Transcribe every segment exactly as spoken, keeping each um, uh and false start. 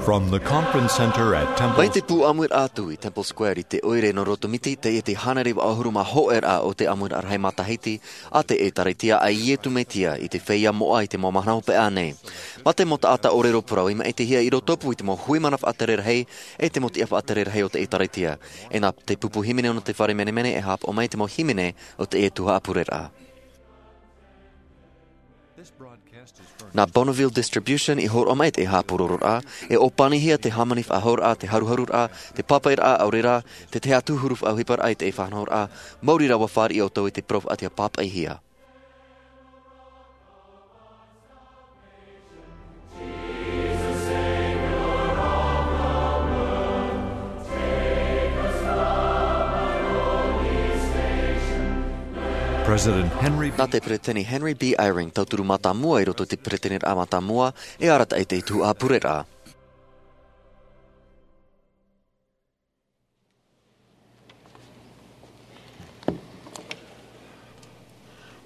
From the conference center at Temple Mai te pū ʻāmuiraʻa atu i Temple Square i te ʻoire nō Rotomiti, teie te hānere vaʻu ʻahuru mā hōʻē raʻa o te ʻāmuiraʻa rahi matahiti a te ʻĒtārētia a Iesu Metia i te feiā moʻa i te mau mahana hopeʻa nei. Mā te mau taʻata ʻōrero parau i maʻitihia i rotopū i te mau hui mana faʻatere rahi e te mau tiʻa faʻatere rahi o te ʻĒtārētia. E nā te pupu hīmene nō te fare menemene e haʻapaʻo mai te mau hīmene o teie tuhaʻa pureraʻa. Nā Bonneville Distribution i hōroʻa mai te haʻapūrororaʻa, e ʻōpanihia te hāmani faʻahou raʻa, te haruharuraʻa, te pāpaʻiraʻa ʻaore rā, te tahi atu huru faʻaʻohiparaʻa i te faʻanahoraʻa, maori rā ʻua fāriʻi ʻoutou i te parau faʻatiʻa pāpaʻihia. President Henry Nā te Peretiteni Henry B. Eyring, tauturu mātāmua i roto i te Peretiteniraʻa mātāmua, e arataʻi i te tuhaʻa pureraʻa.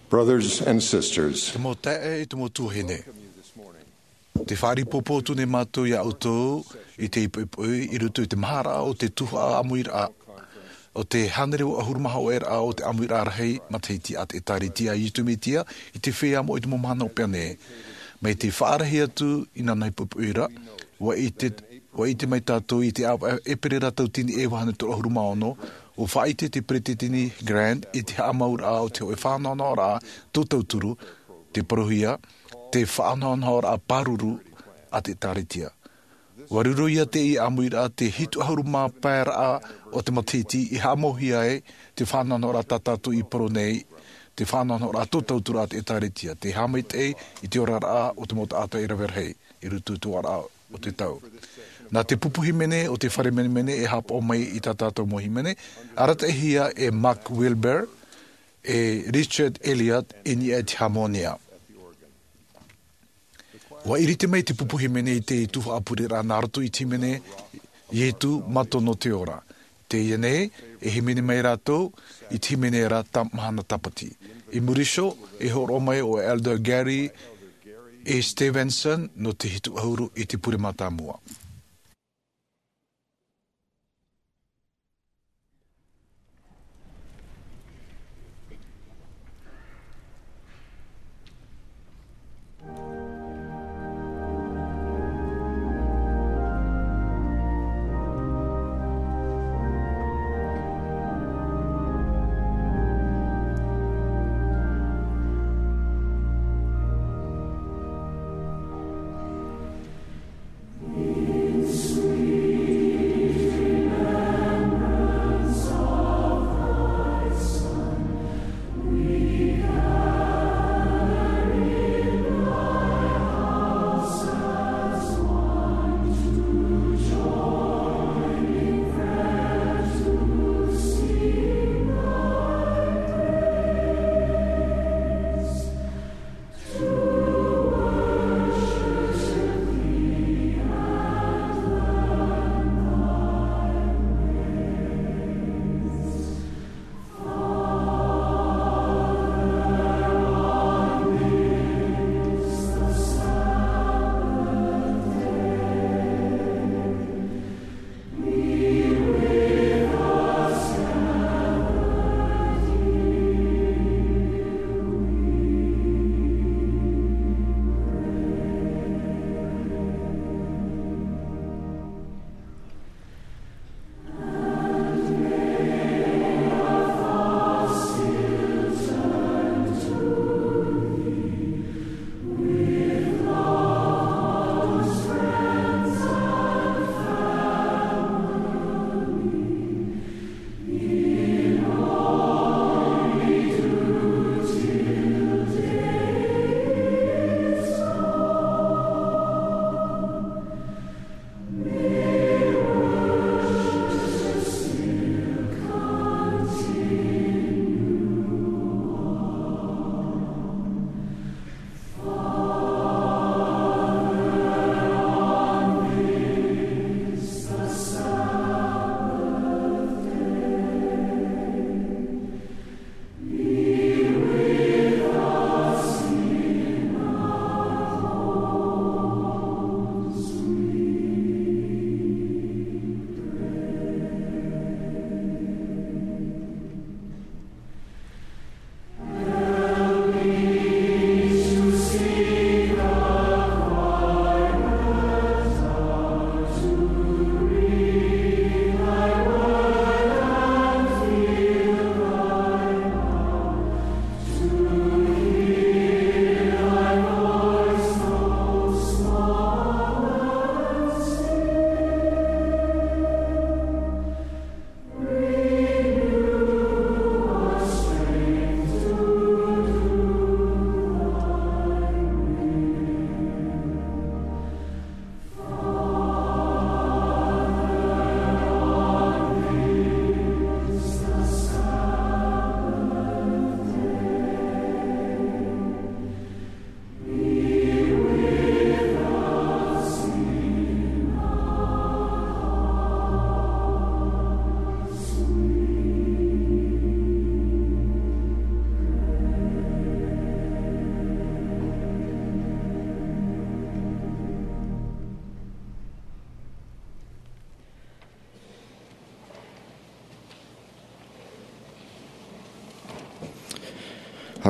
Brothers and sisters, Te mau taeaʻe, te mau tuahine. Te fāriʻi pōpō atu nei mātou iā ʻoutou i te ipoipo i roto i te maharaʻa o te tuhaʻa ʻāmuiraʻa o te hānere vaʻu ʻahuru mā hōʻē raʻa o te ʻāmuiraʻa rahi matahiti a te ʻĒtārētia a Iesu Metia i te feiā moʻa i te mau mahana hopeʻa nei. Mai te faʻarahi atu i nāna ipoipo ra, ʻua ʻite, ʻua ʻite mai tātou i te ʻāvaʻe ʻēperēra tauatini e vaʻu hānere toru ʻahuru mā ono, ʻua faʻaʻite te Peretiteni Grant i te haʻamauraʻa o te hōʻē faʻanahonahoraʻa tō tauturu, te parauhia, te faʻanahonahoraʻa pāruru a te ʻĒtārētia. ʻUa riro ia teie ʻāmuiraʻa te hitu ʻahuru mā pae raʻa o te matahiti i haʻamauhia ai te faʻanahonahoraʻa tā tātou i parau nei, te faʻanahonahoraʻa tō tauturu a te ʻĒtārētia, te haʻamaitaʻi i te oraraʻa o te mau taʻata i rave rahi i roto i te oraraʻa o te tau. Nā te pupu hīmene o te fare menemene e haʻapaʻo mai i tā tātou mau hīmene, arataʻihia e Mark Wilber, e Richard Elliott i niʻa i te hāmōnia. ʻUa ʻiriti mai te pupu hīmene i te tuhaʻa pureraʻa nā roto i te hīmene Iesu, Mataʻi nō te ora. Teie nei, e hīmene mai rātou i te hīmene ra tā Mahana Tāpati. I muri iho, e hōroʻa mai ʻo Elder Gary E. Stevenson nō te hitu ʻahuru i te pure mātāmua.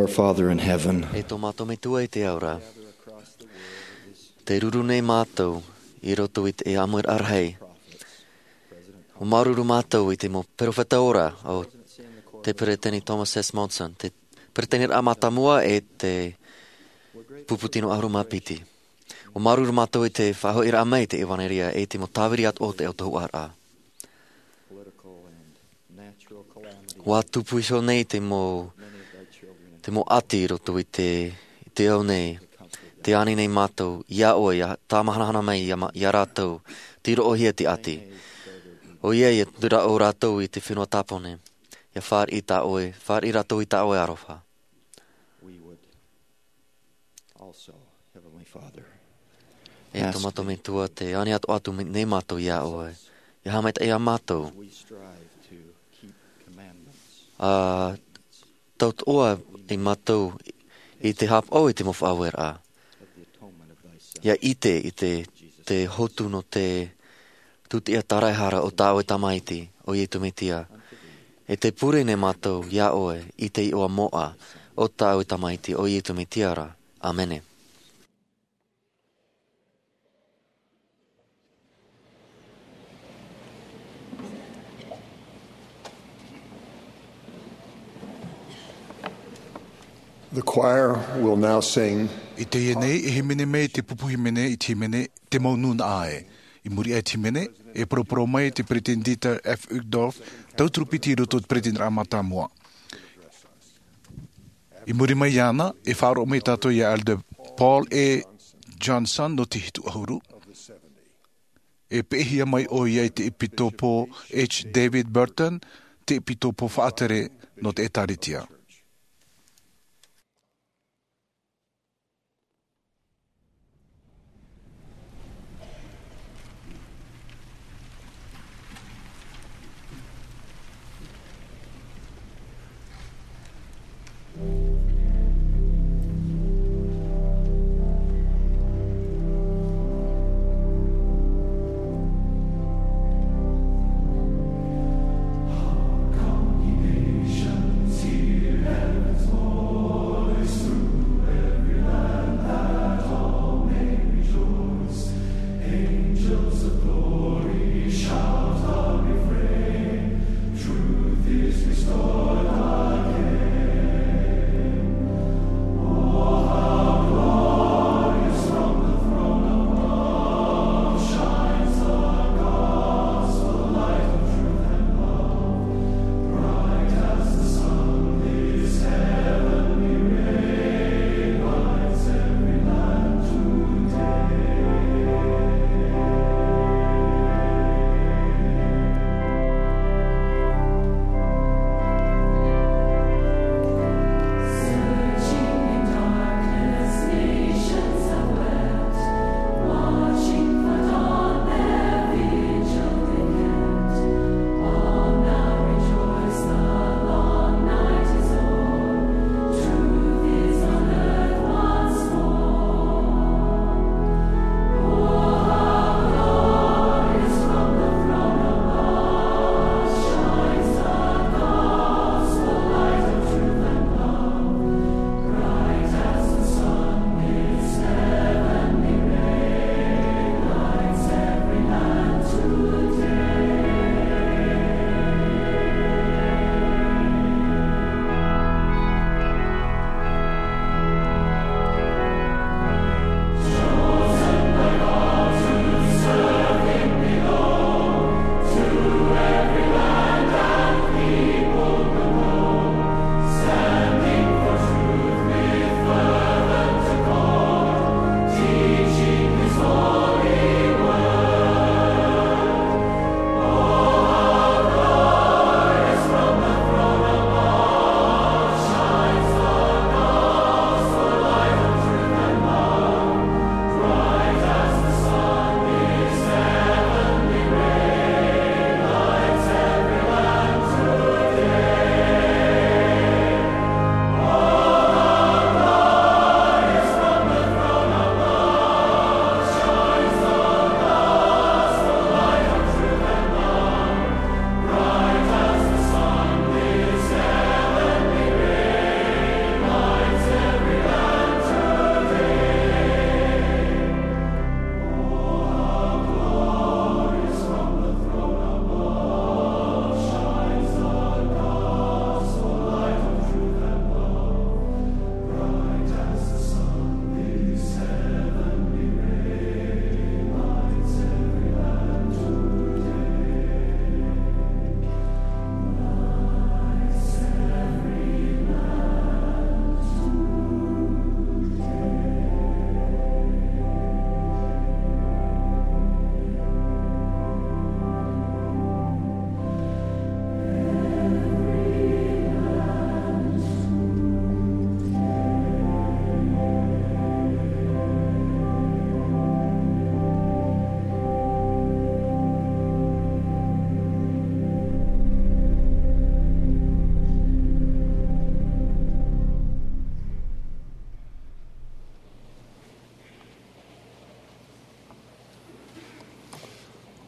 Our Father in heaven. E tō mātou Metua i te ao ra. Tē ruru nei mātou i roto i te ʻāmuiraʻa rahi. ʻUa māuruuru mātou i te mau perofeta ora o te Peresideni Thomas S. Monson, te Peresideniraʻa mātāmua e te pupu tino ʻahuru mā piti. ʻUa māuruuru mātou i te faʻahoʻiraʻa mai i te ʻevanelia e te mau tāviri atoʻa o te autahuʻaraʻa. ʻUa tupu iho nei te mau, te mau ʻati i roto i te, i te ao nei. Tē ani nei mātou iā ʻoe, ʻia tāmahanahana mai iā ma-, iā rātou, tei roʻohia te ʻati. ʻOia, ʻia tūraʻo rātou i te fenua tāpone. ʻIa fāriʻi tā ʻoe, fāriʻi rātou i tā ʻoe aroha. We would also, Heavenly Father, E tō mātou Metua, tē ani atu, atu nei mātou iā ʻoe. ʻIa haʻamaitaʻi iā mātou. We strive to keep commandments. ʻA tautoʻa i mātou i te haʻapaʻo i te mau faʻaueraʻa. ʻIa ʻite i te, te hotu nō te tūtiʻa tāraehara o tā ʻoe Tamaiti, ʻo Iesu Mesia. E tē pure nei mātou iā ʻoe i te iʻoa moʻa o tā ʻoe Tamaiti, ʻo Iesu Mesia ra. ʻĀmene. The choir will now sing. I teie nei, e hīmene mai te pupu hīmene i te hīmene, Te Mau Nūnaʻa Ē. I muri aʻe i te hīmene, e poroporo mai te Peresideni Dieter F. Uchtdorf, tauturu piti i roto i te Peresideniraʻa mātāmua. I muri mai iāna, e faʻaroʻo mai tātou iā Elder Paul A. Johnson nō te hitu ʻahuru. E peʻehia mai ʻoia i te ʻEpitopō H. David Burton, te ʻEpitopō faʻatere nō te ʻĒtārētia.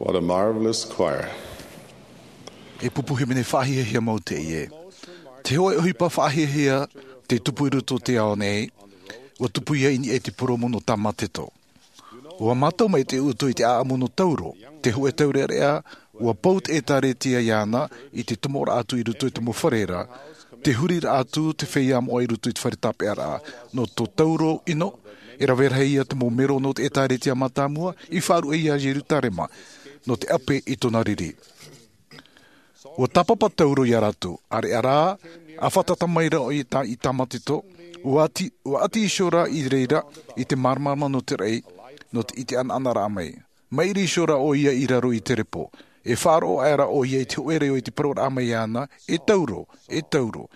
What a marvelous choir. E pupu hīmene faʻahiahia mau teie. Te hōʻē ʻohipa faʻahiahia tei tupu i roto i te ao nei, ua tupu ia i niʻa i te purōmu nō Tāmateto. Ua mātau mai te utu i te ʻāʻamu nō Tauro, te hōʻē taureʻareʻa, ua pau te ʻĒtāretia iāna i te tomoraʻa atu i roto i te mau fare ra, te huriraʻa atu te feiā moʻa i roto i te fare tāpeʻaraʻa. Nō tō Tauro ʻino, e rave rahi ia te mau mero nō te ʻĒtāretia mātāmua i faʻaruʻe ia Ierutarema, nō te ʻape i tōna riri. Ua tāpapa Tauro ia rātou, ʻāreʻa rā, ʻa fātata mai ra i tā, i Tāmateto, ua ʻati, ua ʻati iho ra i reira, i te māramarama nō te raʻi, nō te, i te ʻanaʻanaraʻa mai. Maʻiri iho ra ʻoia i raro i te repo. E faʻaroʻo aʻera ʻoia i te hōʻē reo i te paroraʻa mai iāna, "E Tauro, e Tauro,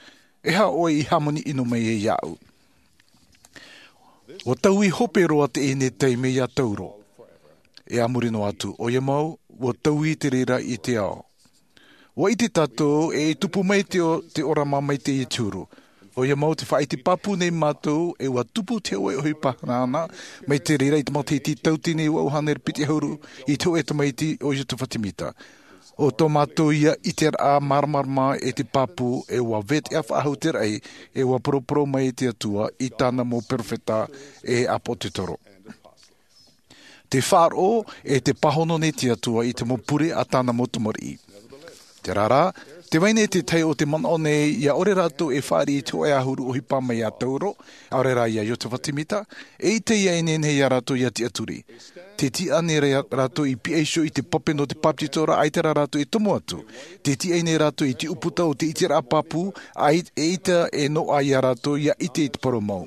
e aha ʻoe i hāmani ʻino mai ai iāʻu?" Ua taui hope roa teie taime ia Tauro. E a muri noa atu, ʻoia mau, ua taui te reira i te ao. Ua ʻite tātou, e tupu mai te o-, te ʻōrama mai teie te huru. ʻOia mau te faʻaʻite pāpū nei mātou, e ua tupu te hōʻē ʻohipa hanahana, mai te reira i te matahiti tauatini vaʻu hānere piti ʻahuru, i te hōʻē tamaiti ʻo Iotefa Tēmita. ʻO tō mātou ia ʻiteraʻa māramarama e te pāpū, e ua veteʻa faʻahou te raʻi, e ua poroporo mai te Atua i tāna mau perofeta e ʻāpōsetolo. Te faʻaroʻo e te pāhono nei te Atua i te mau pure a tāna mau tamariʻi. Terā rā, tē vai nei te tahi o te manaʻo nei, ʻia ʻore rātou e fāriʻi i te hōʻē ʻahuru ʻohipa mai iā Tauro, ʻaore rā iā Iotefa Tēmita, e ʻite ia e nehenehe ia rātou ʻia tiʻaturi. Tē tiʻa nei rā-, rātou i pihaʻi iho i te pape nō te bāpetizoraʻa, ʻaita rā rātou e tomo atu. Tē tiʻa nei rātou i te ʻūputa o te ʻiteraʻa pāpū, ʻai-, e ʻaita e noaʻa ia rātou ʻia ʻite i te parau mau.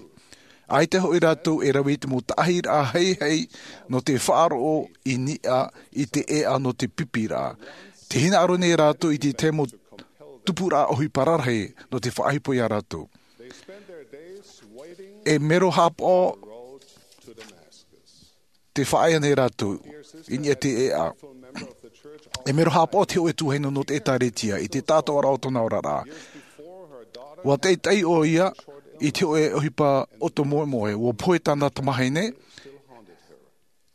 ʻAita hoʻi rātou e rave i te mau taʻahiraʻa haihai nō te faʻaroʻo i niʻa i te ʻēʻa nō te pipiraʻa. Tē hinaʻaro nei rātou i te tahi mau tupuraʻa ʻohipa rarahi nō te faʻaʻohipa ia rātou. E mero haʻapaʻo te faʻaea nei rātou i niʻa i te ʻēʻa. E mero haʻapaʻo te hōʻē tuahine nō te ʻĒtāretia i te taʻatoʻaraʻa o tōna oraraʻa. Ua taʻitaʻi ʻoia i te hōʻē ʻohipa ʻoto moemoe, ua pohe tāna tamahine,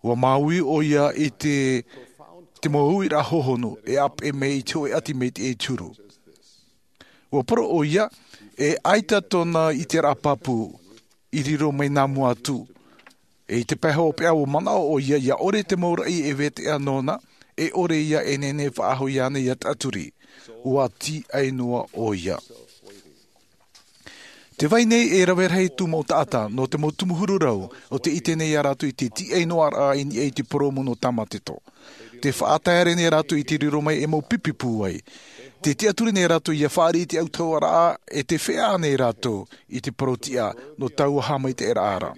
ua māuiui ʻoia i te, te mau uiraʻa hōhonu e ʻāpeʻe mai i te hōʻē ʻati mai teie te huru. Ua parau ʻoia, e ʻaita tōna ʻiteraʻa pāpū i riro mai nā mua atu. E i te pae hopeʻa ua manaʻo ʻoia, ʻia ʻore te mau raʻi e veteʻa nōna, e ʻore ia e nehenehe faʻahou iāna ʻia tiʻaturi. Ua tiʻai noa ʻoia. Tē vai nei e rave rahi tū mau taʻata, nō te mau tumu huru rau, ʻo tē ʻite nei ia rātou i te tiʻai noa ra i niʻa i te purōmu nō Tāmateto. Tē faʻatae nei rātou i te riro mai e mau pipi pūai. Tē tiʻaturi nei rātou ʻia fāriʻi i te autahuʻaraʻa, e tē feiā nei rātou i te parau tiʻa nō taua haʻamaitaʻiraʻa ra.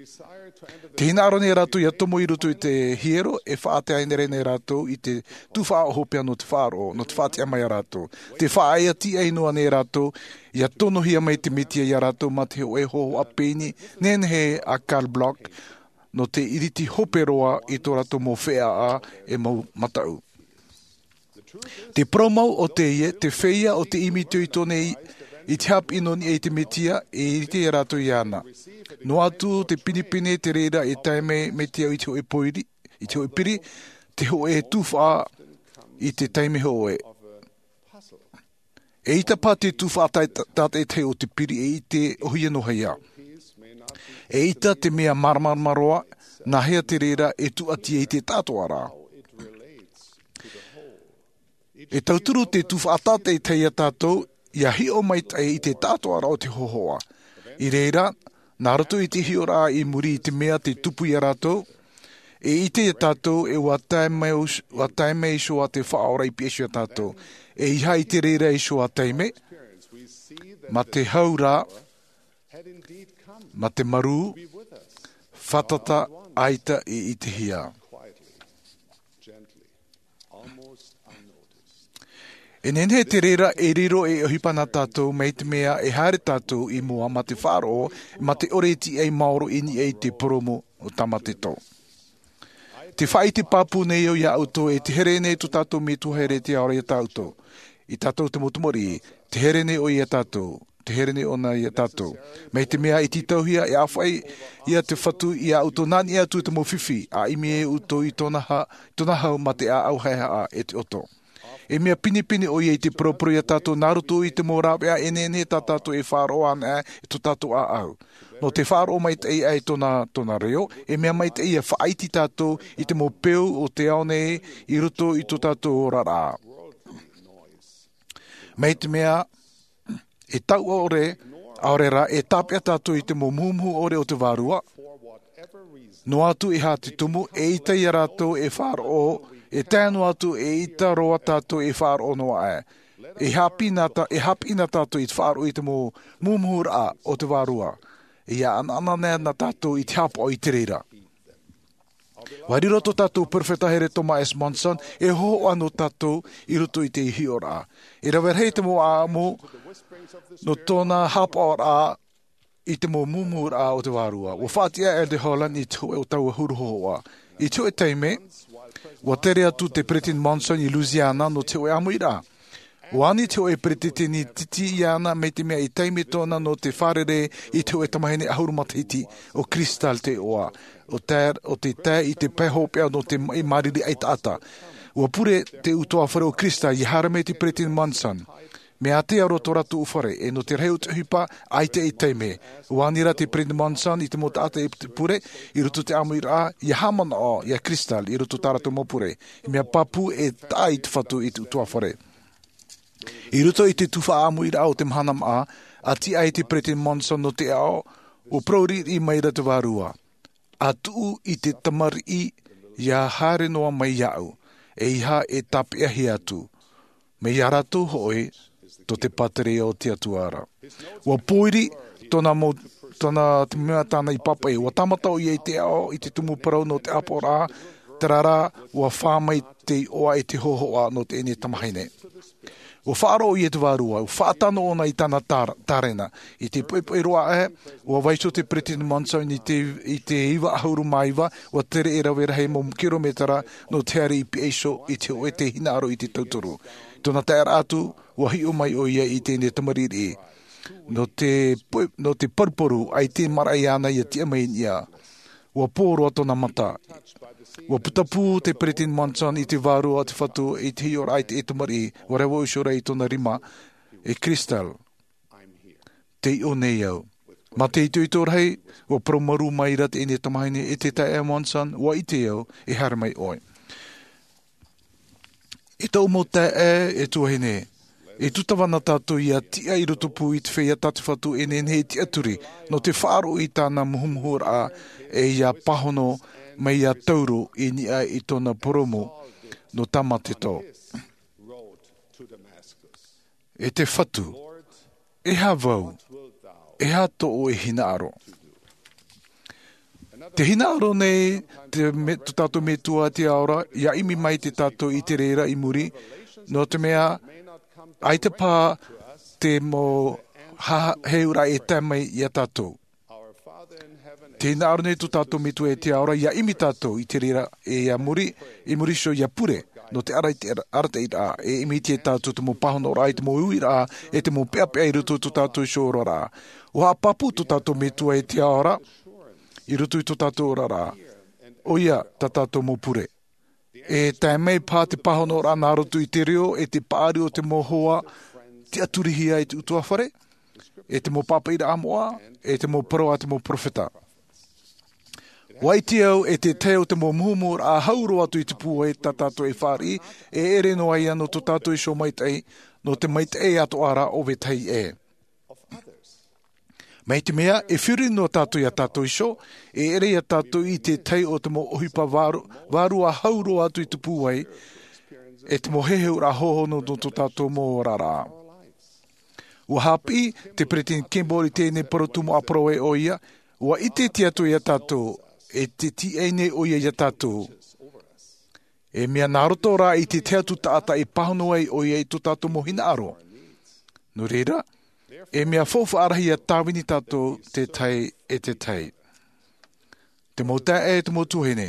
Tē hinaʻaro nei rātou ʻia tomo i roto i te hiero, e faʻatae nei rātou i te tuhaʻa hopeʻa nō te faʻaroʻo, nō te faʻatiʻa mai ia rātou. Tē faʻaea tiʻai noa nei rātou, ʻia tonohia mai te Mesia ia rātou mā te hōʻē hōhoʻa pēni nehenehe a Karl Bloch, nō te iriti hope roa i tō rātou mau feiā e mau mataʻu. Te parau mau ʻo teie, te feiā ʻo tē ʻimi itoito nei i te haʻapiʻi nō niʻa i te Mesia, e iriti ia rātou iāna. Noa atu te pinepine te reira e tae mai, mai te au i te hōʻē pōiri, i te hōʻē piri, te hōʻē tuhaʻa i te taime hōʻē. ʻEita paha te tuhaʻa tā-, tātaʻitahi o te piri e ʻite ʻohia nō hea. ʻEita te mea māramarama roa, nā hea te reira e tūʻati ai te taʻatoʻaraʻa. E tauturu te tuhaʻa tātaʻitahi ia tātou, ʻia hiʻo maitaʻi i te taʻatoʻaraʻa o te hōhoʻa. I reira, nā roto i te hiʻoraʻa i muri i te mea tē tupu ia rātou, e ʻite ia tātou, e ua tae mai, ua tae mai iho ā te Faʻaora i pihaʻi iho ia tātou. E ʻeiaha i te reira iho ā taime, mā te hau rā, mā te marū, fātata ʻaita i ʻitehia. E nehenehe te reira e riro ei ʻohipa nā tātou, mai te mea e haere tātou i mua mā te faʻaroʻo, mā te ʻore e tiʻa maoro i niʻa i te purōmu o Tāmateto. Te faʻaʻite pāpū nei au ia ʻoutou, e te here nei tō tātou Metua here te ao ia tātou. I tātou te mau tamariʻi, te here nei ʻoe ia tātou. Te here nei ʻōna iā tātou. Mai te mea i tītauhia e ʻāfaʻi ia te Fatu iā ʻoutou nā niʻa atu i te mau fifi, a ʻimi e ʻoutou i tōna ha-, i tōna hau mā te ʻāʻau haʻehaʻa e te ʻoto. E mea pinepine ʻoia i te poroporo iā tātou nā roto i te mau rāveʻa e nehenehe tā tātou e faʻaroʻo ana i tō tātou ʻāʻau. Nō te faʻaroʻo maitaʻi i tōna, tōna reo, e mea maitaʻi ia faʻaiti tātou i te mau peu o te ao nei i roto i tō tātou oraraʻa. Mai te mea, e tau ʻore, ʻaore rā, e tāpeʻa tātou i te mau muhumuhu ʻore o te Vārua. Noa atu e aha te tumu, e ʻita iā rātou e faʻaroʻo, e tae noa atu e ʻita roa tātou e faʻaroʻo noa aʻe. E haʻapiʻi na tā-, e haʻapiʻi na tātou i te faʻaroʻo i te mau muhumuhuraʻa o te Vārua. E ʻanaʻanatae na tātou i te haʻapaʻo i te reira. ʻUa riro tō tātou perofeta here Thomas S. Monson, e hōhoʻa nō tātou i roto i te hiʻoraʻa. E rave rahi te mau ʻāʻamu nō tōna haʻapaʻoraʻa i te mau muhumuhuraʻa o te Vārua. ʻUa faʻatiʻa e Elder Holland i te hōʻē o taua huru hōhoʻa. I te hōʻē taime, ʻua tere atu te Peresideni Monson i Louisiana nō te hōʻē ʻāmuiraʻa. ʻUa ani te hōʻē peresideni titi iāna mai te mea i taime tōna nō te fārerei i te hōʻē tamahine ʻahuru matahiti, ʻo Crystal te iʻoa, ʻo tae, ʻo te tae i te pae hopeʻa nō te maʻi māriri ʻaitaʻata. ʻUa pure te ʻutuāfare ʻo Crystal ia haere mai te Peresideni Monson. Mea ātea roa tō rātou fare, e nō te rahi o te ʻohipa, ʻaita e taime. ʻUa ani rā te Peresideni Monson i te mau taʻata e pure, i roto i te ʻāmuiraʻa, ia haʻamanaʻo iā Crystal, i roto i tā rātou mau pure. Mea pāpū e taʻa i te Fatu i te ʻutuāfare. I roto i te tuhaʻa ʻāmuiraʻa o te mahana maʻa, ʻua tiʻa ai te Peresideni Monson nō te aʻo, ʻua parau riʻiriʻi maira te Vārua. ʻA tuʻu i te tamariʻi ia haere noa mai iāʻu, ʻeiaha e tāpeʻahia atu. Mai iā rātou hoʻi, tō te pātireia o te Atua ra. ʻUa pōiri tōna mau, tōna te mea tāna i pāpaʻi. ʻUa tāmata ʻoia i te aʻo, i te tumu parau nō te ʻāpoʻoraʻa, terā rā, ʻua fā mai te iʻoa e te hōhoʻa nō teie nei tamahine. ʻUa faʻaroʻo ʻoia i te Vārua, ʻua faʻatano ʻōna i tāna tāra-, tārena. I te poʻipoʻi roa aʻe, ʻua vaiiho te Peresideni Monson i te, i te iva ʻahuru mā iva, ʻua tere e rave rahi mau kirometera nō te haere i Piaiso i te hōʻē hinaʻaro i te tauturu. Tōna taeraʻa atu, ʻua hiʻo mai ʻoia i teie nei tamariʻi. Nō te poʻi-, nō te paruparu, ʻaita e maraʻa iāna ia tiʻa mai i niʻa. ʻUa pō roa tōna mata. ʻUa putapū te Peresideni Monson i te Vārua a te Fatu i te hiʻoraʻa i te tamariʻi, ʻua rave iho ra i tōna rima, e Crystal, tei ʻō nei au. Mā te itoito rahi, ʻua parau marū maira teie nei tamahine, e te taeaʻe Monson, ʻua ʻite au, e haere mai ʻoe. E tōʻu mau taeaʻe, e tuahine, e tūtava na tātou ia tiʻa i roto pū i te feiā tā te Fatu e nehenehe e tiʻaturi, nō te faʻaroʻo i tāna muhumuhuraʻa, e ia pāhono mai ia Tauro i niʻa i tōna purōmu, nō Tāmateto. E te Fatu, e aha vau, e aha tōʻu e hinaʻaro? Te hinaʻaro nei te me-, tō tātou Metua te ao ra, ia ʻimi mai te tātou i te reira i muri, nō te mea, ʻaita paha te mau ha-, heheuraʻa e tae mai iā tātou. Te hinaʻaro nei tō tātou Metua e te ao ra, ia ʻimi tātou i te reira e ia muri, i muri iho ia pure, nō te arataʻi-, arataʻiraʻa, e ʻimi te tātou te mau pāhonoraʻa, i te mau uiraʻa, e te mau peʻapeʻa i roto i tō tātou iho oraraʻa. ʻUa haʻapāpū tō tātou Metua e te ao ra, i roto i tō tātou oraraʻa. ʻOia, tā tātou mau pure. E tae mai paha te pāhonoraʻa nā roto i te reo, e te paʻari o te mau hoa, tiʻaturihia e te ʻutuāfare, e te mau pāpaʻiraʻa moʻa, e te mau parau a te mau perofeta. ʻUa ʻite au, e te tahi o te mau muhumuhuraʻa hau roa atu i te pūai tā tātou e fāriʻi, e ʻere noa ia nō tō tātou iho maitaʻi, nō te maitaʻi atoʻa ra o vetahi ʻē. Mai te mea, e feruri noa tātou iā tātou iho, e ʻere iā tātou i te tahi o te mau ʻohipa vāru-, vārua hau roa atu i te pūai, e te mau heheuraʻa hōhonu nō tō tātou mau oraraʻa. ʻUa haʻapiʻi te Peresideni Kimball i teie nei parau tumu ʻāparau ē ʻoia, ʻua ʻite te Atua iā tātou, e te tīaʻi nei ʻoia iā tātou. E mea nā roto rā i te tahi atu taʻata e pāhono ai ʻoia i tō tātou mau hinaʻaro. Nō reira, e mea faufaʻa rahi ia tāvini tātou te tahi e te tahi. Te mau taeaʻe, te mau tuahine.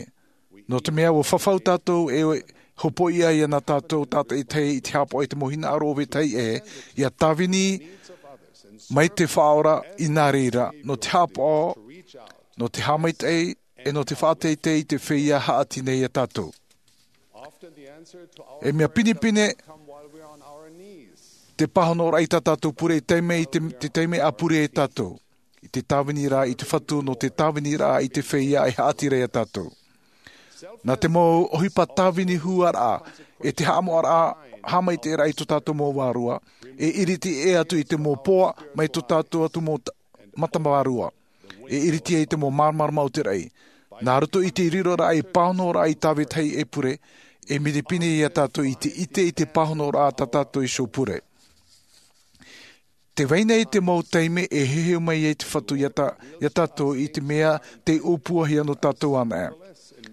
Nō te mea ʻua fafau tātou e hōpoiʻa ia nā tātou tātaʻitahi i te haʻapaʻo i te mau hinaʻaro o vetahi ʻē, ia tāvini Mai te Faʻaora i nā reira, nō te haʻapaʻo, nō te haʻamaitaʻi, e nō te faʻateitei i te feiā haʻati nei iā tātou. E mea pinepine te pāhonoraʻa i tā tātou pure i taime, i te, te taime a pure e tātou. I te tāvini rā i te Fatu, nō te tāvini rā i te feiā e haʻati ra iā tātou. Nā te mau ʻohipa tāvini huaraʻa, e te haʻamoʻaraʻa, haʻamaitaʻiraʻa i tō tātou mau vārua, e iriti ʻē atu i te mau poa mai tō tātou atu mau ta-, mata vārua. E iriti ai te mau māramarama o te raʻi. Nā roto i te riroraʻa i pāhonoraʻa i tāvini e pure, e pinepine iā tātou i te ʻite i te pāhonoraʻa tā tātou iho pure. Tē vai nei te mau taime e heheu mai ai te Fatu iā tā-, iā tātou i te mea tei ʻōpuahia nō tātou anaʻe.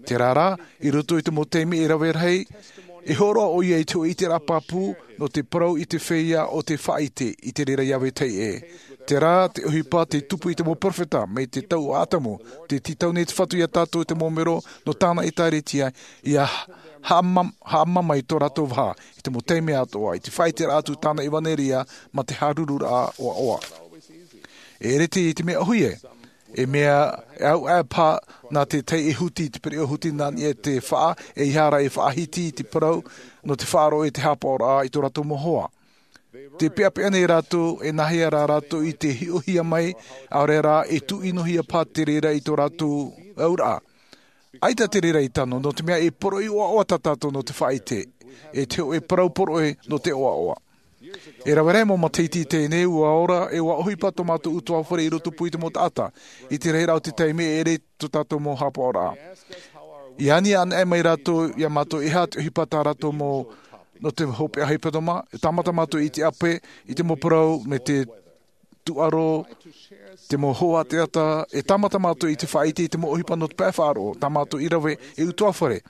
Terā rā, i roto i te mau taime e rave rahi, e hōroʻa ʻoia i te hōʻē ʻiteraʻa pāpū, nō te parau i te feiā ʻo tē faʻaʻite i te reira iā vetahi ʻē. Terā te ʻohipa tei tupu i te mau peropheta, mai te tau o Atamu, tē tītau nei te Fatu iā tātou te mau mero, nō tāna ʻēkālesia, ʻia haʻamam-, haʻamama i tō rātou vaha, i te mau taime atoʻa, i te faʻaʻiteraʻa atu tāna ʻevanelia, mā te hārururaʻa ʻoaʻoa. E ʻere te, i te mea ʻōhie, e mea e au ʻē paha nā te tahi e huti i te pereʻoʻo huti nā niʻa i te faʻa, ʻeiaha rā e faʻahiti i te parau, nō te faʻaroʻo i te haʻapaʻoraʻa i tō rātou mau hoa. Tē peʻapeʻa nei rātou, e nāhea rā rātou i te hiʻohia mai, ʻaore rā, e tūʻinohia paha te reira i tō rātou auraʻa. ʻAita te reira i tano, nō te mea e poroʻi ʻoaʻoa tā tātou nō te faʻaʻite, e te hōʻē parau poroʻi nō te ʻoaʻoa. E rave rahi mau matahiti i teie nei, ʻua ora, e ʻua ʻohipa tō mātou ʻutuāfare i roto pū i te mau taʻata, i te rahiraʻa o te taime e ʻere tō tātou mau haʻapaʻoraʻa. I ani anaʻe mai rātou iā mātou e aha te ʻohipa tā rātou mau, nō te hopeʻa hepetoma, e tāmata mātou i te ʻape, i te mau parau, me te tūʻaro, te mau hoa taʻata, e tāmata mātou i te faʻaʻite i te mau ʻohipa nō te pae faʻaroʻo, tā mātou i rave, e ʻutuāfare.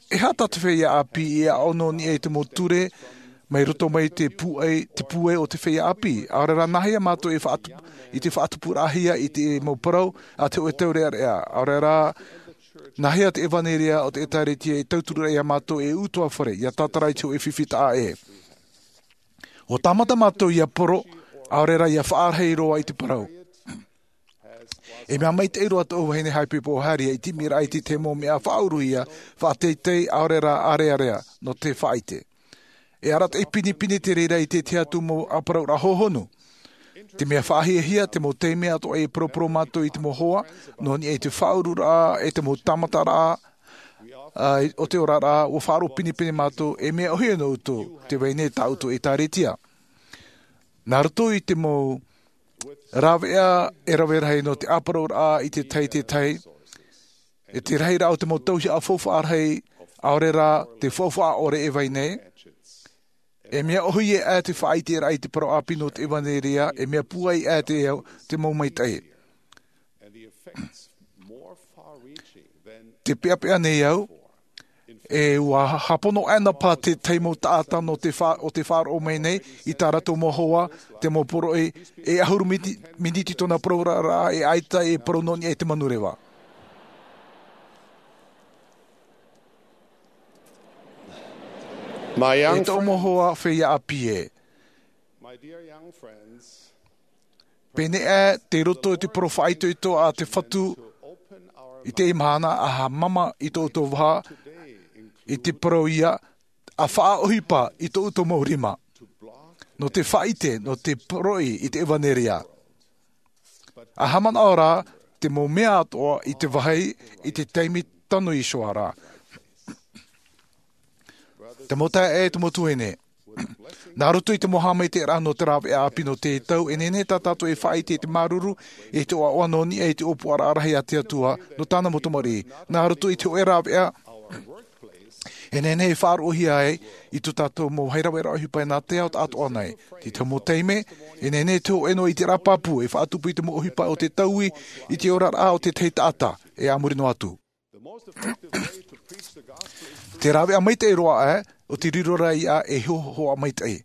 E aha tā te feiā ʻāpī i aʻo nō niʻa i te mau ture, mai roto mai te pūai, te pūai o te feiā ʻāpī. ʻAore rā nāhea mātou e faʻatu-, i te faʻatupuraʻahia i te mau parau, a te hōʻē taureʻareʻa. ʻAore rā, nāhea te ʻevanelia o te ʻēkālesia e tauturu ra iā mātou e ʻutuāfare, ʻia tātara i te hōʻē fifi taʻa ʻē. ʻUa tāmata mātou ʻia poro, ʻaore rā ʻia faʻarahi roa i te parau. E mea maitaʻi roa tōʻu vahine haʻapiʻiraʻa o Harry i te ʻimiraʻa i te tahi mau mea faʻauruhia, faʻateitei, ʻaore rā ʻārearea, nō te faʻaʻite. E arataʻi pinepine te reira i te tahi atu mau ʻāparauraʻa hōhonu. Te mea faʻahiahia, te mau taime atoʻa e poroporo mātou i te mau hoa, nō niʻa i te faʻaururaʻa, e te mau tāmataraʻa, ā, o te oraraʻa, ʻua faʻaroʻo pinepine mātou, e mea ʻōhie nō ʻoutou, tē vai nei tā ʻoutou ʻēkālesia. Nā roto i te mau rāveʻa e rave rahi nō te ʻāparauraʻa i te tahi, te tahi, e te rahiraʻa o te mau tauihaʻa faufaʻa rahi, ʻaore rā te faufaʻa ʻore e vai nei, e mea ʻōhie aʻe te faʻaʻiteraʻa i te parau ʻāpī nō te ʻevanelia, e mea pūai aʻe te, te mau maitaʻi. Tē peʻapeʻa nei au, e ʻua hāpono aʻena paha te tahi mau taʻata nō te fa-, ʻo tē faʻaroʻo mai nei, i tā rātou mau hoa, te mau poroʻi, e ʻahuru miti-, miniti tōna parau ra, ra, e ʻaita e parau nō niʻa i te manureva. My young E tōʻu mau hoa feiā ʻāpī ē. My dear young friends, Pēnei aʻe te roto i te parau faʻaitoito a te Fatu i teie mahana, ʻa haʻamama i tō ʻoutou vaha, i te parau ia, ʻa faʻaʻohipa i tō ʻoutou mau rima. Nō te faʻaʻite, nō te poroʻi i te ʻevanelia. ʻA haʻamanaʻo rā, te mau mea atoʻa i te vāhi, i te taime tano iho ā rā. Te mau taeaʻe, te mau tuahine. Nā roto i te mau haʻamaitaʻiraʻa nō te rāveʻa ʻāpī nō teie tau, e nehenehe tā tātou e faʻaʻite i te māuruuru, i te ʻoaʻoa nō niʻa i te ʻōpuaraʻa rahi a te Atua, nō tāna mau tamariʻi. Nā roto i te hōʻē rāveʻa, e nehenehe e faʻaroʻohia ai, i tō tātou mau haʻavāraʻa ʻohipa nā te ao taʻatoʻa nei. I te mau taime, e nehenehe te hōʻē noa ʻiteraʻa pāpū, e faʻatupu i te mau ʻohipa o te taui, i te oraraʻa o te tahi taʻata, e a muri noa atu. Te rāveʻa maitaʻi roa aʻe, ʻo te riro ra ia e hōhoʻa maitaʻi.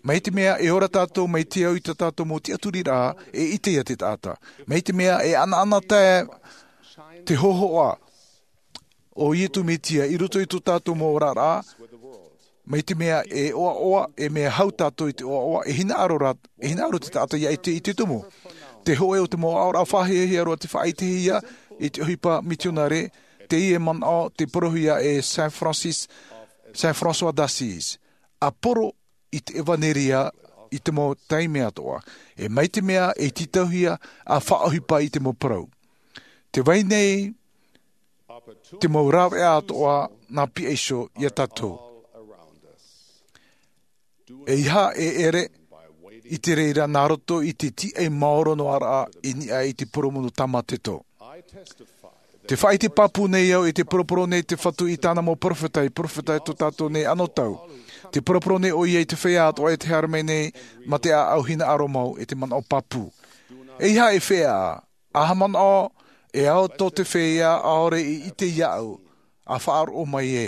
Mai te mea e ora tātou mai te au i tā tātou mau tiʻaturiraʻa, e ʻite ia te taʻata. Mai te mea e ʻanaʻanatae te hōhoʻa o Iesu Mesia i roto i tō tātou mau oraraʻa, Mai te mea e ʻoaʻoa, e mea hau tātou i te ʻoaʻoa, e hinaʻaro rā, e hinaʻaro te taʻata ia ʻite i te tumu. Te hōʻē o te mau aʻoraʻa faʻahiahia roa te faʻaʻitehia i te ʻohipa mitionare, teie manaʻo tei parauhia e Saint Francis, Saint François d'Assise. ʻA poro i te ʻevanelia i te mau taime atoʻa. E mai te mea e tītauhia ʻa faʻaʻohipa i te mau parau. Tē vai nei te mau rāveʻa atoʻa nā pihaʻiho ia tātou. E aha e ʻere i te reira nā roto i te tīaʻi maoro noa raʻa i niʻa i te poromu nō Tāmateto. Tē faʻaʻite pāpū nei au i te poroporo nei te Fatu i tāna mau peropheta, i peropheta tō tātou nei anotau. Tē poroporo nei ʻoia i te feiā atoʻa e te haere mai nei mā te ʻāʻau hinaʻaro mau e te manaʻo pāpū. E aha e feiā, ʻa haʻamanaʻo e ao tō te feiā ʻaore i ʻite iāʻu, ʻa faʻaroʻo mai ē.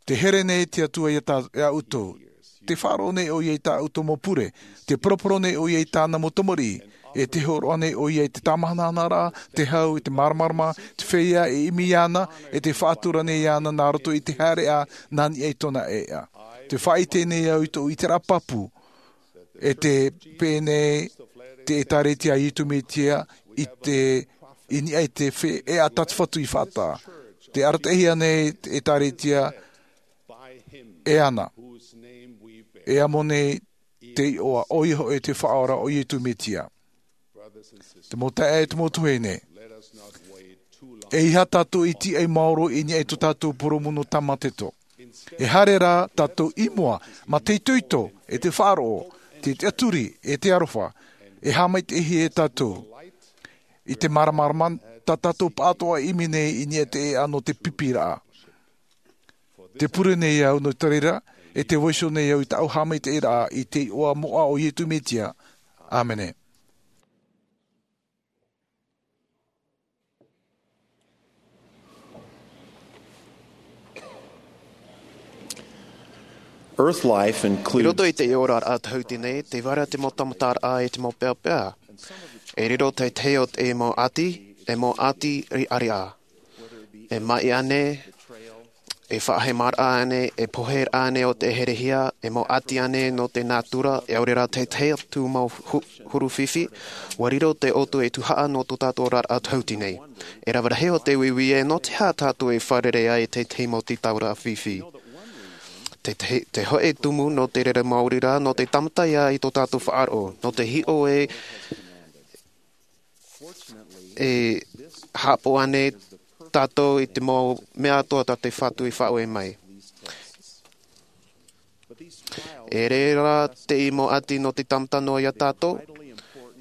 Tē here nei te Atua ia tā, ia ʻoutou. Tē faʻaroʻo nei ʻoia i tā ʻoutou mau pure. Tē poroporo nei ʻoia i tāna mau tamariʻi. E tē hōroʻa nei ʻoia i te tāmahanahana, te hau, i te māramarama, te feiā e ʻimi iāna, e tē faʻatura nei iāna nā roto i te haereʻa nā niʻa i tōna ʻēʻa. Tē faʻaʻite nei au i tōʻu ʻiteraʻa pāpū, e tē pēnei te ʻĒtārētia a Iesu Mesia i te, i niʻa i te fe-, ʻēʻa tā te Fatu i faʻataʻa. Tē arataʻihia nei te ʻĒtārētia e ana. E amo nei te iʻoa, ʻoia hoʻi te Faʻaora o Iesu Mesia. Te mau taeaʻe, te mau tuahine. E aha tātou i tīaʻi maoro i niʻa i tō tātou poromu nō Tāmateto. E haere rā tātou i mua, mā te itoito, e te faʻaroʻo, te tiʻaturi, e te aroha, e haʻamaitaʻihia e tātou. I te māramarama, tā tātou pāʻatoʻa i ʻimi nei i niʻa i te ʻēʻa nō te pipiraʻa. Tē pure nei au nō te reira, e tē vaiiho nei au i tāʻu haʻamaitaʻiraʻa i te iʻoa moʻa o Iesu Mesia. ʻĀmene. Earth life includes I roto i te oraraʻa tahiti nei, tē vai ra te mau tāmataraʻa e te mau peapea. E riro te tahi o te mau ʻati, e mau ʻati riʻariʻa. E maʻi ānei, e faʻahemaraʻa ānei, e pohe ānei o te herehia, e mau ʻati ānei nō te nātura, e ʻaore rā te tahi atu mau hu-, huru fifi, ʻua riro te ʻōtou e tuhaʻa nō tō tātou oraraʻa tahiti nei. E rave rahi o te uiui ē, nō te aha tātou e fārerei ai i te tahi mau tītauraʻa fifi. Te, te, te hōʻē tumu nō te reira maori rā, nō te tāmata ia i tō tātou faʻaroʻo, nō te hiʻo ē, e haʻapaʻo ānei tātou i te mau mea atoʻa tā te Fatu i faʻaue mai. E reira te mau ʻati nō te tāmata noa ia tātou,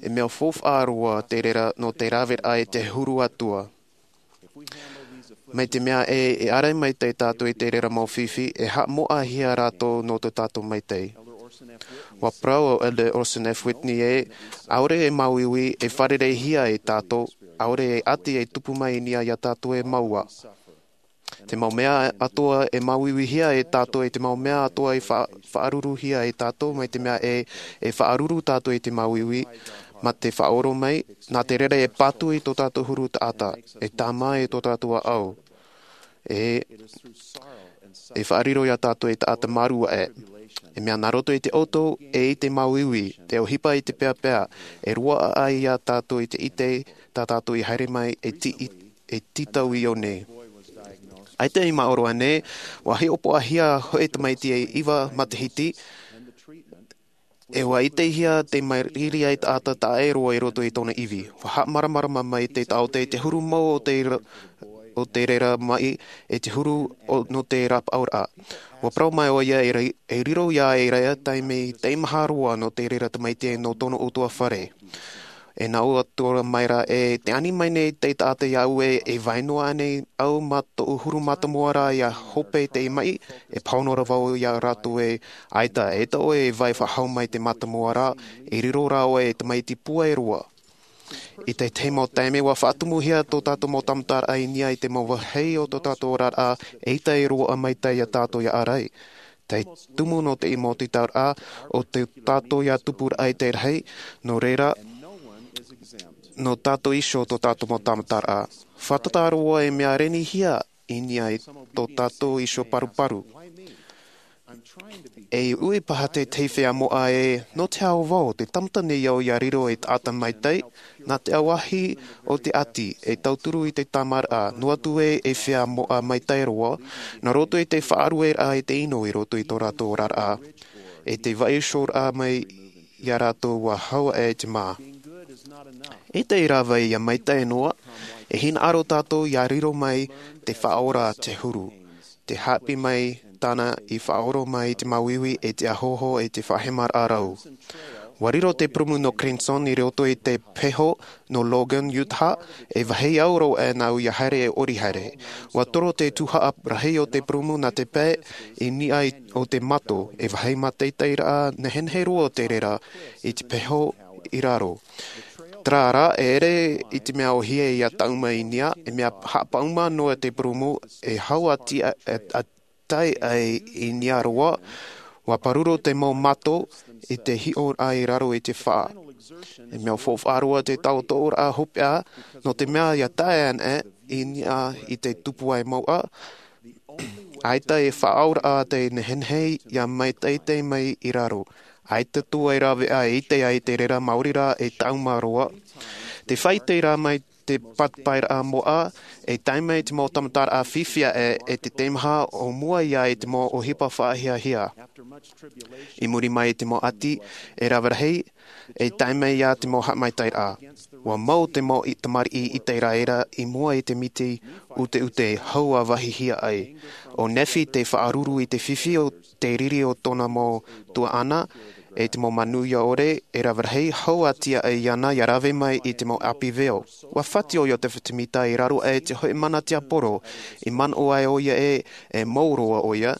e mea faufaʻa roa te reira nō te raveraʻa i te huru atoʻa. Mai te mea ē, e ʻārai maitaʻi tātou i te reira mau fifi, e haʻamoʻahia rātou nō tō tātou maitaʻi. ʻUa parau ʻo Elder Orson F. Whitney ē, ʻaore e māuiui, e fārereihia e tātou, ʻaore e ʻati e tupu mai i niʻa ia tātou e māua. Te mau mea atoʻa e māuiuihia e tātou, e te mau mea atoʻa e fa-, faʻaruruhia e tātou, mai te mea ē, e faʻaruru tātou i te māuiui, mā te faʻaʻoro mai, nā te reira e patu i tō tātou huru taʻata, e tāmā i tō tātou ʻāʻau. E, e faʻariro ia tātou e taʻata mārū aʻe. E mea nā roto i te ʻoto, e i te māuiui, te ʻohipa i te peapea, e roaʻa ai ia tātou i te ʻite, tā tātou i haere mai, e ti-, e tītau i ʻō nei. ʻAita i māʻoro ānei, ʻua hiʻopoʻahia hōʻē tamaiti e iva matahiti, e ʻua ʻitehia te mairiri ai taʻata taʻa ʻē roa i roto i tōna ivi. ʻUa haʻamāramarama mai te taʻata i te huru mau o te ra-, o te reira maʻi, e te huru o, nō te rapaʻauraʻa. ʻUa parau mai ʻoia e ri-, e riro ia e reira taime teimaha roa nō te reira tamaiti nō tōna ʻutuāfare. E nā ʻō atu ra mai ra ē, tē ani mai nei te taʻata iāʻu ē, e vai noa ānei au mā tōʻu huru mātāmua ra ʻia hope i te maʻi, e pāhono ra vau ia rātou ē, ʻaita, eʻita ʻoe e vai faʻahou mai te mātāmua ra, e riro rā ʻoe e tamaiti pūai roa. I te tahi mau taime ʻua faʻatumuhia tō tātou mau tāmataraʻa i niʻa i te mau vāhi o tō tātou oraraʻa, eʻita e roaʻa maitaʻi ia tātou ʻia ʻārai. Te tumu nō te mau tītauraʻa, ʻo tō tātou ʻia tupuraʻa i te rahi, nō reira, nō tātou iho tō tātou mau tāmataraʻa. Fātata roa e mea renihia, i niʻa i tō tātou iho paruparu. E ui paha tētahi feiā moʻa ē, nō te aha vau, te tāmata nei au ia riro ei taʻata maitaʻi, nā te ʻāvahi o te ʻati, e tauturu i te tāmāraʻa, noa atu ē ei feiā moʻa maitaʻi roa, nā roto i te faʻarueraʻa i te ʻino i roto i tō rātou oraraʻa, e te vaiihoraʻa mai iā rātou ua hau aʻe te mā. E te rave ia maitaʻi noa, e hinaʻaro tātou ia riro mai te faʻaora te huru, te haʻapiʻi mai tāna i faʻaora mai te māuiui e te ʻāhoho e te faʻahemaraʻa rau. Ua riro te purūmu nō Clemson i roto i te peho nō Logan, Utah, e vāhi au roa aʻe nāʻu ia haere e ʻori haere. Ua toro te tuhaʻa rahi o te purūmu nā te pae i niʻa i, o te mato, e vāhi mātaʻitaʻiraʻa nehenehe roa te reira i te peho i raro. Terā rā, e ʻere i te mea ʻōhie ia taʻuma i niʻa, e mea haʻapaʻuma noa te purūmu, e hau a tia, e, a tai ai i niʻa roa, ua pāruru te mau mato i te hiʻoraʻa i raro i te faʻa. E mea faufaʻa roa te tautooraʻa hopeʻa, nō te mea ia tae ana i niʻa i te tupu ai mauʻa, ʻaita e faʻaauraʻa te nehenehe ia maitaʻi mai i raro. ʻAita atu e rave ai i te ai te reira maori rā e taʻuma roa. Te faʻaʻite rā mai te pāpaʻiraʻa moʻa, e tae mai te mau tāmataraʻa fifi aʻe, e te teimaha o mua ia i te mau ʻohipa faʻahiahia. I muri mai i te mau ʻati, e rave rahi, e tae mai ia te mau haʻamaitaʻiraʻa. Ua mau te mau i tamariʻi ʻĪteraʻera i mua i te miti ʻuteʻute hau a vāhihia ai. ʻO Nephi te faʻaruru i te fifi o te riri o tōna mau tuaʻana, e te mau manuia ʻore, e rave rahi, hau a tia ai iāna ia rave mai i te mau ʻāpī veo. Ua fati ʻoia te fiti mita i raro aʻe te hoʻi mana tiaporo, i manaʻo ai ʻoia ē, e mau roa ʻoia,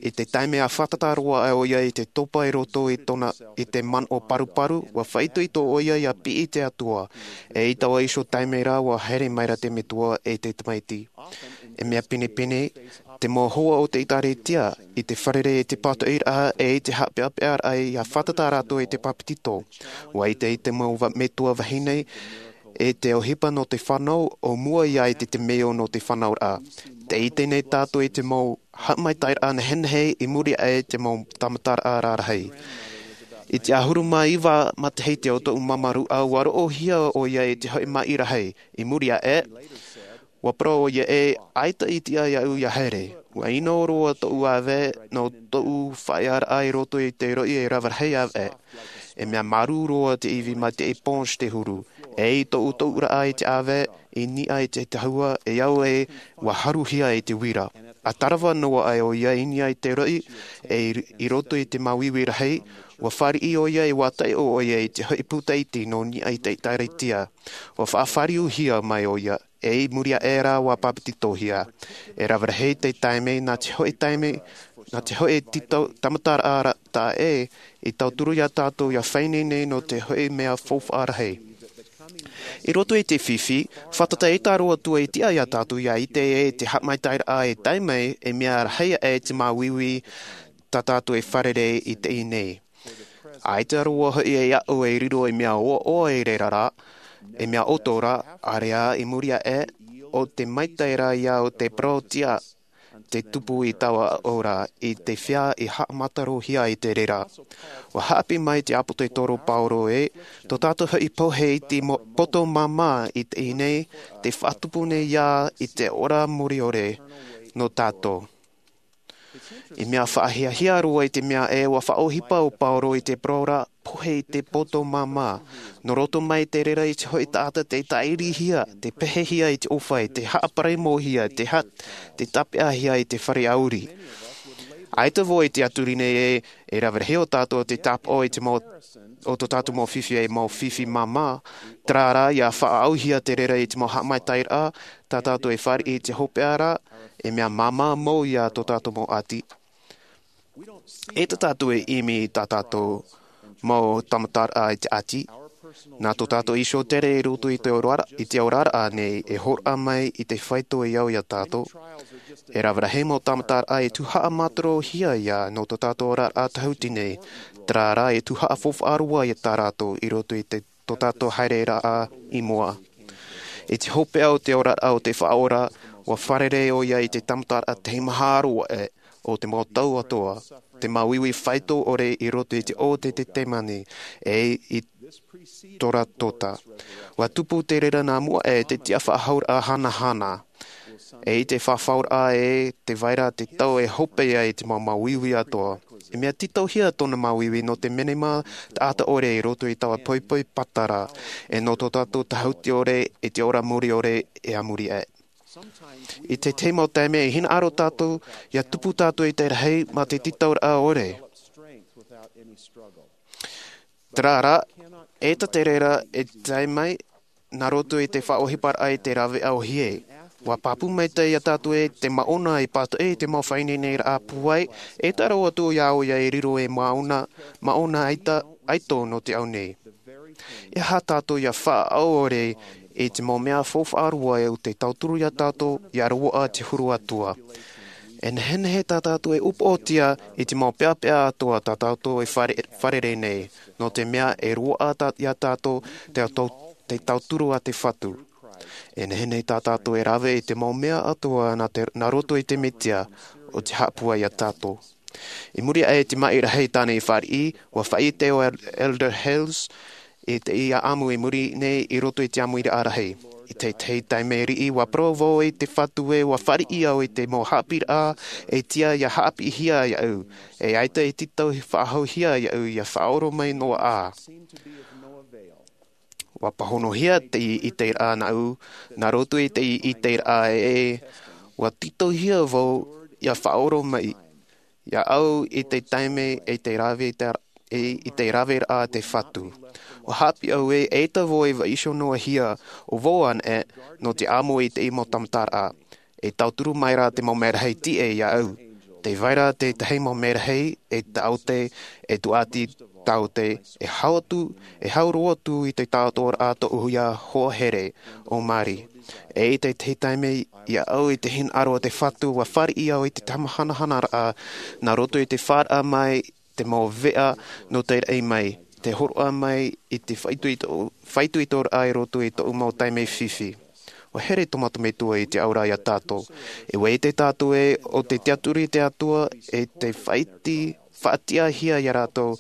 i te taime a fātata roa ai ʻoia i te topa i roto i tōna, i te manaʻo paruparu, ua faʻaitoito ʻoia ia piʻi te Atua, e i taua iho taime rā ua haere mai ra te Metua e te Tamaiti. E mea pinepine, te mau hoa o te ʻĒtārētia, i te fārerei e te pātoʻiraʻa, e i te haʻapeʻapeʻaraʻa ia fātata rātou i te bāpetizo. Ua ʻite i te mau va-, metua vahine, e te ʻohipa nō te fānau, o mua ia i te, te meo nō te fānauraʻa. Tē ʻite nei tātou i te mau haʻamaitaʻiraʻa nehenehe i muri aʻe i te mau tāmataraʻa rarahi. I te ʻahuru mā iva matahiti o tōʻu māmāruʻa, ua roʻohia ʻoia i te hoʻi maʻi rahi. I muri aʻe, ua parau ʻoia ē, ʻaita i tiʻa iāʻu ia haere. Ua ʻino roa tōʻu ʻāvae nō tōʻu faʻaearaʻa i roto i te roʻi e rave rahi ʻāvae. E mea marū roa te ivi mai te ponche te huru. E i tōʻu tōʻuraʻa i te ʻāvae, i niʻa i te tahua, e au ē, ua haruhia i te uira. A tarava noa ai ʻoia i niʻa i te roʻi, e i, i roto i te māuiui rahi, ua fāriʻi ʻoia e ua taiʻo ʻoia i te hoʻi puta iti nō niʻa i te ʻĒtārētia. Ua faʻafāriuhia mai ʻoia, e i muri aʻe rā ua bāpetizohia. E rave rahi te taime, nā te hoʻi taime, nā te hoʻi tito-, tāmataraʻa ra-, taʻa ē, i tauturu ia tātou ia faʻaineine nō te hoʻi mea faufaʻa rahi. I roto i te fifi, fātata ʻē tā roa atu i tiʻa ia tātou ia ʻite ē te haʻamaitaʻiraʻa e tae mai, e mea rahi aʻe te māuiui tā tātou e fārerei i teie nei. ʻAita roa hoʻi e aʻo e riro i mea ʻoaʻoa i reira rā, e mea ʻoto rā, ʻāreʻa i muri aʻe, ʻo te maitaʻi rā ia o te parau tiʻa, te tupu i taua aʻo ra, i te feiā i haʻamatarohia i te reira. Ua haʻapiʻi mai te ʻāpōsetolo Paulo ē, tō tātou hoʻi pohe i te mo-, poto māmā i teie nei, tē faʻatupu nei ia i te ora muriore nō tātou. I mea faʻahiahia roa i te mea ē ua faʻaʻohipa ʻo Paulo i te parau ra, pohe i te poto māmā. Nō roto mai te reira i te hoʻi taʻata tē tāʻirihia, tē pehehia i te ʻōfaʻi, tē haʻaparemohia, tē ha-, tē tāpeʻahia i te fare ʻauri. ʻAita vau i te ʻaturi nei ē, e rave rahi ʻo tātou te tāpaʻo i te mau, o tō tātou mau fifi e mau fifi māmā, terā rā ia faʻaʻauhia te reira i te mau haʻamaitaʻiraʻa, tā tātou e fāriʻi i te hopeʻa ra, e mea māmā mau ia tō tātou mau ʻati. E tā tātou e ʻimi i tā tātou mau tāmataraʻa i te ʻati. Nā tō tātou iho tere i roto i te orara-, i te oraraʻa nei e hōroʻa mai i te faito i au ia tātou. E rave rahi mau tāmataraʻa e tuhaʻa mātarohia ia nō tō tātou oraraʻa tahuti nei. Terā rā e tuhaʻa faufaʻa roa ia tā rātou i roto i te tō tātou haereraʻa i mua. I te hopeʻa o te oraraʻa o te Faʻaora, ua fārerei ʻoia i te tāmataraʻa tahi maha roa ʻē o te mau tau atoʻa, te māuiui faito ʻore i roto i te ʻō o te Tetemani, e i Toratota. Ua tupu te reira nā mua ʻē te tiʻafaʻahouraʻa hanahana. E i te faʻahouraʻa ē, tē vai ra te tau e hope ai te mau māuiui atoʻa. E mea tītauhia tōna māuiui nō te menema taʻata ʻore i roto i taua poipoi pātara, e nō tō tātou tāhuti ʻore i te ora muri ʻore e a muri aʻe. I te tahi mau taime e hinaʻaro tātou, ʻia tupu tātou i te rahi mā te tītauraʻa ʻore. Terā rā, e tā te reira e tae mai, nā roto i te faʻaʻohiparaʻa i te rāveʻa ʻōhie. Ua pāpū maitaʻi iā tātou ē te māʻona i pātoʻi i te mau faʻaineineraʻa pūai, e taro atu iā ʻoia e riro ei māʻona, māʻona aita, aito nō te ao nei. E aha tātou ʻia faʻaʻore i te mau mea faufaʻa roa o te tauturu iā tātou, ʻia roaʻa te huru atoʻa. E nehenehe tā tātou e upoʻotia i te mau peʻapeʻa atoʻa tā tātou e fare-, fārerei nei, nō te mea e roaʻa tā, iā tātou te tau-, te tauturu a te Fatu. E nehenehe tā tātou e rave i te mau mea atoʻa nā te, nā roto i te Mesia, ʻo te haʻapūai iā tātou. I muri aʻe i te maʻi rahi tāna i fāriʻi, ua faʻaʻite ʻo El-, Elder Hales i te ʻāʻamu i muri nei i roto i te ʻāmuiraʻa rahi. I te, te taime riʻi, ua parau vau i te Fatu ē ua fāriʻi au i te mau haʻapiʻiraʻa e tiʻa ʻia haʻapiʻihia iāʻu, e ʻaita e tītau faʻahouhia iāʻu ʻia faʻaora mai noa ā. Ua pāhonohia te ʻiteraʻa nāʻu, nā roto i te ʻiteraʻa ē, ua tītauhia vau ʻia faʻaora mai iāʻu i te taime e te rave, i te, i te raveraʻa a te Fatu. Ua haʻapiʻi au ē, eʻita vau e vaiiho noa hia, ʻo vau anaʻe, nō te ʻāmui i te mau tāmataraʻa. E tauturu mai rā te mau merahi tiʻa iāʻu. Tē vai ra te tahi mau merahi, e taote, e tūʻati taote, e hau atu, e hau roa atu i te taotoraʻa tōʻu hoa here, ʻo Mari. E i te tahi taime iāʻu i te hinaʻaro a te Fatu, ua fāriʻi au i te tamahanahana raʻa, nā roto i te faʻaroʻo mai te mau veʻa nō te raʻi mai, te hōroʻa mai i te faʻaitoito-, faʻaitoitoraʻa i roto i tōʻu mau taime fifi. Ua here tō mātou Metua i te auraʻa iā tātou. E ʻua ʻite tātou ē, ʻo te tiʻaturi te Atua, e te faʻaiti-, faʻatiʻahia iā rātou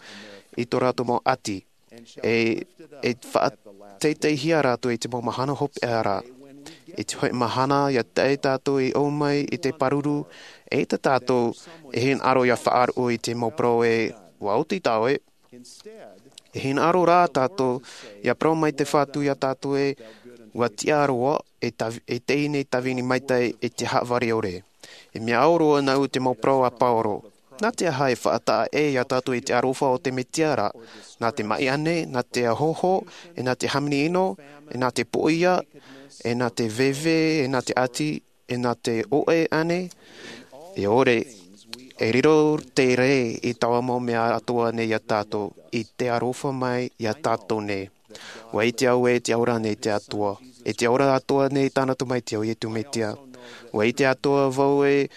i tō rātou mau ʻati. E, e faʻateiteihia rātou i te mau mahana hopeʻa ra. I te hōʻē mahana, ʻia tae tātou i ʻō mai i te pāruru, eʻita tātou e hinaʻaro ʻia faʻaroʻo i te mau parau ē, ʻua oti tāʻoe. E hinaʻaro rā tātou, ʻia parau mai te Fatu iā tātou ē, ʻua tiʻa roa, e tav-, e teie nei tāvini maitaʻi, e te haʻavare ʻore. E mea au roa nāʻu te mau parau a Pauro. Nā te aha e faʻataʻa ʻē iā tātou i te aroha o te Mesia ra? Nā te maʻi ānei, nā te ʻahoʻaho, e nā te hāmani ʻino, e nā te pōʻia, e nā te veve, e nā te ʻati, e nā te ʻoʻe ānei? E ʻore, e riro te rē i taua mau mea atoʻa nei iā tātou, i te aroha mai iā tātou nei. ʻUa ʻite au ē tē ora nei te Atua. E tē ora atoʻa nei tāna Tamaiti ʻo Iesu Mesia. ʻUa ʻite atoʻa vau ē,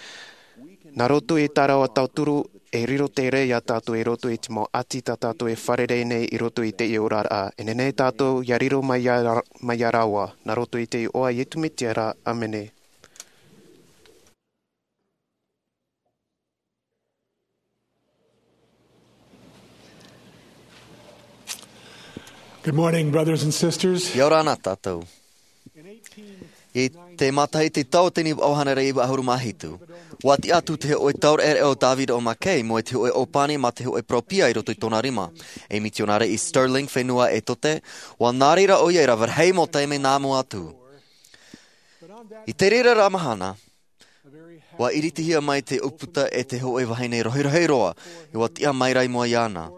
nā roto i tā rāua tauturu, e riro te rē iā tātou i roto i te mau ʻati tā tātou e fārerei nei i roto i teie oraraʻa. E nehenehe tātou ʻia riro mai iā, mai iā rāua, nā roto i te iʻoa a Iesu Mesia ra, ʻāmene. Good morning, brothers and sisters. ʻIa ora na tātou. I te matahiti tau tini vaʻu hānere iva ʻahuru mā hitu, ʻua tiʻa atu te hōʻē taureʻareʻa o David O. McKay, mai te hōʻē ʻōpani mā te hōʻē peropheta i roto i tōna rima. Ei mitionare i Stirling, fenua Etote, ʻua nā reira ʻoia i rave rahi mau taime nā mua atu. I te reira ra mahana, ʻua ʻiritihia mai te ʻūputa e te hōʻē vahine rohirohi roa, ʻua tiʻa mai ra i mua iāna.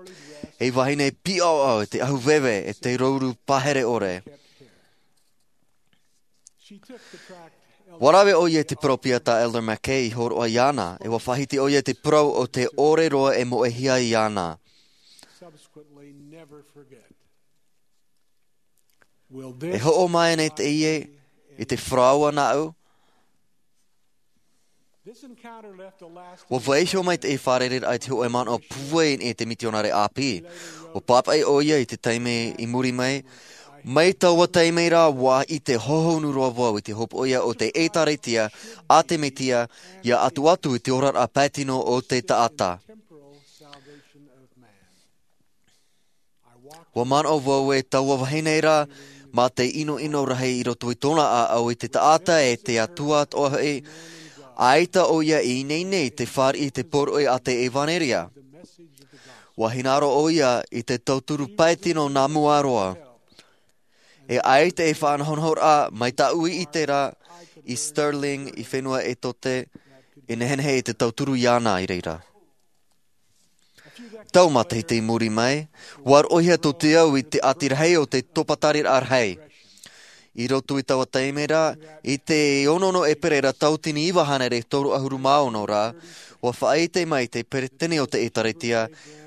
Ei vahine pīʻaoʻao, e te ʻahu veve, e te rouru pahere ʻore. ʻUa rave ʻoia i te peropheta tā Elder McKay i hōroʻa iāna, e ʻua faʻahiti ʻoia i te parau o te ʻore roa e moʻehia iāna. E hoʻo mai nei teie i te parau nāʻu? ʻUa vaiiho mai teie fārereiraʻa i te hōʻē manaʻo pūai i te mitionare ʻāpī. ʻUa pāpaʻi ʻoia i te taime i muri mai, Mai taua taime ra, ua ʻite hohonu roa vau i te hopoiʻa o te ʻĒtārētia a te Mesia, ʻia ʻatuʻatu i te oraraʻa pae tino o te taʻata. Ua manaʻo vau e taua vahine ra, mā te ʻinoʻino rahi i roto i tōna ʻāʻau i te taʻata e te Atua atoʻa hoʻi, ʻaita ʻoia i ineine i te fāriʻi i te poroʻi a te ʻevanelia. Ua hinaʻaro ʻoia i te tauturu pae tino nā mua roa. E ʻaita e faʻanahonahoraʻa mai tāʻu i ʻite ra i Stirling, i fenua Etote, e nehenehe i te tauturu iāna i reira. Tau matahiti i muri mai, ua roʻohia tō te au i te ʻati rahi o te topa tariraʻa rahi. I roto i taua taime ra, i te ono nō ʻēperēra tauatini iva hānere toru ʻahuru mā ono ra, ua faʻaʻite mai te peretiteni o te ʻĒtārētia,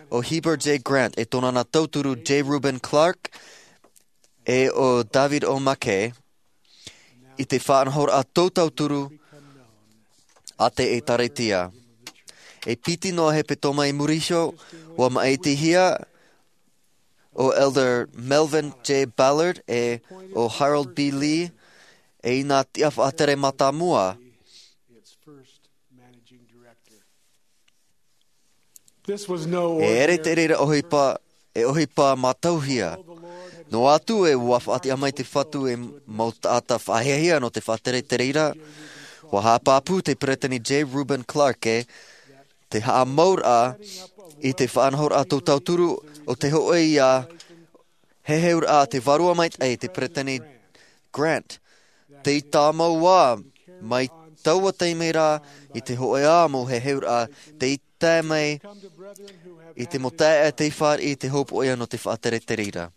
ʻo Heber J. Grant, e tōna nā tauturu J. Reuben Clark, e ʻo David O. McKay, i te faʻanahoraʻa tō tauturu a te ʻĒtārētia. E piti noa hepetoma i muri iho, ua māʻitihia ʻo Elder Melvin J. Ballard e ʻo Harold B. Lee, e i nā tiʻa faʻatere mātāmua. E ʻere te reira ʻohipa, e ʻohipa mātauhia. Noa atu e ua faʻatiʻa mai te Fatu e mau taʻata faʻahiahia nō te faʻatere i te reira, ua haʻapāpū te peretiteni J. Reuben Clark e te haʻamauraʻa i te faʻanahoraʻa tō tauturu o te hōʻē ʻia heheuraʻa te vārua maitaʻi, te peretiteni Grant. Tei tāmau ā mai taua taime ra i te hōʻē ā mau heheuraʻa, tei tae mai i te mau taeaʻe tei fāriʻi i te hopoiʻa nō te faʻatere i te reira.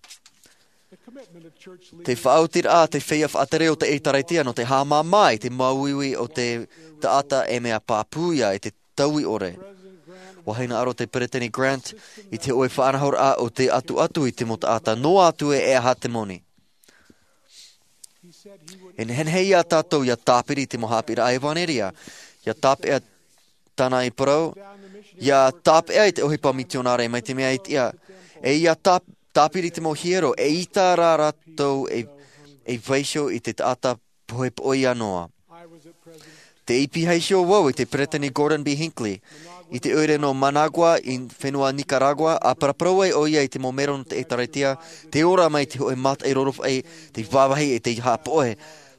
Te faʻaotiraʻa a te feiā faʻatere o te ʻĒtārētia nō te haʻamāmā i te māuiui o te taʻata e mea pāpū ia i te taui ʻore. Ua hinaʻaro te peretiteni Grant i te hōʻē faʻanahoraʻa o te ʻatuʻatu i te mau taʻata noa atu e e aha te moni. E nehenehe ia tātou ʻia tāpiri i te mau haʻapiʻiraʻa ʻevanelia, ʻia tāpeʻa tāna i parau, ʻia tāpeʻa i te ʻohipa mitionare mai te mea e tiʻa, e ʻia tā-, tāpiri i te mau hiero, e ʻaita rā rātou e, e vaiiho i te taʻata pohepohe ia noa. Tei pīhaʻi iho vau i te peretiteni Gordon B. Hinckley, i te ʻoire nō Managua i fenua Nicaragua, ʻa paraparau ai ʻoia i te mau mero nō te ʻĒtārētia, tei ora mai te hōʻē mātaʻi rorofaʻi, tei vāvāhi e tei haʻapohe,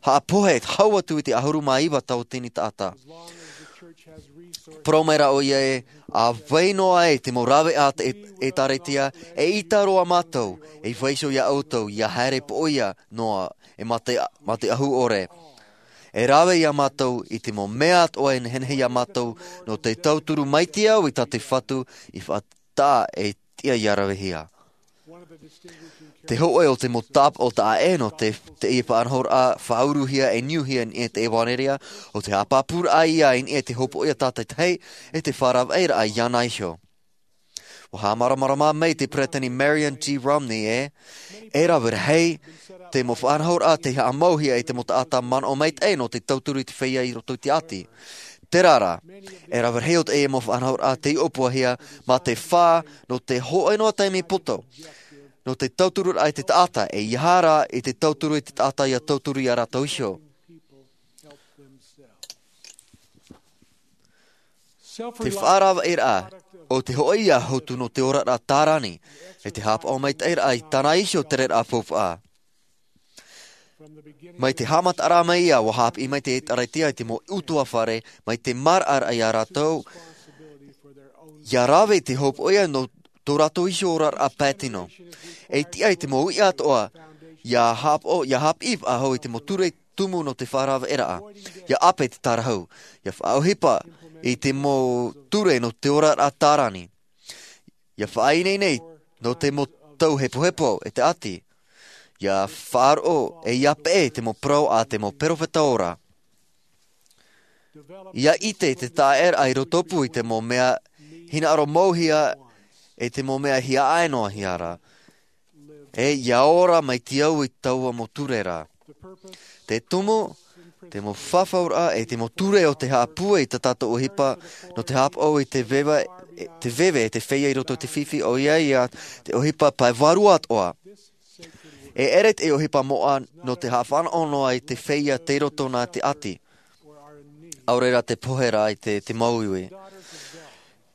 haʻapohe, hau atu i te ʻahuru mā iva tauatini taʻata. Parau mai rā ʻoia e, ʻa vai noa ai te mau rāveʻa a te ʻĒ-, ʻĒtārētia, e ʻaita roa mātou, e vaiiho ia ʻoutou, ʻia haere poʻia noa, e mā te, mā te ʻahu ʻore. E rave ia mātou i te mau mea atoʻa e nehenehe ia mātou nō te tauturu mai te au i tā te Fatu i faʻataʻa e tiʻa ʻia ravehia. Te hōʻē o te mau tāpaʻo taʻa ʻē nō te, teie faʻanahoraʻa faʻauruhia e niuhia i niʻa i te ʻevanelia, ʻo te haʻapāpūraʻa ia i niʻa i te hopoiʻa tātaʻitahi, e te faʻaravaʻiraʻa iāna iho. Ua haʻamāramarama mai te peretiteni Marion G. Romney e, e rave rahi te mau faʻanahoraʻa tei haʻamauhia e te mau taʻata manaʻo maitaʻi nō te tauturu i te feiā i roto i te ʻati. Terā rā, e rave rahi o teie mau faʻanahoraʻa tei ʻōpuahia mā te fā nō te hōʻē noa taime poto, nō te tauturuaʻa i te taʻata, e ʻeiaha rā i te tauturu i te taʻata ʻia tauturu ia rātou iho. Te faʻaravaʻiraʻa o te hōʻē ia hotu nō te oraraʻa tārani, e te haʻapaʻo maitaʻiraʻa i tāna iho tereraʻa faufaʻa. Mai te haʻamataʻaraʻa mai ia, ua haʻapiʻi mai te ʻĒtārētia i te mau ʻutuāfare, mai te maraʻaraʻa ia rātou, ʻia rave i te hopoiʻa nō tō rātou iho oraraʻa pae tino. E tiʻa i te mau uʻi atoʻa, ʻia haʻapaʻo, ʻia haʻapiʻi faʻahou i te mau ture tumu nō te faʻaravaʻiraʻa, ʻia ʻape i te tārahu, ʻia faʻaʻohipa i te mau ture nō te oraraʻa tārani, ʻia faʻaineine nō te mau tau hepohepo e te ʻati, ʻia faʻaroʻo e ʻia peʻe i te mau parau a te mau perofeta ora. ʻIa ʻite te taʻaʻēraʻa i rotopū i te mau mea hinaʻaro mauhia, e te mau mea hiaʻai noa hia rā. E ʻia ora mai te au i taua mau ture ra. Te tumu, te mau fafauraʻa, e te mau ture o te haʻapūai i tā tātou ʻohipa, nō te haʻapaʻo i te veve, e, te veve e te feiā i roto i te fifi, ʻoia ia te ʻohipa pae vārua atoʻa. E ʻere te ʻohipa moʻa nō te haʻafanaʻo noa i te feiā tei roto nā te ʻati. ʻAore rā te pohe ra i te, te māuiui.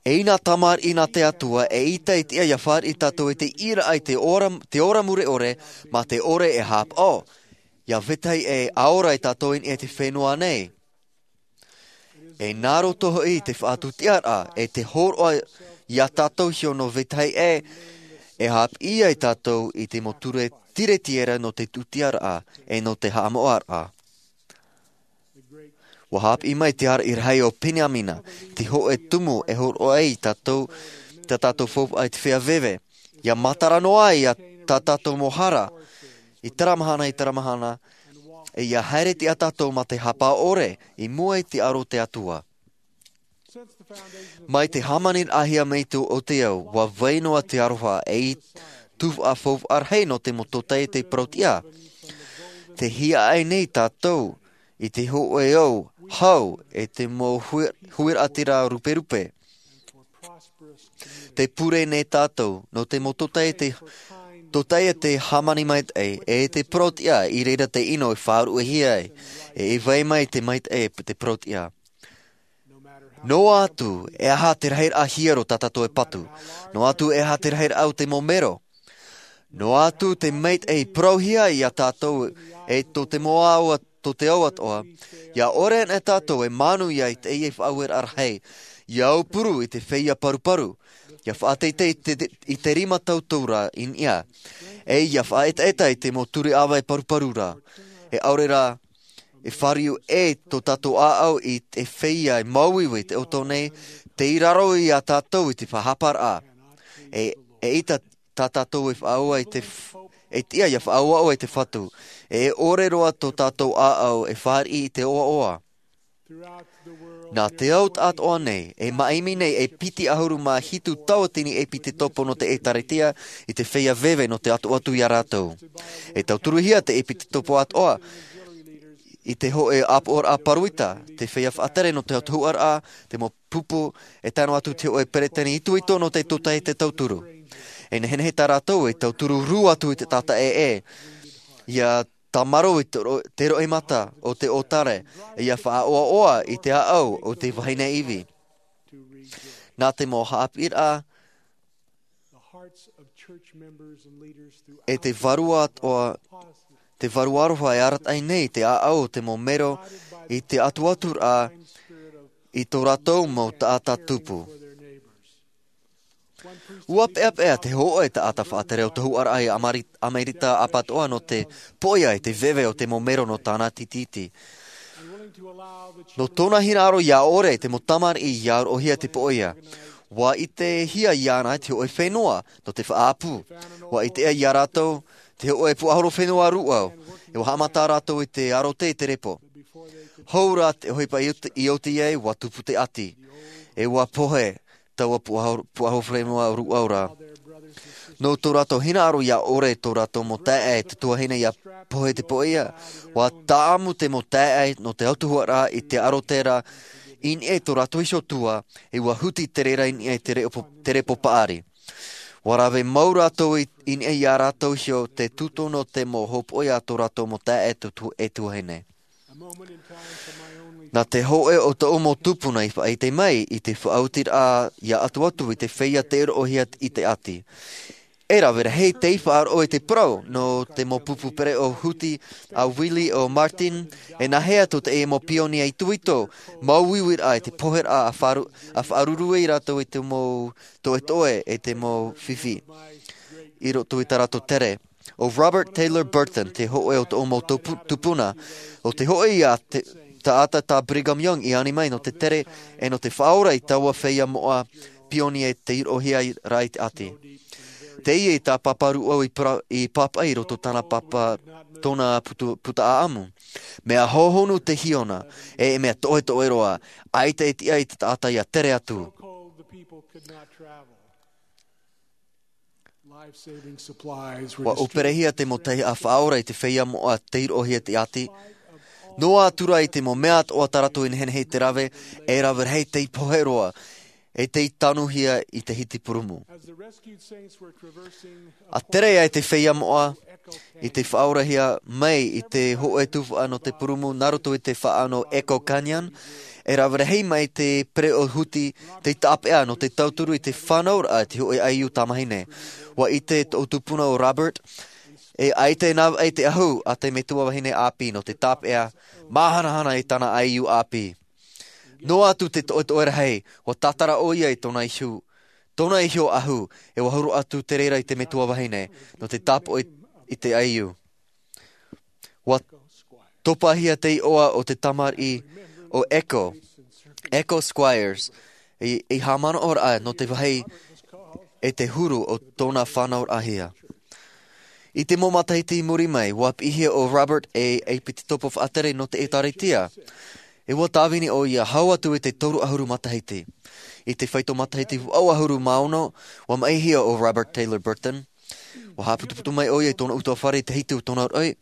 E ʻina tamariʻi nā te Atua, e ʻita i te ia fāriʻi tātou i te ʻīraʻa i te ora, te ora mure ʻore, mā te ʻore e hāpaʻo. ʻIa vetahi ʻē, ʻa ora e tātou i niʻa i te fenua nei. E nā roto hoʻi te faʻatūtiaraʻa, e te hōroʻa iā tātou iho nō vetahi ʻē, e haʻapiʻi ai tātou i te mau ture tiretiera nō te tūtiaraʻa, e nō te haʻamoʻaraʻa. ʻUa haʻapiʻi mai te āraʻi rahi o Peniamina, te hōʻē tumu e hōroʻa ai tātou, tā tātou faufaʻa i te feiā veve. ʻIa matara noa ai iā tā tātou mau hara, i terā mahana, i terā mahana, e ʻia haere atu tātou mā te hāpaʻo ʻore, i mua i te aro o te Atua. Mai te hāmaniraʻahia mai tō, o te ao, ʻua vai noa te aroha, e i tū faʻafaufaʻa rahi nō te mau tōtaiete parauʻtiʻa. Tē hiaʻai nei tātou, i te hōʻē ao, hau, e te mau hui-, huiraʻatira ruperupe. Tē pure nei tātou, nō te mau tōtaiete, tōtaiete hāmani maitaʻi, e te parauʻtiʻa, i reira te ʻino e faʻaruʻehia ai, e i vai mai te maitaʻi, te parauʻtiʻa. Noa atu, e aha te rahiraʻa hiero tā tātou e patu. Noa atu, e aha te rahiraʻa o te mau mero. Noa atu, te maitaʻi parauhia iā tātou, e tō te mau ao, tō te ao atoʻa. ʻIa ʻore ana tātou e manuia i teie faʻaueraʻa rahi. ʻIa aupuru i te feiā paruparu. ʻIa faʻateitei i te, i te rima tauturu i niʻa. E ʻia faʻaetaeta i te mau ture ʻāvae paruparu ra. E ʻaore rā, e fāriu ʻē tō tātou ʻāʻau i te feiā e māuiui i te ʻoto nei, tei raro iā tātou i te faʻahaparaʻa. E, e ʻita tā tātou e faʻaʻoa i te f-, e tiʻa ʻia faʻaʻoaʻoa i te Fatu. E ʻore roa tō tātou ʻāʻau e fāriʻi i te ʻoaʻoa. Nā te ao atoʻa nei, e maʻimi nei, e piti ʻahuru mā hitu tauatini ʻepitetopo nō te ʻĒtārētia, i te feiā veve nō te ʻatoʻa atu iā rātou. E tauturuhia te ʻepitetopo atoʻa, i te hōʻē ʻāpoʻoraʻa paruita, te feiā faʻatere nō te autahuʻaraʻa, te mau pupu, e tae noa atu te hōʻē peretiteni itoito nō te tōtaiete tauturu. E nehenehe tā rātou e tauturu rū atu i te taʻata ʻē, ʻia tāmarū i te ro-, te roimata o te ʻōtare, e ʻia faʻaʻoaʻoa i te ʻāʻau o te vahine ivi. Nā te mau haʻapiʻiraʻa, e te vārua atoʻa, te vārua aroha e arataʻi nei te ʻāʻau o te mau mero i te atuaturaʻa i tō rātou mau taʻata tupu. ʻUa peʻapeʻa te hōʻē taʻata faʻatere autahuʻaraʻa i Amari-, Amerika ʻApatoʻa nō te poʻia i te veve o te mau mero nō tāna tītītī. Nō tōna hinaʻaro ʻia ʻore te mau tamariʻi ʻia roʻohia te poʻia. ʻUa ʻitehia iāna te hōʻē fenua nō te faʻaʻapu. ʻUa ʻite iā rātou te hōʻē puaʻahoro fenua rūʻau. E ʻua haʻamata rātou i te aro tē i te repo. Hou rā te ʻohipa i oti, i oti ai, ʻua tupu te ʻati. E ʻua pohe taua puaʻahoro, puaʻahoro fenua rūʻau ra. Nō tō rātou hinaʻaro ʻia ʻore tō rātou mau taeaʻe te tuahine ʻia pohe te poʻia, ʻua tāʻamu te mau taeaʻe nō te autahuʻaraʻa i te aro terā i niʻa i tō rātou iho tua, e ʻua huti te reira i niʻa i te repo, te repo paʻari. ʻUa rave mau rātou i, i niʻa iā rātou iho te tūtonu o te mau hōpoʻi a tō rātou mau taeaʻe tu-, tu-, e tuahine. Nā te hōʻē o tōʻu mau tupuna i faʻaʻite mai i te faʻaotiraʻa ʻia atuatu i te feiā tei roʻohia i te ʻati. E rave rahi tei faʻaroʻo i te parau nō te mau pupu pereʻoʻo huti a Willie ʻo Martin, e nāhea tō teie mau pionia itoito, māuiuiraʻa i te poheraʻa a faʻaru-, a faʻaruru ai rātou i te mau toʻetoʻe e te mau fifi. I roto i tā rātou tere. ʻO Robert Taylor Burton, te hōʻē o tōʻu mau tupu-, tupuna, ʻo te hōʻē ia te, taʻata tā Brigham Young i ani mai nō te tere, e nō te faʻaora i taua feiā moʻa pionia tei roʻohia ra i te ʻati. Teie tā Pāpā Rūʻau i pra-, i pāpaʻi i roto tāna pāpā, tōna putu-, puta ʻāʻamu. Mea hōhonu te hiona, e mea toʻetoʻe roa, ʻaita e tiʻa i te taʻata ʻia tere atu. Life-saving supplies were ʻUa distributed ʻōperehia te mau taihaʻa faʻaora i te feiā moʻa tei roʻohia te ʻati. Noa atu rā i te mau mea atoʻa tā rātou i nehenehe i te rave, e rave rahi tei pohe roa. e tei tanuhia i te hiti purumu. As the rescued saints were traversing a A tere ai te feiā moʻa i te faʻaorahia mai i te hōʻē tuhaʻa nō te purumu nā roto i te faʻaʻano Echo Canyon, e rave rahi mai te pereʻoʻo huti tei tāpeʻa nō te tauturu i te fānauraʻa i te hōʻē ʻaiū tamahine. ʻUa ʻite tōʻu tupuna ʻo Robert, e ʻaita e navaʻi te ʻahu a te metua vahine ʻāpī nō te tāpeʻa māhanahana i tāna ʻaiū ʻāpī. Noa atu te toʻetoʻe rahi, ʻua tātara ʻoia i tōna ihu, tōna iho ʻahu, e ʻua huru atu te reira i te metua vahine, nō te tāpoʻi i te ʻaiū. ʻUa topahia te iʻoa o te tamariʻi ʻo Echo, Echo Squires, i, i haʻamanaʻoraʻa nō te vāhi e te huru o tōna fānauraʻahia. I te mau matahiti i muri mai, ʻua piʻihia ʻo Robert e ʻaipiti topa faʻatere nō te ʻĒtārētia. E ʻua tāvini ʻoia hau atu i te toru ʻahuru matahiti. I te faito matahiti vaʻu ʻahuru mā ono, ʻua maʻihia ʻo Robert Taylor Burton. ʻUa haʻaputuputu mai ʻoia i tōna ʻutuāfare i te hitu o tōna roʻi,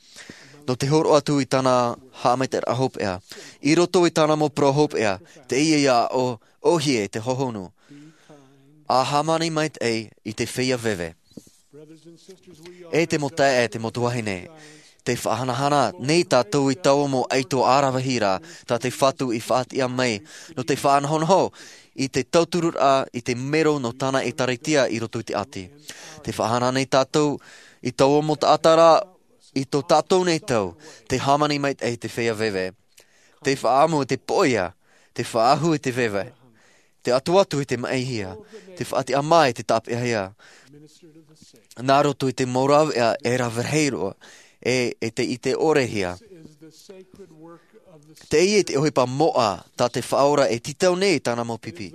nō te hōroʻa atu i tāna haʻamaitaʻiraʻa hopeʻa. I roto i tāna mau parau hopeʻa, teie ia ʻo, ʻōhie te hohonu. ʻA hāmani maitaʻi i te feiā veve. E te mau taeaʻe, te mau tuahine, tē faʻahanahana nei tātou i taua mau ʻaito ʻāravihi ra tā te Fatu i faʻatiʻa mai, nō te faʻanahonaho i te tautururaʻa i te mero nō tāna ʻĒtārētia i roto i te ʻāti. Tē faʻahanahana nei tātou i taua mau taʻata ra i tō tātou nei tau, tē hāmani maitaʻi i te feiā veve. Tē faʻaʻamu i te poʻia, tē faʻaʻahu i te veve, tē ʻatuʻatu i te maʻihia, tē faʻatiʻa mai i te tāpeʻahia. Nā roto i te mau rāveʻa e rave rahi roa, e, e tē ʻite ʻorehia. Teie te ʻohipa moʻa tā te Faʻaora e tītau nei i tāna mau pipi.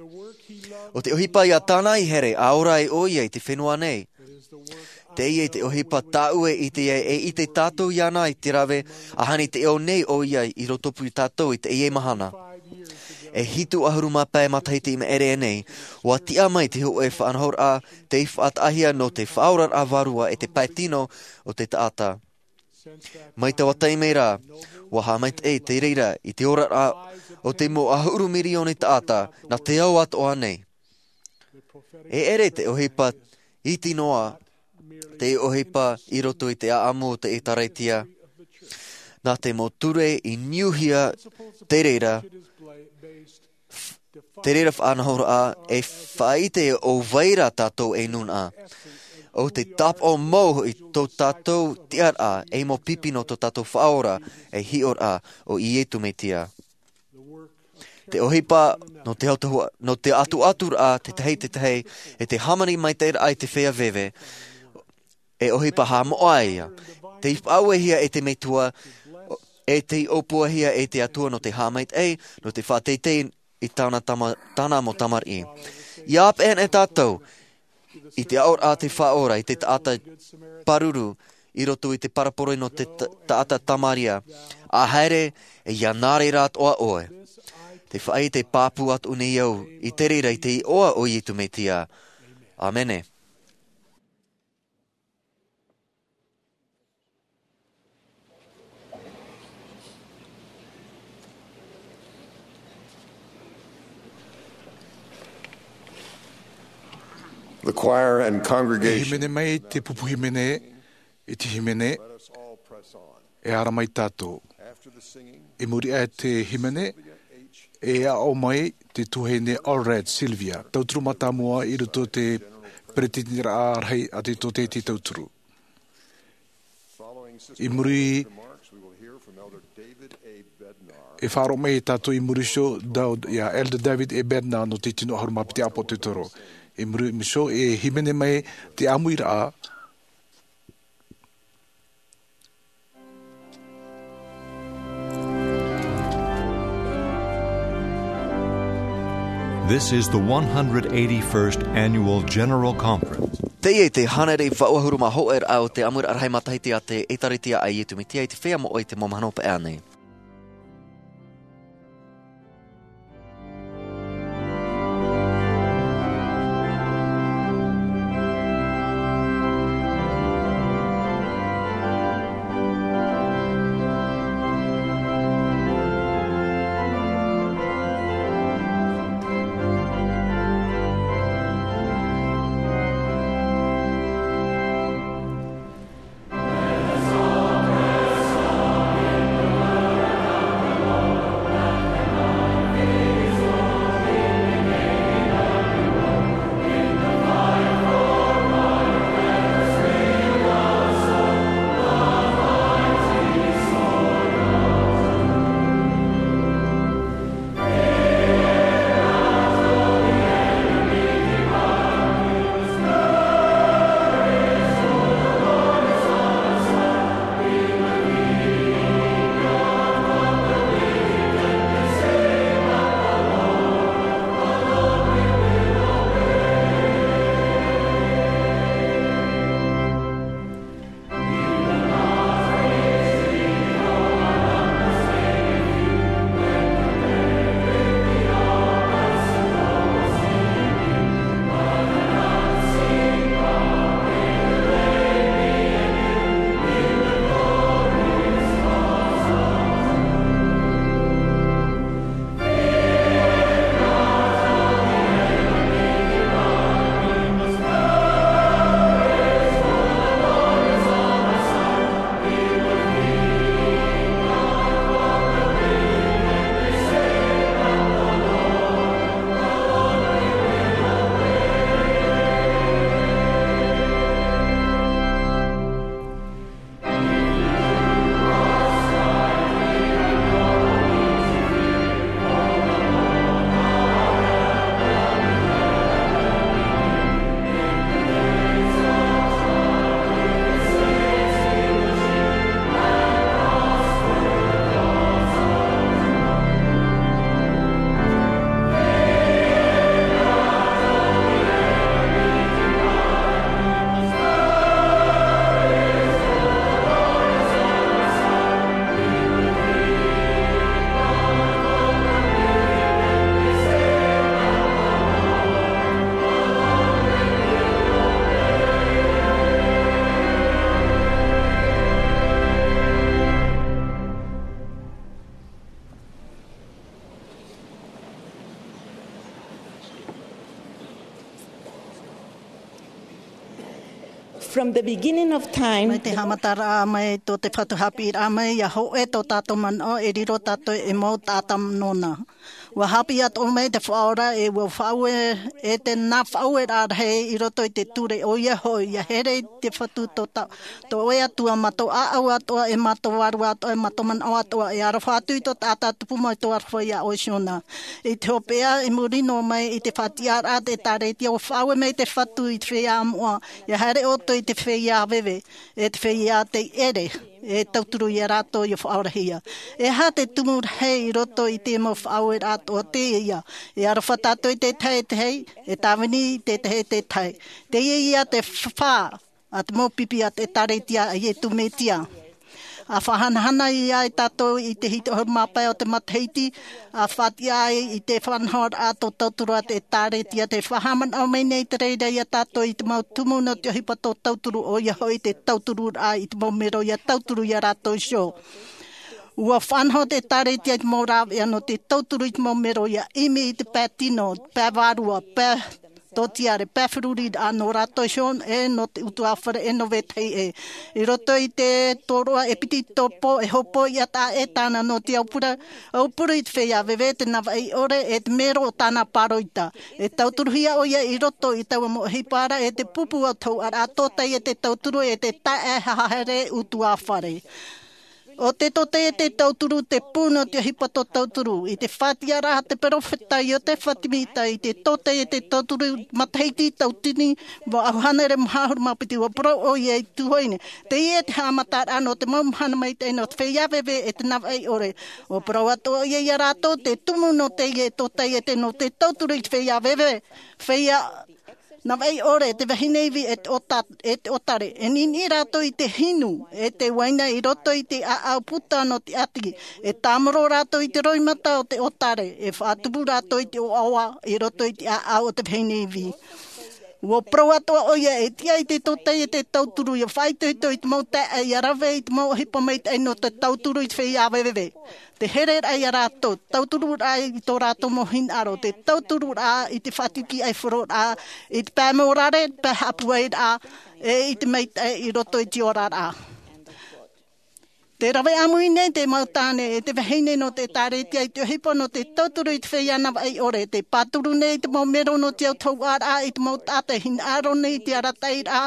ʻO te ʻohipa ia tāna i here, ʻa ora ai ʻoia i te fenua nei. Teie te ʻohipa tāʻu e ʻite ai, e ʻite tātou iāna i te rave, ʻahani tē ʻō nei ʻoia i rotopū iā tātou i teie mahana. E hitu ʻahuru mā pae matahiti i maʻiri aʻe nei, ʻua tiʻa mai te hōʻē faʻanahoraʻa tei faʻataʻahia nō te faʻaoraraʻa vārua e te pae tino o te taʻata. Mai taua taime ra, ʻua haʻamaitaʻi te reira i te oraraʻa o te mau ʻahuru mirioni taʻata nā te ao atoʻa nei. E ʻere te ʻohipa iti noa, te ʻohipa i roto i te ʻāʻamu o te ʻĒtārētia. Nā te mau ture i niuhia te reira, te reira faʻanahoraʻa e faʻaʻite ʻo vai ra tātou e nūnaʻa. ʻO te tāpaʻo mau i tō tātou tiʻaraʻa ei mau pipi nō tō tātou Faʻaora ei hiʻoraʻa ʻo Iesu Mesia. Te ʻohipa nō te autahu-, nō te ʻatuʻaturaʻa te tahi te tahi, e te hāmani maitaʻiraʻa i te feiā veve, e ʻohipa haʻamoʻa ia. Tei faʻauehia e te Metua, e tei ʻōpuahia e te Atua nō te haʻamaitaʻi, nō te faʻateitei i tāna tama-, tāna mau tamariʻi. ʻIa ʻāpeʻe ana tātou i te aʻoraʻa a te Faʻaora i te taʻata pāruru i roto i te parabole nō te ta-, taʻata Tamaria. ʻA haere, e ʻia nā reira atoʻa ʻoe. Te faʻaʻite pāpū atoʻa nei au i te reira i te iʻoa o Iesu Mesia. ʻĀmene. The choir and congregation. E hīmene mai te pupu hīmene, e te hīmene, e ara mai tātou. I muri aʻe i te hīmene, e aʻo mai te tuahine Allred Sylvia, tauturu mātāmua i roto i te peretiteniraʻa rahi a te tōtēti tauturu. I muri, e faʻaroʻo mai tātou i muri iho, David, ia Elder David A. Bednar nō te tino ʻahuru mā piti ʻāpōsetolo. I muri iho, e hīmene mai te ʻāmuiraʻa. This is the one hundred eighty-first Annual General Conference. Teie te hānere vaʻu ʻahuru mā hōʻē raʻa o te ʻāmuiraʻa rahi matahiti a te ʻĒtārētia a Iesu Mesia i te feiā moʻa i te mau mahana hopeʻa nei. From the beginning of time, mai te haʻamataraʻa mai tō te Fatu haʻapiʻiraʻa mai, ʻia hōʻē tō tātou manaʻo, e riro tātou ei mau taʻata nōna. ʻUa haʻapiʻi atoʻa mai te Faʻaora, e ʻua faʻaue, e te nā faʻaueraʻa rahi i roto i te ture, ʻoia hoʻi, ʻia here i te Fatu tō ta-, tō ʻoe Atua, mā tō ʻāʻau atoʻa, e mā tō vārua atoʻa, e mā tō manaʻo atoʻa, e aroha atu i tō taʻata tupu mai tō aroha iā ʻoe Siona. I te hopeʻa, i muri noa mai i te faʻatiʻaraʻa te ʻĒtārētia, ʻua faʻaue mai te Fatu i te feiā moʻa, ʻia haere ʻoutou i te feiā veve, e te feiā tei ʻere, e tauturu ia rātou ʻia faʻaorahia. E aha te tumu rahi i roto i te mau faʻaueraʻa atoʻa teie? E aroha tātou i te tahi e te tahi, e tāvini i te tahi e te tahi. Teie ia te fā a te mau pipi a te ʻĒtārētia a Iesu Mesia. ʻA faʻahanahana ia e tātou i te hitu ʻahuru mā pae o te matahiti, ʻa faʻatiʻa ai i te faʻanahoraʻa tō tauturu a te ʻĒtārētia, tē faʻahaʻamanaʻo mai nei te reira ia tātou i te mau tumu nō te ʻohipa tō tauturu, ʻoia hoʻi te tautururaʻa i te mau mero ʻia tauturu ia rātou iho. ʻUa faʻanaho te ʻĒtārētia i te mau rāveʻa nō te tauturu i te mau mero ʻia ʻimi i te pae tino, pae vārua, pae tōtiare, pae feruriraʻa nō rātou iho, e nō te ʻutuāfare, e nō vetahi ʻē. I roto i te tōroʻa ʻEpitopo, e hōpoiʻa taʻa ʻē tāna nō te aupura, aupuru i te feiā veve, te navaʻi ʻore, e te mero o tāna pāroita. E tauturuhia ʻoia i roto i taua mau ʻohipa ra, e te pupu o te hōʻaraʻa tōtaiete tauturu, e te taeaʻe haʻahaere ʻutuāfare. ʻO te tōtaiete tauturu te pū nō te ʻohipa tō tauturu. I te faʻatiʻaraʻa a te perofeta Iosepha Semita i te tōtaiete tauturu matahiti tauatini mā ʻauhānere maha ʻahuru mā piti, ʻua parau ʻoia i tuhonia. Teie te haʻamataraʻa nō te mau mahana maitaʻi nō te feiā veve, e te navaʻi ʻore. ʻUa parau atoʻa ʻoia ia rātou te tumu nō teie tōtaiete nō te tauturu i te feiā veve, feiā navaʻi ʻore, te vahine ivi, e te ʻota-, e te ʻōtare. E niniʻi rātou i te hinu, e te uaina i roto i te ʻāʻau puta nō te ʻati. E tāmoro rātou i te roimata o te ʻōtare. E faʻatupu rātou i te ʻoaʻoa i roto i te ʻāʻau o te vahine ivi. ʻUa parau atoʻa ʻoia, e tiʻa i te tōtaiete tauturu ʻia faʻaitoito i te mau taeaʻe, ʻia rave i te mau ʻohipa maitaʻi nō te tauturu i te feiā veve. Te hereraʻa ia rātou, tautururaʻa i tō rātou mau hinaʻaro, te tautururaʻa i te faʻatitiʻaifaroraʻa, i te pae mōrare, pae haʻapuairaʻa, e i te maitaʻi i roto i te oraraʻa. Tē rave ʻāmui nei te mau tāne, e te vahine nō te ʻĒtārētia i te ʻohipa nō te tauturu i te feiā navaʻi ʻore, tē pāturu nei te mau mero nō te autahuʻaraʻa i te mau taʻata e hinaʻaro nei i te arataʻiraʻa,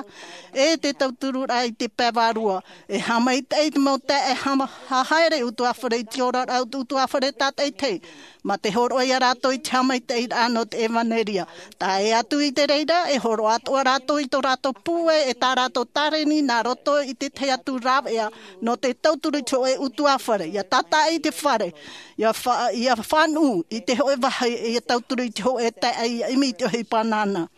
e te tautururaʻa i te pae vārua. E haʻamaitaʻi i te mau taeaʻe haʻa-, haʻahaere ʻutuāfare i te oraraʻa ʻutuāfare tātaʻitahi. Mā te hōroʻa ia rātou i te haʻamaitaʻiraʻa nō te ʻevanelia. Tae atu i te reira, e hōroʻa atoʻa rātou i tō rātou pūai, e tā rātou tāreni nā roto i te tahi atu rāveʻa nō te tauturu i te hōʻē ʻutuāfare. ʻIa tātaʻi i te fare, ʻia fa-, ʻia fānuʻu i te hōʻē vāhi, ʻia tauturu i te hōʻē taeaʻe, ʻia ʻimi i te ʻohipa nāna.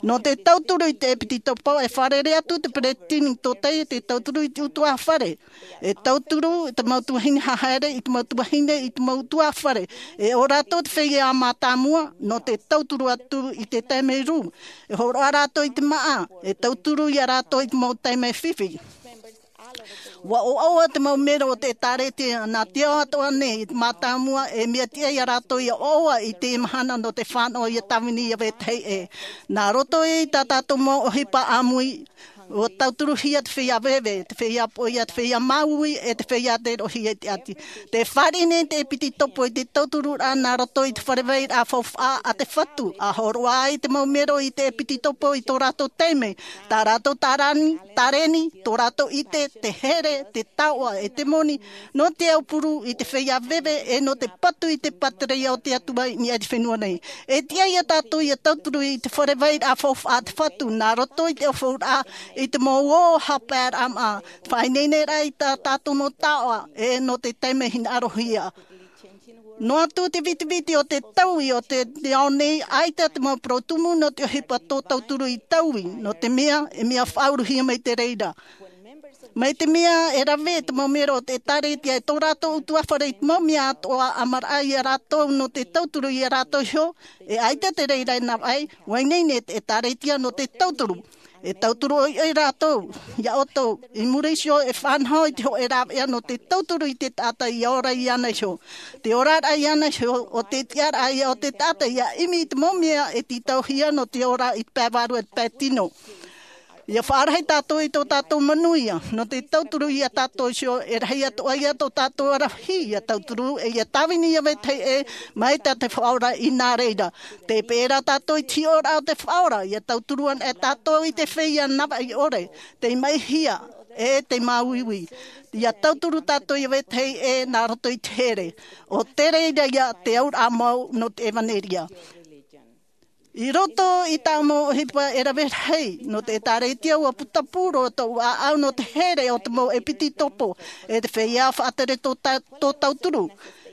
Nō te tauturu i te ʻEpitopo, e fārerei atu te peresideni tōtaiete tauturu i te ʻutuāfare. E tauturu te mau tuahine haʻahaere i te mau tuahine i te mau ʻutuāfare. E ʻo rātou te feiā mātāmua nō te tauturu atu i te taime rū. E hōroʻa rātou i te māʻa, e tauturu ia rātou i te mau taime fifi. ʻUa ʻoaʻoa te mau mero o te ʻĒtārētia, nā te ao atoʻa nei i te mātāmua, e mea tiʻa ia rātou ʻia ʻoaʻoa i te mahana nō te fānaʻo ʻia tāvini ʻia vetahi ʻē. Nā roto i tā tātou mau ʻohipa ʻāmui, ʻua tauturuhia te feiā veve, te feiā poʻia, te feiā māuiui, e te feiā tei roʻohia i te ʻati. Tē fāriʻi nei te ʻEpitopo i te tautururaʻa nā roto i te fare vairaʻa faufaʻa a te Fatu, ʻa hōroʻa ai te mau mero i te ʻEpitopo i tō rātou taime, tā rātou tārani-, tāreni, tō rātou ʻite, te here, te taoʻa, e te moni, nō te aupuru i te feiā veve, e nō te patu i te pātireia o te Atua i niʻa i te fenua nei. E tiʻa ia tātou ʻia tauturu i te fare vairaʻa faufaʻa a te Fatu, nā roto i te ʻaufauraʻa, i te mau ō haʻapaeraʻa māʻa, faʻaineineraʻa i tā tātou mau taoʻa, e nō te taime hinaʻarohia. Noa atu te vitiviti o te taui o te, te ao nei, ʻaita te mau parau tumu nō te ʻohipa tō tauturu i taui, nō te mea, e mea faʻauruhia mai te reira. Mai te mea e rave te mau mero o te ʻĒtārētia e tō rātou ʻutuāfare i te mau mea atoʻa, ʻamaraʻa ia rātou nō te tauturu ia rātou iho, e ʻaita te reira e navaʻi, ʻua ineine te ʻĒtārētia nō te tauturu. E tauturu ʻoiʻoi rātou, ia ʻoutou, i muri iho e fānaho i te hōʻē rāveʻa nō te tauturu i te taʻata ʻia ora iāna iho. Te oraraʻa iāna iho, ʻo te tiʻaraʻa ia o te taʻata ʻia ʻimi i te mau mea e tītauhia nō te ora i te pae vārua e te pae tino. Ia faʻarahi tātou i tō tātou manuia nō te tauturu iā tātou iho, e rahi atoʻa ia tō tātou aravihi ia tauturu, e ia tāvini ia vetahi ʻē mai tā te Faʻaora i nā reira. Tē peʻe ra tātou i te hiʻoraʻa o te Faʻaora, ia tauturu ana e tātou i te feiā navaʻi ʻore, tei maʻihia, e tei māuiui. Ia tauturu tātou ia vetahi ʻē nā roto i te here. ʻO te reira ia te auraʻa mau nō te ʻevaneria. I roto i tā mau ʻohipa e rave rahi nō te ʻĒtārētia, ʻua putapū roa tōʻu ʻāʻau nō te here o te mau ʻepitopo, e te feiā faʻatere tō ta-, tō tauturu.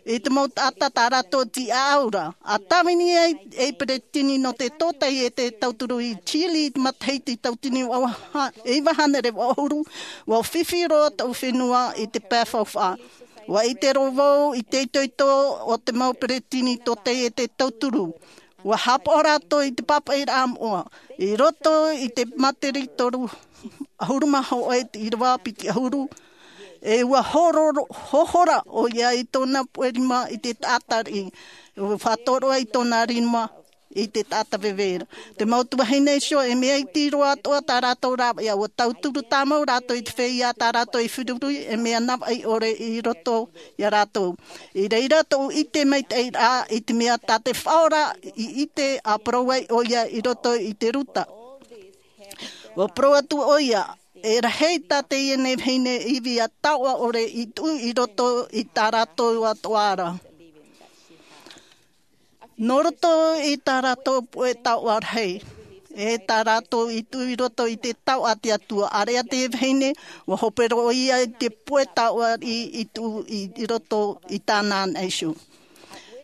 I te mau taʻata tā rātou tiʻaʻau ra. ʻA tāvini ai ei peretiteni nō te tōtaiete tauturu i Chile i te matahiti tauatini vaha-, iva hānere vaʻu ʻahuru, ʻua fifi roa tōʻu fenua i te pae faufaʻa. ʻUa ʻite roa vau i te itoito o te mau peretiteni tōtaiete tauturu. ʻUa haʻapaʻo rātou i te pāpaʻiraʻa moʻa, i roto i te Māteri toru ʻahuru mā hōʻē, ʻīrava piti ʻahuru, e ʻua hōhora, hōhora ʻoia i tōna puʻe rima i te taʻata riʻi, ʻua faʻatoroʻa i tōna rima i te taʻata veve ra. Te mau tuahine iho, e mea iti roa atoʻa tā rātou rāveʻa, ʻua tauturu tāmau rātou i te feiā tā rātou i feruri, e mea navaʻi ʻore i roto iā rātou. I reira tōʻu ʻite maitaʻi ra i te mea tā te Faʻaora i ʻite ʻa parau ai ʻoia i roto i te Ruta. ʻUa parau atu ʻoia, e rahi tā teie nei vahine ivi ʻa taoʻa ʻore i tuʻu i roto i tā rātou atoʻa ra. Nō roto i tā rātou puʻe taoʻa rahi, e tā rātou i tuʻu i roto i te taoʻa a te Atua, ʻāreʻa te vahine, ʻua hope roa ia i te puʻe taoʻa i, i tuʻu i, i roto i tāna ana iho.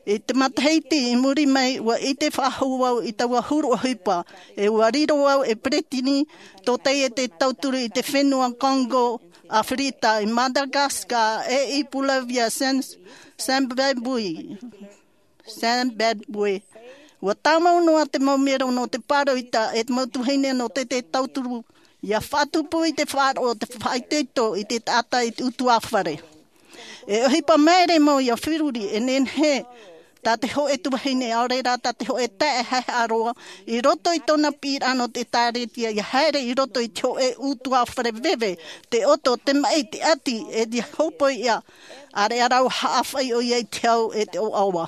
I te matahiti i muri mai, ʻua ʻite faʻahou vau i taua huru ʻohipa, e ʻua riro vau ei peretiteni tōtaiete tauturu i te fenua Congo, ʻAfirika, i Madagascar, e i Bolivia, Sen-, Zimbabwe. Zimbabwe. ʻUa tāmau noa te mau mero nō te pāroita e te mau tuahine nō te, te tauturu, ʻia faʻatupu i te faʻaroʻo, te faʻaitoito i te taʻata i te ʻutuāfare. E ʻohipa māere mau ʻia feruri, e nehenehe tā te hōʻē tuahine, ʻaore rā tā te hōʻē taeaʻe haʻehaʻa roa, i roto i tōna piʻiraʻa nō te ʻĒtārētia, ʻia haere i roto i te hōʻē ʻutuāfare veve, te ʻoto, te maʻi, te ʻati, e te hōpoiʻa, ʻāreʻa rā ʻua haʻafai ʻoia i te hau e te ʻoaʻoa.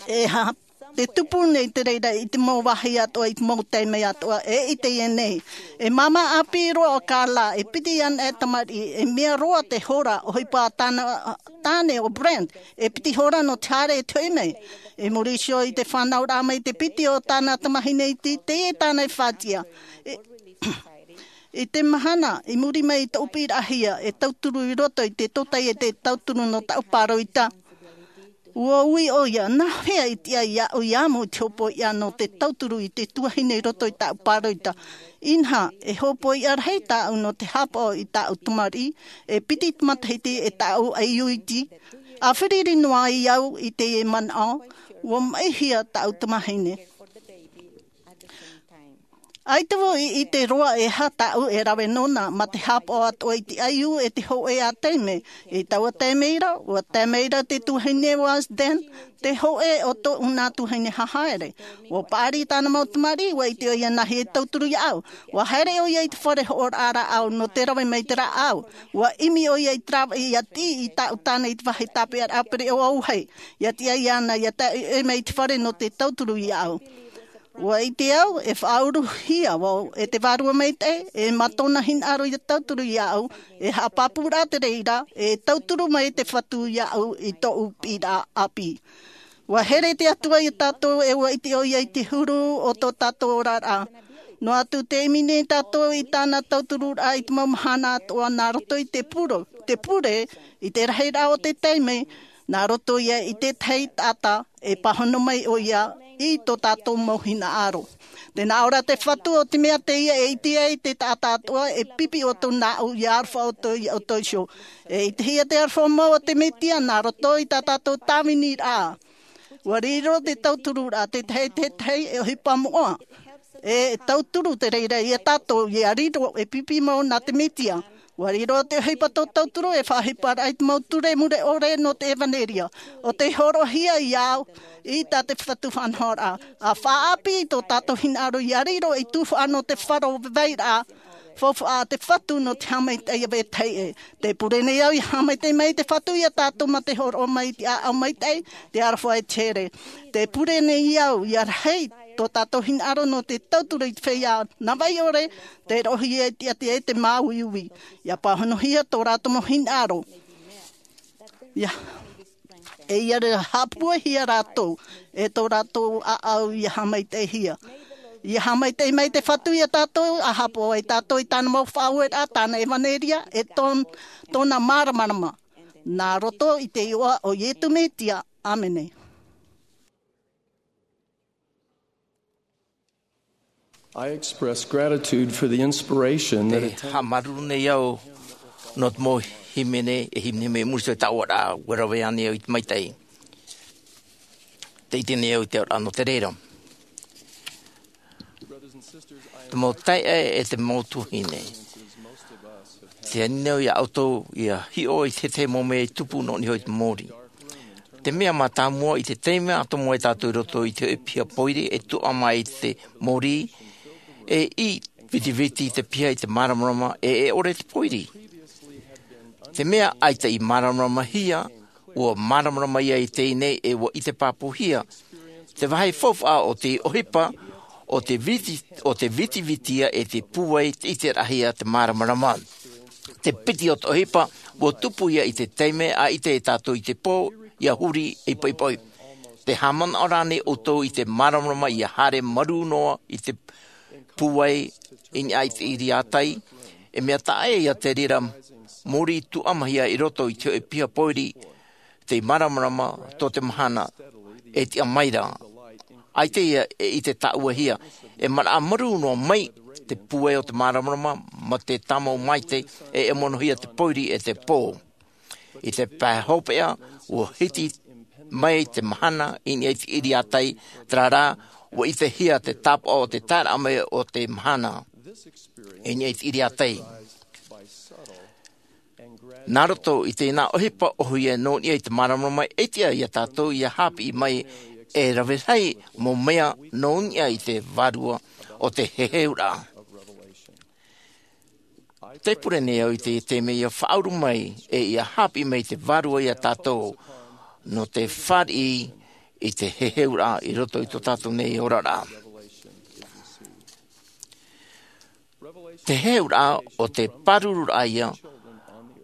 E ha-, te tupu nei te reira i te mau vāhi atoʻa, i te mau taime atoʻa, e i teie nei. E māmā ʻāpī roa ʻo Carla, e piti ana e tamariʻi, e mea roa te hora, ʻohipa tāna, tāne ʻo Brent, e piti hora nō te haere e te hoʻi mai. I muri iho i te fānauraʻa mai te piti o tāna tamahine iti, teie tāna e faʻatiʻa. E, i te mahana, i muri mai i tōʻu piʻiraʻahia, e tauturu i roto i te tōtaiete tauturu nō tāʻu pāroita. ʻUa ui ʻoia, nā hea i tiʻa iāʻu ʻia amo i te hōpoiʻa nō te tauturu i te tuahine i roto i tāʻu pāroita? Inaha, e hōpoiʻa rahi tāʻu nō te haʻapaʻo i tāʻu tamariʻi, e piti te matahiti e tāʻu ʻaiū iti, ʻa feruri noa ai au i teie manaʻo, ʻua maʻihia tāʻu tamahine. ʻAita vau i ʻite roa e aha tāʻu e rave nōna, mā te haʻapaʻo atoʻa i te ʻaiū e te hōʻē ā taime. I taua taime ra, ʻua tae mai ra te tuahine Wasden, te hōʻē o tōʻu nā tuahine hahaere. ʻUa paʻari tāna mau tamariʻi, ʻua ʻite ʻoia nā hea e tauturu iāʻu. ʻUa haere ʻoia i te fare hoʻoraʻa rāʻau nō te rave mai te rāʻau. ʻUa ʻimi ʻoia i te rāveʻa ʻia tiʻi i tāʻu tāne i te vāhi tāpeʻaraʻa pereʻoʻo auahi. ʻIa tiʻa iāna, ʻia tae mai i te fare nō te tauturu iāʻu. ʻUa ʻite au, e faʻauruhia vau, e te Vārua Maitaʻi, e mā tōna hinaʻaro ʻia tauturu iāʻu, e haʻapāpū rā te reira, e tauturu mai te Fatu iāʻu i tōʻu piʻiraʻa ʻāpī. ʻUa here te Atua iā tātou, e ʻua ʻite ʻoia i te huru o tō tātou oraraʻa. Noa atu tē ʻimi nei tātou i tāna tautururaʻa i te mau mahana atoʻa nā roto i te puro, te pure, i te rahiraʻa o te taime, nā roto ia i te tahi taʻata, e pāhono mai ʻoia i tō tātou mau hinaʻaro. Tē nā ʻō ra te Fatu, ʻo te mea teie e ʻite ai te taʻata atoʻa, e pipi ʻoutou nāʻu, ʻia aroha ʻoutou ia ʻoutou iho. E ʻitehia te aroha mau o te Mesia nā roto i tā tātou tāviniraʻa. ʻUa riro te tautururaʻa, te tahi, te tahi, e ʻohipa moʻa. E tauturu te reira iā tātou, ʻia riro, e pipi mau nā te Mesia. Ua riro te ʻohipa tō tauturu e faʻaʻohipa raʻa i te mau ture mure ʻore nō te ʻevanelia. ʻO tei hōroʻahia i au i tā te fatu faʻanahoraʻa. A faʻaʻāpī i tō tātou hinaʻaro ia riro i tuhaʻa nō te faro vairaʻa. Faufaʻa a te fatu nō te haʻamaitaʻi ia vetahi ʻē. Te pure nei au ia haʻamaitaʻi mai te fatu ia tātou mā te hōroʻa mai i te ʻāʻau maitaʻi, te aroha e te here. Te pure nei au ia rahi tō tātou hinaʻaro nō te tauturu i te feiā navaʻi ʻore, te roʻohia e te ʻati e te māuiui. Ia pāhonohia tō rātou mau hinaʻaro. Ia e ia rā haʻapuehia rātou e tō rātou ʻāʻau ia haʻamaitaʻihia. Ia haʻamaitaʻi mai te fatu ia tātou a haʻapaʻo ai tātou i tāna mau faʻaueraʻa, tāna ʻevanelia e tōn- tōna māramarama. Nā roto i te iʻoa o iesu mesia, ʻāmene. I express gratitude for the inspiration that it takes. Haʻamāuruuru nei au nō te mau hīmene e hīmene mai muri i te taʻoraʻa ua rave ānei au i te maitaʻi. Te ʻite nei au i te auraʻa nō te reira. Te mau taeaʻe e te mau tuahine, te ani nei au ia ʻoutou ia hiʻo i te mau mea i tupu nō niʻa i te mōrī. Te mea mātāmua, i te taime atoʻa mai tātou i roto i te hoʻe piha pōiri e tuʻa mai i te mōrī, e i vitiviti te piha i te māramarama e e ʻore te pōiri. Te mea ʻaita i māramaramahia, ua māramarama ia i teie nei e ua ʻite pāpūhia. Te vāhi faufaʻa o te ʻohipa o te viti- o te vitiviti ia e te pūai te ʻiteraʻahia te māramarama. Te piti o te ʻohipa ua tupu ia i te taime a ʻite e tātou i te pō ia huri i poipoi. Te haʻamanaʻo rānei ʻoutou i te māramarama ia haere marū noa i te pūai i niʻa i te ʻiriātai? E mea taʻa ʻē ia te reira mōrī tuʻamahia i roto i te hoʻe piha pōiri, te māramarama tō te mahana e tiʻa mai ra. ʻAita ia e ʻite tāʻuahia, e manaʻo marū noa mai te pūai o te māramarama mā te tāmau maitaʻi e e monohia te pōiri e te pō. I te pae hopeʻa ua hiti mai te mahana i niʻa i te ʻiriātai, terā rā ua ʻitehia te tāpaʻo o te taeraʻa mai o te mahana i niʻa i te ʻiriātai. Nā roto i tēnā ʻohipa ʻohie nō niʻa i te māramarama e tiʻa ia tātou ia haʻapiʻi mai e rave rahi mau mea nō niʻa i te vārua o te heheuraʻa. Te pure nei au i te taime ia faʻauru mai e ia haʻapiʻi mai te vārua ia tātou nō te fāriʻi i te heheuraʻa i roto i tō tātou nei oraraʻa. Te heheuraʻa o te pārururaʻa ia,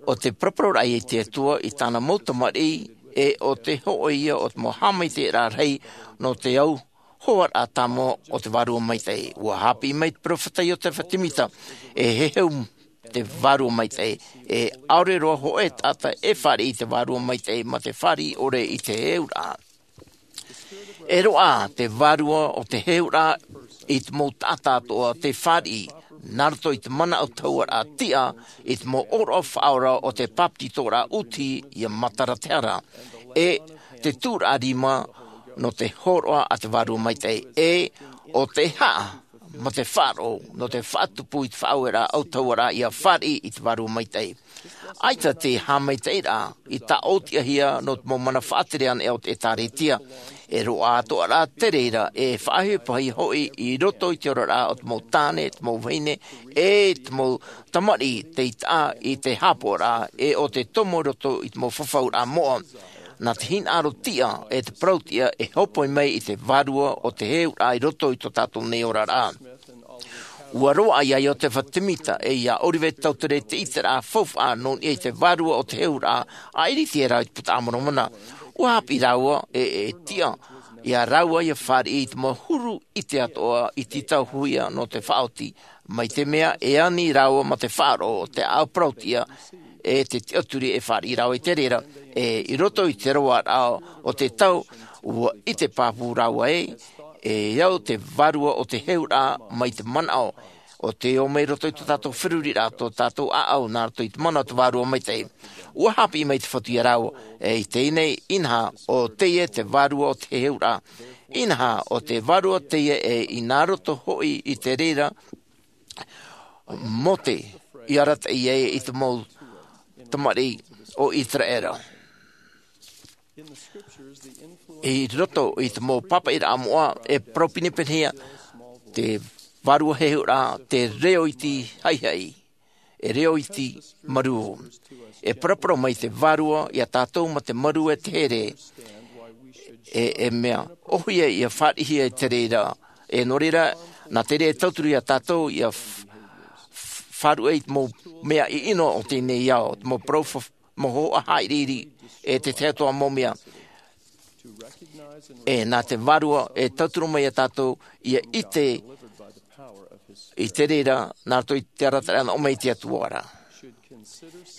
o te paraparau ia i te Atua i tāna mau tamariʻi, e o te hoʻo ia o te mau haʻamaitaʻiraʻa rahi nō te au hoaraʻa tāmau o te vārua maitaʻi. Ua haʻapiʻi mai te peropheta Iotefa Semita, e heheu te vārua maitaʻi, e ʻaore roa hōʻē taʻata e fāriʻi i te vārua maitaʻi mā te fāriʻi ʻore i te heheuraʻa. E roaʻa te vārua o te heheuraʻa i te mau taʻata atoʻa te fāriʻi, nā roto i te mana ʻautahuʻaraʻa tiʻa, i te mau ʻōroʻa faʻaora o te bāpetizoraʻa ʻūti ia matara te hara, e te tūraʻa rima nō te hōroʻa a te vārua maitaʻi, e o te haʻa mā te faʻaroʻo nō te faʻatupu i te faʻaueraʻa ʻautahuʻaraʻa ia fāriʻi i te vārua maitaʻi. ʻAita te haʻamaitaʻiraʻa i tāʻōtiʻahia nō te mau mana faʻatere anaʻe o te ʻētārētia. E roaʻa atoʻa rā te reira e faʻaʻohipa hoʻi i roto i te oraraʻa o te mau tāne, te mau vahine, e te mau tamariʻi tei taʻa i te haʻapaʻoraʻa e o te tomo i roto i te mau fafauraʻa moʻa. Nā te hinaʻaro tiʻa e te parau tiʻa e hōpoi mai i te vārua o te heheuraʻa i roto i tō tātou nei oraraʻa. Ua roaʻa ia Iotefa Semita e ia Oliver Cowdery te ʻiteraʻa faufaʻa nō niʻa i te vārua o te heheuraʻa a ʻIriti e rā i te Buka a Moromona. Ua haʻapiʻi rāua e, e tiʻa ia rāua ia fāriʻi i te mau huru ʻite atoʻa i te tauihaʻa nō te faʻaoti, mai te mea e ani rāua mā te faʻaroʻo o te ʻāʻau parau tiʻa e te tiʻaturi e fāriʻi rāua i te reira, e i roto i te roaraʻa o te tau, ua ʻite pāpū rāua ē, e au te vārua o te heheuraʻa mai te manaʻo o te ō mai roto i tō tātou feruriraʻa, tō tātou ʻāʻau nā roto i te mana o te vārua maitaʻi. Ua haʻapiʻi mai te Fatu ia rāua, e i teie nei, inaha ʻo teie te vārua o te heheuraʻa. Inaha ʻo te vārua teie e i nā roto hoʻi i te reira, Mōte, i arataʻi ai i te mau tamariʻi o Iteraera. I roto i te mau pāpaʻiraʻa moʻa, e parau pīpīhia te vārua heheuraʻa te reo iti haihai, e reo iti marū. E paraparau mai te vārua iā tātou mā te marū e te here, e e mea ʻōhie ia fāriʻihia i te reira. E nō reira, nā te reira e tauturu iā tātou ia faʻaruʻe i te mau mea ʻino o teie nei ao, te mau parau mau hoʻa haʻiriʻiri, e te tahi atu mau mea. E nā te vārua e tauturu mai iā tātou ia ʻite i te reira nā roto i te arataʻiraʻa nō mai te Atua ra.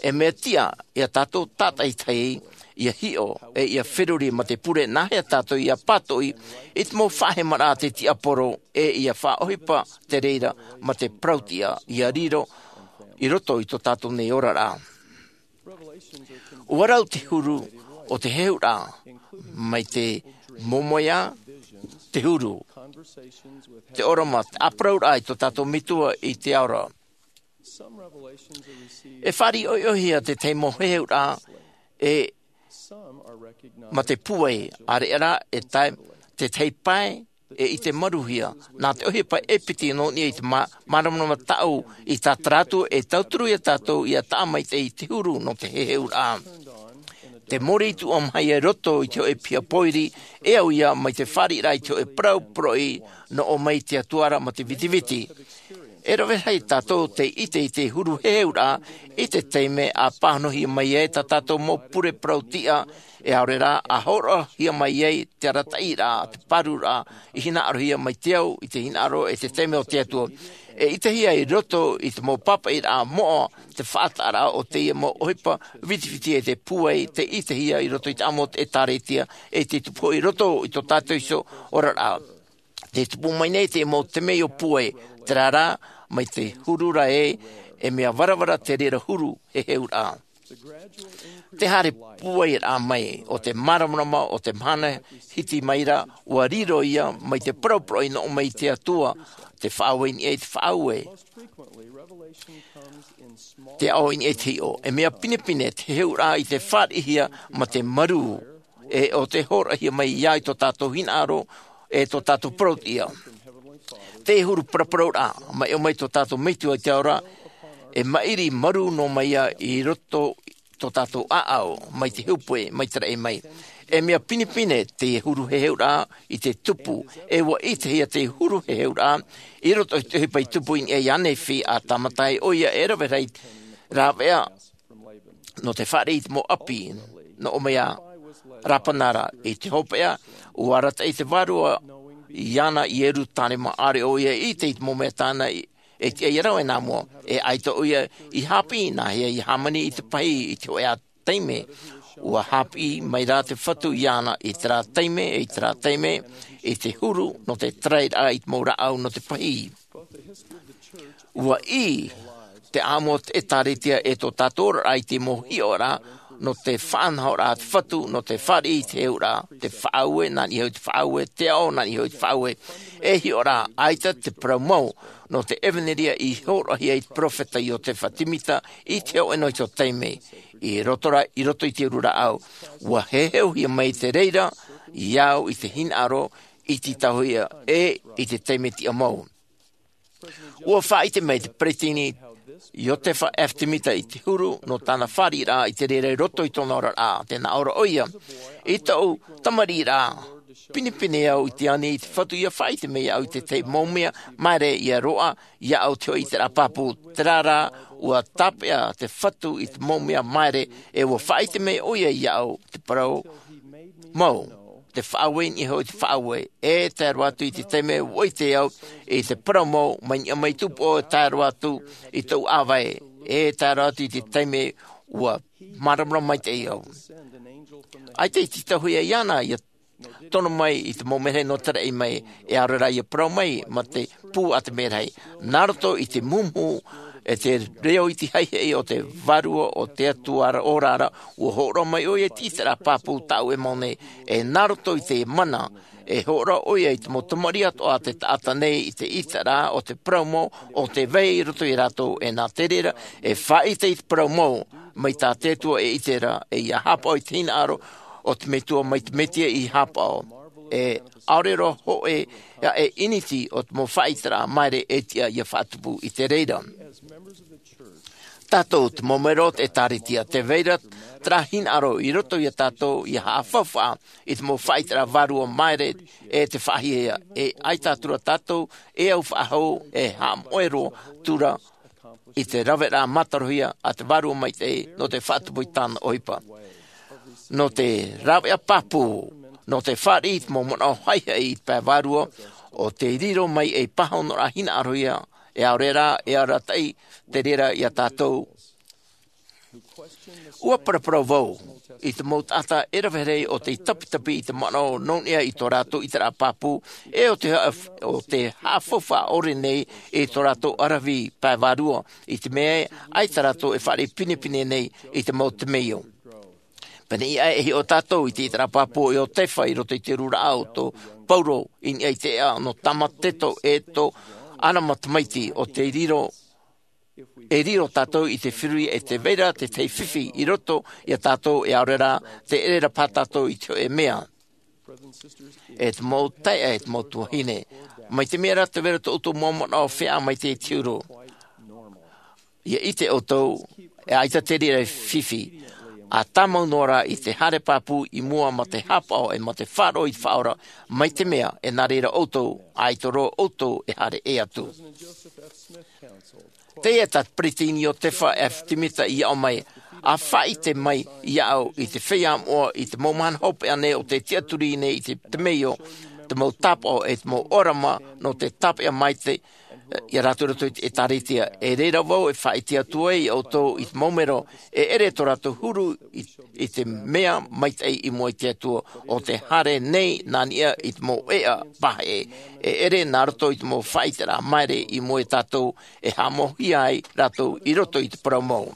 E mea tiʻa iā tātou tātaitahi ia hiʻo e ia feruri mā te pure nāhea tātou ia pātoʻi i te mau faʻahemaraʻa a te tiaporo, e ia faʻaʻohipa te reira mā te parautiʻa ia riro i roto i tō tātou nei oraraʻa. Ua rau te huru o te heheuraʻa, mai te momoea, te huru, te ʻōrama, te ʻāparauraʻa i tō tātou metua i te ao ra. E fāriʻi ʻohiʻohia te tahi mau heheuraʻa, e mā te pūai, ʻareʻa rā e tae te tahi pae e i te maruhia nā te ʻohipa e piti nō niʻa i te māramarama taʻu i tātara atu e tauturu iā tātou ia taʻa maitaʻi i te huru nō te heheuraʻa. Te mōrī tuʻa maha ia i roto i te hoʻe piha pōiri, e au ia mai te fāriʻiraʻa i te hoʻe parau poroʻi nō ʻō mai te Atua ra mā te vitiviti. E rave rahi tātou te ʻite i te huru heheuraʻa i te taime a pāhonohia mai ai tā tātou mau pure parautiʻa, e ʻaore rā a hōroʻahia mai ai te arataʻiraʻa, te pāruraʻa i hinaʻarohia mai te ao i te hinaʻaro e te taime o te Atua. E ʻitehia i roto i te mau pāpaʻiraʻa moʻa te faʻataʻaraʻa o teie mau ʻohipa vitiviti e te pūai te ʻitehia i roto i te ʻāmui o te ʻĒtārētia, e te tupu hoʻi i roto i tō tātou iho oraraʻa. Te tupu mai nei te mau temeio pūai, terā rā, mai te huru ra ē, e mea varavara te reira huru heheuraʻa. Te haere pūairaʻa mai o te māramarama o te mahana hiti mai ra, ua riro ia mai te parau poroʻi nō ʻō mai te Atua, te faʻaue i niʻa i te faʻaue, te ao i niʻa i te hiʻo. E mea pinepine te heheuraʻa i te fāriʻihia mā te marū, e ʻo te hōroʻahia mai ia i tō tātou hinaʻaro, e tō tātou parautiʻa. Te huru paraparauraʻa mai ʻō mai tō tātou metua i te ao ra, e maʻiri marū noa mai ia i roto i tō tātou ʻāʻau, mai te hepetoma, mai te raʻi mai. E mea pinepine te huru heheuraʻa i te tupu, e ua ʻitehia te huru heheuraʻa i roto i te ʻohipa i tupu i niʻa iā Nephi, a tāmata ai ʻoia e rave rahi rāveʻa nō te fāriʻi i te mau ʻapi nō ʻō mai iā Lapana ra. I te hopeʻa, ua arataʻi te vārua iāna i Ierutarema, ʻaore ʻoia i ʻite i te mau mea tāna e tiʻa ia rave nā mua. E ʻaita ʻoia i haʻapiʻi nāhea ia hāmani i te pahī i te hoʻē taime. Ua haʻapiʻi mai rā te Fatu iāna i terā taime, i terā taime, i te huru nō te tarai i te mau rāʻau nō te pahī. Ua ʻī te ʻāmui o te ʻĒtārētia e tō tātou oraraʻa i te mau hiʻoraʻa nō te faʻanahoraʻa a te Fatu, nō te fāriʻi i te heheuraʻa, te faʻaue, nā niʻa iho i te faʻaue, te ao, nā niʻa iho i te faʻaue. E hiʻo rā, ʻaita te parau mau nō te ʻevanelia i hōroʻahia e te peropheta Iotefa Semita i te hōʻē noa iho taime. I roto ra, i roto i te uru rāʻau, ua heheuhia mai te reira iāʻu i te hinaʻaro, i te tauhia, e i te taime tiʻa mau. Ua faʻaʻite mai te peretiteni Iotefa F. Semita i te huru nō tāna fāriʻiraʻa i te reira i roto i tōna oraraʻa, tē nā ʻō ra ʻoia: I tōʻu tamariʻiraʻa, pinepine au i te ani i te Fatu ia faʻaʻite mai iāʻu i te tahi mau mea māere ia roaʻa iāʻu te hoʻi i te rā pāpū. Terā rā, ua tāpeʻa te Fatu i te mau mea māere, e ua faʻaʻite mai ʻoia iāʻu te parau mau, te faʻaue i niʻa iho i te faʻaue, e tae roa atu i te taime ua ʻite au i te parau mau, mai niʻa mai tupu ʻoe, tae roa atu i tōʻu ʻāvae, e tae roa atu i te taime ua māramarama maitaʻi au. ʻAita i te tauhia iāna ia tono mai i te mau merahi nō te raʻi mai, e ʻaore rā ia parau mai mā te pū a te merahi. Nā roto i te muhumuhu E te reo iti haihai o te vārua o te Atua ora ra, ua hōroʻa mai ʻoia i te ʻiteraʻa pāpū tāʻu e mau nei, e nā roto i te mana, e hōroʻa ʻoia i te mau tamariʻi atoʻa a te taʻata nei i te ʻiteraʻa o te parau mau, o te vai i roto ia rātou, e nā te reira, e faʻaʻite i te parau mau, mai tā te Atua e ʻite ra, e ʻia haʻapaʻo i te hinaʻaro, o te Metua mai te Mesia i haʻapaʻo. E ʻaore roa hoʻi, ʻia e ʻiniti o te mau faʻaʻiteraʻa maere e tiʻa ʻia faʻatupu i te reira. Tātou te mau mero o te ʻĒtārētia, te vai ra terā hinaʻaro i roto ia tātou ʻia haʻafaufaʻa i te mau faʻaʻiteraʻa vārua maere e te faʻahiahia, e ʻaita atu ra tātou, e au faʻahou, e haʻamoʻe roa atu ra i te raveraʻa mātarohia a te Vārua Maitaʻi nō te faʻatupu i tāna ʻohipa. Nō te rāveʻa pāpū, nō te fāriʻi i te mau manaʻo haihai i te pae vārua, ʻo tei riro mai ei pāhonoraʻa hinaʻarohia, e ʻaore rā, e arataʻi te reira ia tātou. ʻUa paraparau vau i te mau taʻata e rave rahi o tei tapitapi i te manaʻo nō niʻa i tō rātou ʻiteraʻa pāpū, e ʻo te haʻaf-, ʻo te haʻafaufaʻa ʻore nei i tō rātou ʻaravihi pae vārua, i te mea ē, ʻaita rātou e fāriʻi pinepine nei i te mau temeio. Pēneiaʻe e hiʻo tātou i te ʻiteraʻa pāpū o Iotefa i roto i te rūraʻa o tō Pauro i niʻa i te ʻēʻa nō Tamateto e tō ʻArama tamaiti, ʻo tei riro e riro tātou i te feruri e te vai ra te tahi fifi i roto ia tātou, e ʻaore rā, te ʻere ra paha tātou i te hōʻē mea. E te mau taeaʻe, e te mau tuahine, mai te mea ra te vai ra tō ʻoutou mau manaʻo feiā maitaʻi i te huru, ʻia ʻite ʻoutou, e ʻaita te reira e fifi, ʻa tāmau noa ra i te haere pāpū i mua mā te haʻapaʻo e mā te faʻaroʻo i te Faʻaora, mai te mea e nā reira ʻoutou, ʻaita roa ʻoutou e haere ʻē atu. Teie tā te Peresideni Iotefa F. Smith i aʻo mai, ʻa faʻaʻite mai iāʻu i te feiā moʻa i te mau mahana hopeʻa nei o tē tiʻaturi nei i te temeio, te mau tāpaʻo e te mau ʻōrama nō te tāpeʻa maitaʻi ia rātou i roto i te ʻĒtārētia. E reira vau e faʻaʻite atu ai iā ʻoutou i te mau mero, e ʻere tō rātou huru i, i te mea maitaʻi i mua i te Atua, ʻo te haere nei nā niʻa i te mau ʻēʻa pahe, e ʻere nā roto i te mau faʻaʻiteraʻa maere i mua ia tātou, e haʻamauhia ai rātou i roto i te parau mau.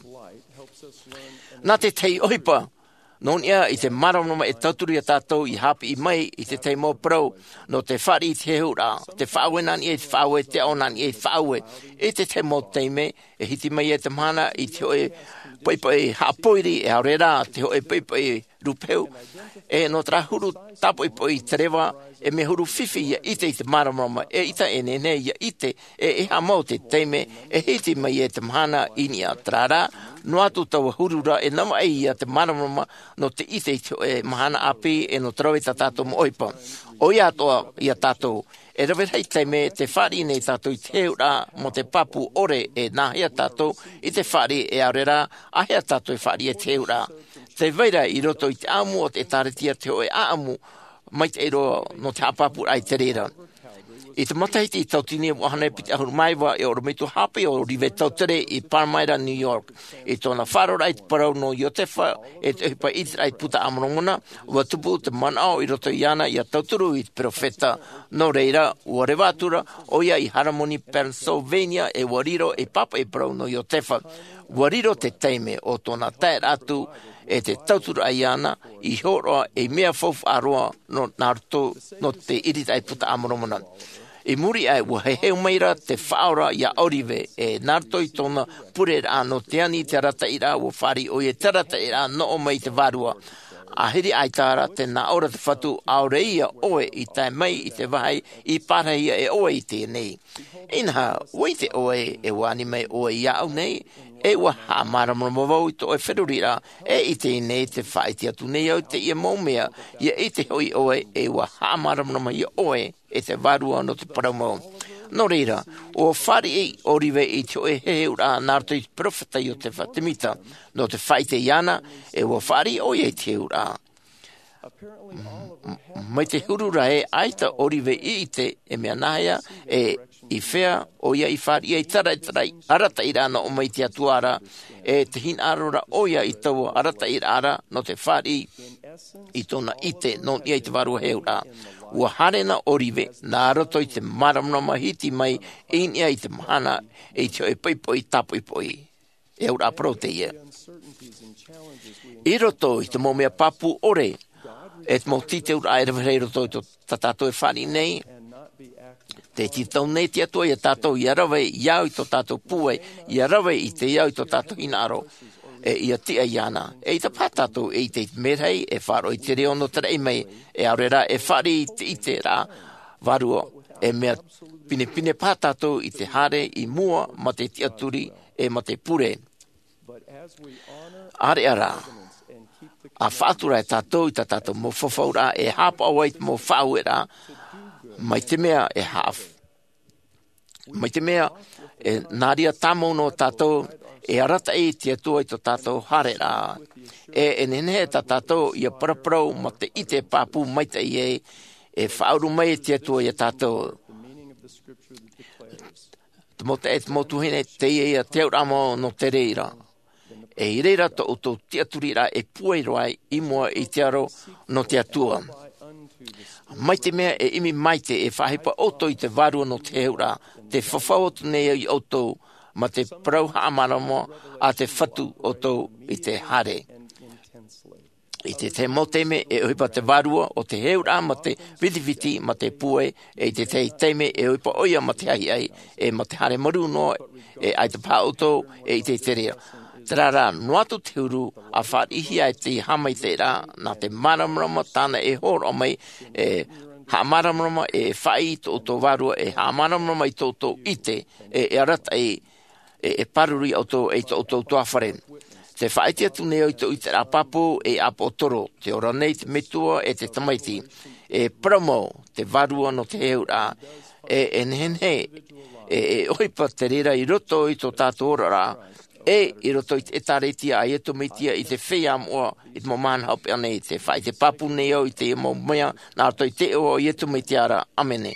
Nā te tahi ʻohipa, nō niʻa i te māramarama e tauturu ia tātou ʻia haʻapiʻi mai i te tahi mau parau, nō te fāriʻi i te heheuraʻa, te faʻaue nā niʻa i te faʻaue, te aʻo nā niʻa i te faʻaue, i te tahi mau taime, e hiti mai ai te mahana i te hōʻē poʻipoʻi haʻapōiri, e ʻaore rā, te hōʻē poʻipoʻi rūpehu, e nō terā huru tāpoʻipoʻi te reva, e mea huru fifi ʻia ʻite i te māramarama, e ʻaita e nehenehe ʻia ʻite, e, e haʻamau te taime, e hiti mai ai te mahana i niʻa, terā rā, noa atu taua huru ra, e navaʻi ia te māramarama, nō te ʻite i te hōʻē mahana ʻāpī, e nō te rave i tā tātou mau ʻohipa. ʻOia atoʻa ia tātou, e rave rahi taime, tē fāriʻi nei tātou i te heheuraʻa, mō te pāpū ʻore, e nāhea tātou i te fāriʻi, e ʻaore rā, āhea tātou e fāriʻi i te heheuraʻa. Tē vai ra i roto i te ʻāʻamu o te ʻĒtārētia te hōʻē ʻāʻamu, maitaʻi roa nō te haʻapāpūraʻa i te reira. I te matahiti tauatini e vaʻu hānere piti ʻahuru mā iva e ʻorometua haʻapiʻi ʻo Oliver Cowdery i Palmyra, New York. I tōna faʻaroʻoraʻa i te parau nō Iotefa, e te ʻohipa ʻĪteraʻa i te Buka a Moromona, ʻua tupu te manaʻo i roto iāna ʻia tauturu i te peropheta. Nō reira, ʻua reva atu ra ʻoia i Harmony, Pennsylvania, e ʻua riro ei pāpaʻi parau nō Iotefa. ʻUa riro te taime o tōna taeraʻa atu e te tauturu iāna i hōroʻa ei mea faufaʻa roa nō, nā roto nō te ʻīritaʻi Buka a Moromona. I muri aʻe, ʻua heheu mai ra te Faʻaora iā Oliver, e nā roto i tōna pureraʻa nō te ani i te arataʻiraʻa, ʻua fāriʻi ʻoia i te arataʻiraʻa nō ʻō mai i te vārua. ʻĀhiri ʻaita ra tē nā ʻō ra te Fatu, ʻaore ia ʻoe i tae mai i te vāhi i pārahia e ʻoe i teie nei. Inaha, ʻua ʻite ʻoe, e ʻua ani mai ʻoe iāʻu nei, e ʻua haʻamāramarama vau i tō ʻoe feruriraʻa, e i teie nei te faʻaʻite atu nei au i teie mau mea, ʻia ʻite hoʻi ʻoe, e ʻua haʻamāramarama ia ʻoe, e te Vārua nō te parau mau. Nō reira, ʻua fāriʻi Oliver i te hōʻē heheuraʻa nā roto i te peropheta Iotefa Temita, nō te faʻaʻite iāna, e ʻua fāriʻi ʻoia i te heheuraʻa. M-, m-, mai te huru ra ē, ʻaita Oliver i ʻite, e mea nāhea, e i fea ʻoia i fāriʻi ai te arataʻiraʻa nō ʻō mai i te Atua ra, e te hinaʻaro ra ʻoia i taua arataʻiraʻa ra, nō te fāriʻi i tōna ʻite, nō niʻa i te vārua heheuraʻa. ua haere na ʻōrive nā roto i te māramarama hiti mai i niʻa i te mahana, i te hoʻi poʻipoʻi tāpoʻipoʻi. E auraʻa parau teie. I roto i te mau mea pāpū ʻore, e te mau tītauraʻa e rave rahi i roto i tō, tā tātou e fāriʻi nei, te tītau nei te Atua iā tātou, ʻia rave i au i tō tātou pūai, ʻia rave i te au i tō tātou hinaʻaro, e ʻia tiʻa iāna. ʻEita paha tātou e ʻite i te merahi, e faʻaroʻo i te reo nō te raʻi mai, e ʻaore rā e fāriʻi i te ʻiteraʻa vārua, e mea pinepine paha tātou i te haere i mua mā te tiʻaturi, e mā te pure. ʻĀreʻa rā, ʻa faʻatura e tātou i tā tātou mau fafauraʻa e haʻapaʻo ai i te mau faʻaueraʻa, mai te mea e haʻaf-, mai te mea e nā reira tāmau noa tātou, e arataʻi te Atua i tō tātou haereraʻa. E, e nehenehe tā tātou ʻia paraparau mā te ʻite pāpū maitaʻi ē, e faʻauru mai te Atua iā tātou. Te mau taeaʻe, te mau tuahine, teie ia te auraʻa mau nō te reira. E i reira tō ʻoutou tiʻaturiraʻa e pūai roa ai i mua i te aro nō te Atua. Mai te mea e ʻimi maite e faʻaʻohipa ʻoutou i te Vārua nō te heheuraʻa, tē fafau atu nei au iā ʻoutou, mā te parau haʻamāramarama a te Fatu ʻoutou i te haere. I te tahi mau taime e ʻohipa te Vārua ʻo te heheuraʻa mā te vitiviti, mā te pūai, e i te tahi taime e ʻohipa ʻoia mā te ʻahiʻahi, e mā te haere marū noa, e ʻaita paha ʻoutou e ʻite i te reira. Terā rā, noa atu te huru ʻa fāriʻihia e te haʻamaitaʻiraʻa, nā te māramarama tāna e hōroʻa mai, e haʻamāramarama, e faʻaʻī i tō ʻoutou vārua, e haʻamāramarama i tō ʻoutou ʻite, e, e arataʻi, e, e pāruru iā ʻoutou, e i tō ʻoutou ʻutuāfare. Tē faʻaʻite atu nei au i tō ʻiteraʻa pāpū, e ʻāpoʻotoro, tē ora nei te Metua, e te Tamaiti. E parau mau te Vārua nō te heheuraʻa, e, e nehenehe, e, e ʻohipa te reira i roto i tō tātou oraraʻa, e i roto i te ʻĒtārētia a Iesu Mesia i te feiā moʻa i te mau mahana hopeʻa nei. Tē faʻaʻite pāpū nei au i teie mau mea, nā roto i te iʻoa o Iesu Mesia ra. ʻĀmene.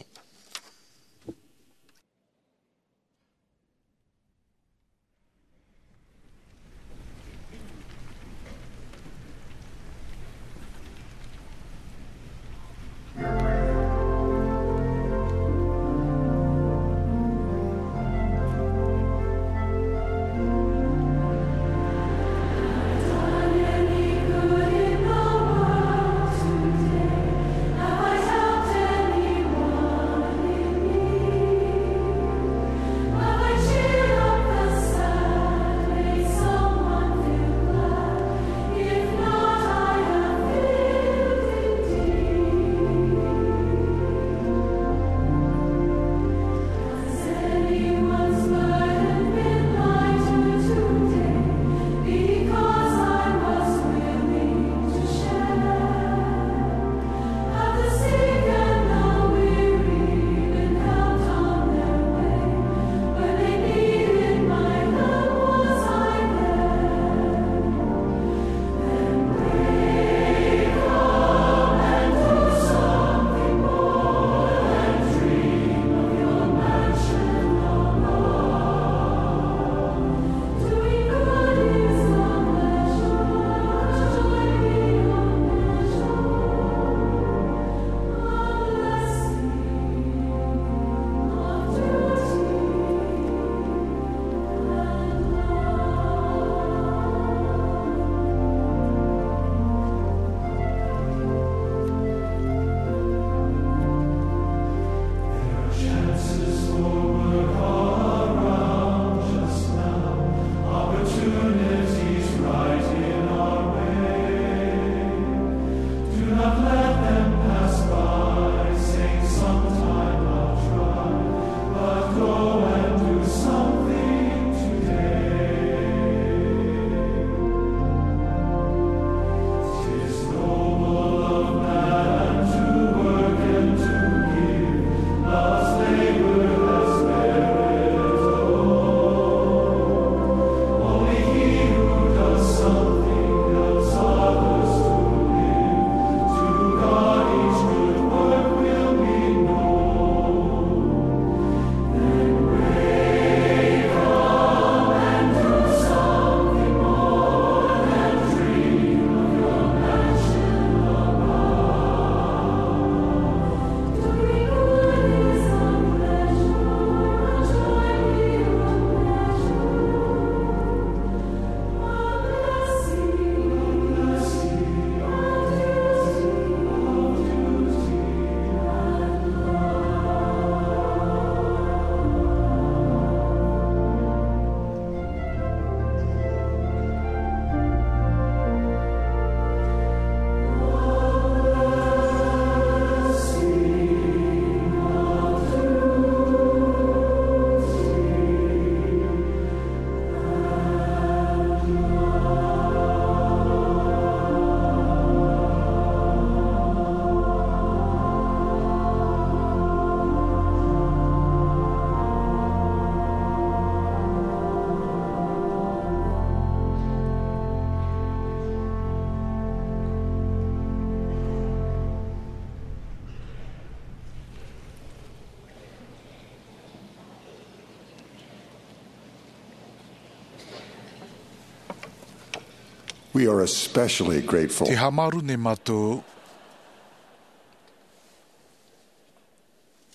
We are especially grateful. Te haʻamāuruuru nei mātou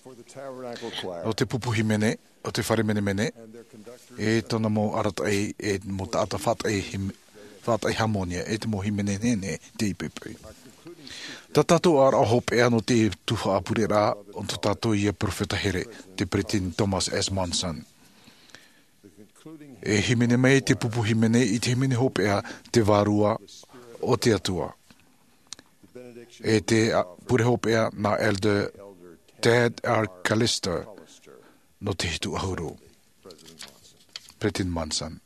For the Tabernacle Choir. O te pupu hīmene, o te fare menemene, e tōna mau arataʻi, e mau taʻata faʻataʻi him-, faʻataʻi hāmōnia, e te mau hīmene nehenehe tei poipoi. Tā tātou ʻaraʻa hopeʻa nō te tuhaʻa pureraʻa, o tō tātou ia perofeta here, te Peresideni Thomas S. Monson. E hīmene mai te pupu hīmene i te hīmene hopeʻa, te Vārua o te Atua. E te, a, pure hopeʻa nā Elder Tad R. Callister nō te hitu ʻahuru. Peresideni Monson.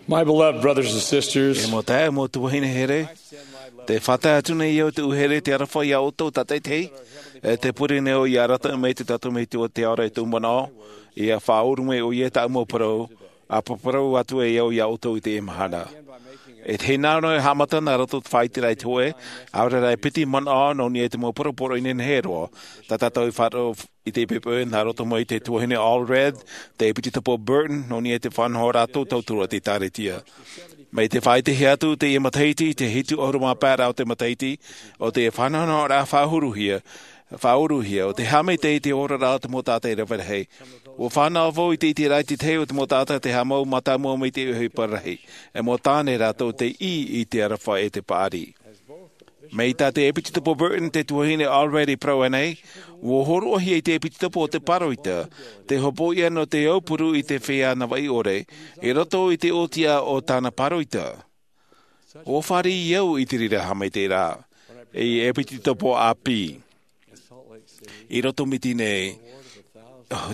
My beloved brothers and sisters, E mau taeaʻe, mau tuahine here, te faʻatae atu nei au te ʻū here te aroha iā ʻoutou tātaʻitahi, e te pure nei au ia arataʻi mai te taʻata Metua te ora i tōʻu manaʻo, ia faʻaʻuru mai ʻoia i tāʻu mau parau, ʻa parau atu ai au iā ʻoutou i teie mahana. E te hinaʻaro e haʻamata nā roto i te faʻaʻiteraʻa i te hōʻē, ʻaore rā e piti manaʻo nō niʻa i te mau parau poroʻi nehenehe roa, tā tātou i faʻaroʻo i te poipoi nā roto mai te tuahine Allred, te ʻepitopo Burton, nō niʻa i te faʻanahoraʻa tauturu a te ʻĒkālesia. Mai te faʻaʻitehia atu teie matahiti, te hitu ʻahuru mā pae o te matahiti, ʻo te faʻanahoraʻa faʻauruhia, faʻauruhia, ʻo te haʻamaitaʻi i te oraraʻa o te mau taʻata e rave rahi. ʻUa fānaʻo vau i te ʻiteraʻa i te tahi o te mau taʻata te haʻamau mātāmua mai te ʻohipa rahi. E mau tāne rātou tei ʻī i te aroha e te paʻari. Mai tā te ʻepitopo Burton, te tuahine Allred i parau anaʻe, ʻua hōroʻahia i te ʻepitopo o te pāroita, te hopoiʻa nō te aupuru i te feiā Navaʻi ʻore, i roto i te ʻōtiʻa o tāna pāroita. ʻUa fāriʻi au i te reira haʻamaitaʻiraʻa, i ʻepitopo ʻĀpī. I roto mai i teie nei,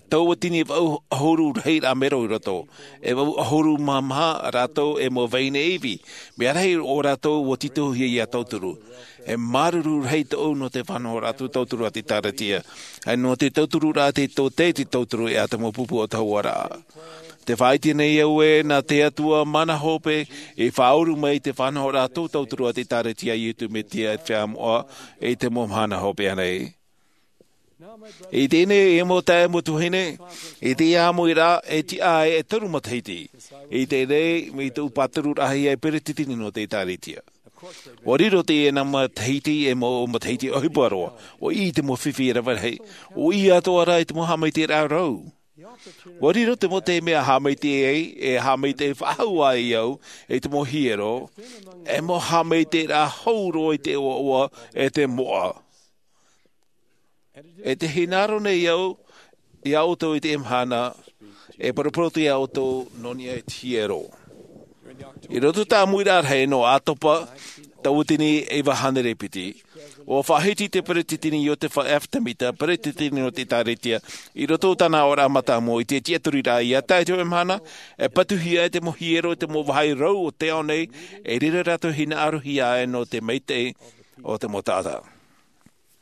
tauatini vaʻu ʻahuru rahiraʻa mero i roto, e vaʻu ʻahuru mā maha rātou e mau vahine ivi, mea rahi o rātou ʻua tītauhia ia tauturu. E māuruuru rahi tōʻu nō te faʻanahoraʻa tauturu a te ʻĒkālesia, e nō te tautururaʻa te tōtē te tauturu e ʻata mau pupu o te hauaraʻa. Te faʻaʻite nei au ē, nā te Atua mana hope, i faʻaʻuru mai te faʻanahoraʻa tauturu a te ʻĒkālesia a Iesu Mesia e te feiā moʻa, i te mau mahana hopeʻa nei. I teie nei e mau taeaʻe, mau tuahine, i teie ʻāmuiraʻa e tiʻa ai e toru matahiti. I teie nei, mai tōʻu pātururaʻahia e peretiteni nō te ʻĒkālesia. ʻUa riro teie nā matahiti e mau matahiti ʻohipa roa, ʻua ʻī i te mau fifi e rave rahi, ʻua ʻī atoʻa rā i te mau haʻamaitaʻiraʻa rau. ʻUa riro te mau taime a haʻamaitaʻi ai, e haʻamaitaʻi faʻahou ai au, i te mau hiero, e mau haʻamaitaʻiraʻa hou roa i te ʻoaʻoa, e te moʻa. E te hinaʻaro nei au, iā ʻoutou i teie mahana, e poroporotu iā ʻoutou nō niʻa i te hiero. I roto i te ʻāmuiraʻa rahi nō ʻOtopa, tauatini iva hānere piti, ʻua faʻahiti te peretiteni Iotefa F. Temita, peretiteni nō te ʻĒkālesia, i roto i tāna aʻoraʻa mātāmua i te tiʻaturiraʻa ia tae i teie mahana, e patuhia ai te mau hiero i te mau vāhi rau o te ao nei, e reira rātou e hinaʻarohia ai nō te maitaʻi o te mau taʻata.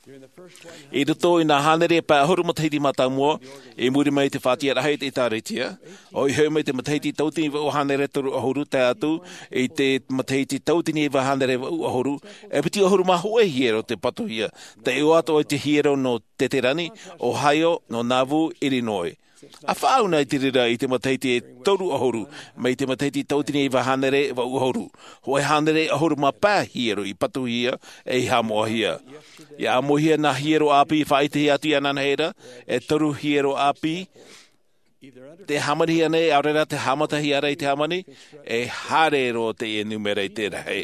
I roto i nā hānere pae ʻahuru matahiti mātāmua, i muri mai i te faʻatiʻaraʻa a te ʻĒkālesia, ʻo ia hoʻi mai te matahiti tauatini vaʻu hānere toru ʻahuru tae atu i te matahiti tauatini iva hānere vaʻu ʻahuru, e piti ʻahuru mā hōʻē hiero tei patuhia, tei ʻoaʻoa i te hiero nō Teterani, Ohio, nō Nauvoo, Illinois. ʻA faʻaau na i te reira i te matahiti e toru ʻahuru, mai te matahiti tauatini iva hānere vaʻu ʻahuru. Hōʻē hānere ʻahuru mā pae hiero i patuhia, e i haʻamoʻahia. ʻIa ʻāmuihia nā hiero ʻāpī faʻaʻitehia atu i ananahi ra, e toru hiero ʻāpī, tē hāmanihia nei, ʻaore rā tē haʻamatahia ra i te hāmani, e haere roa teie nūmera i te rahi.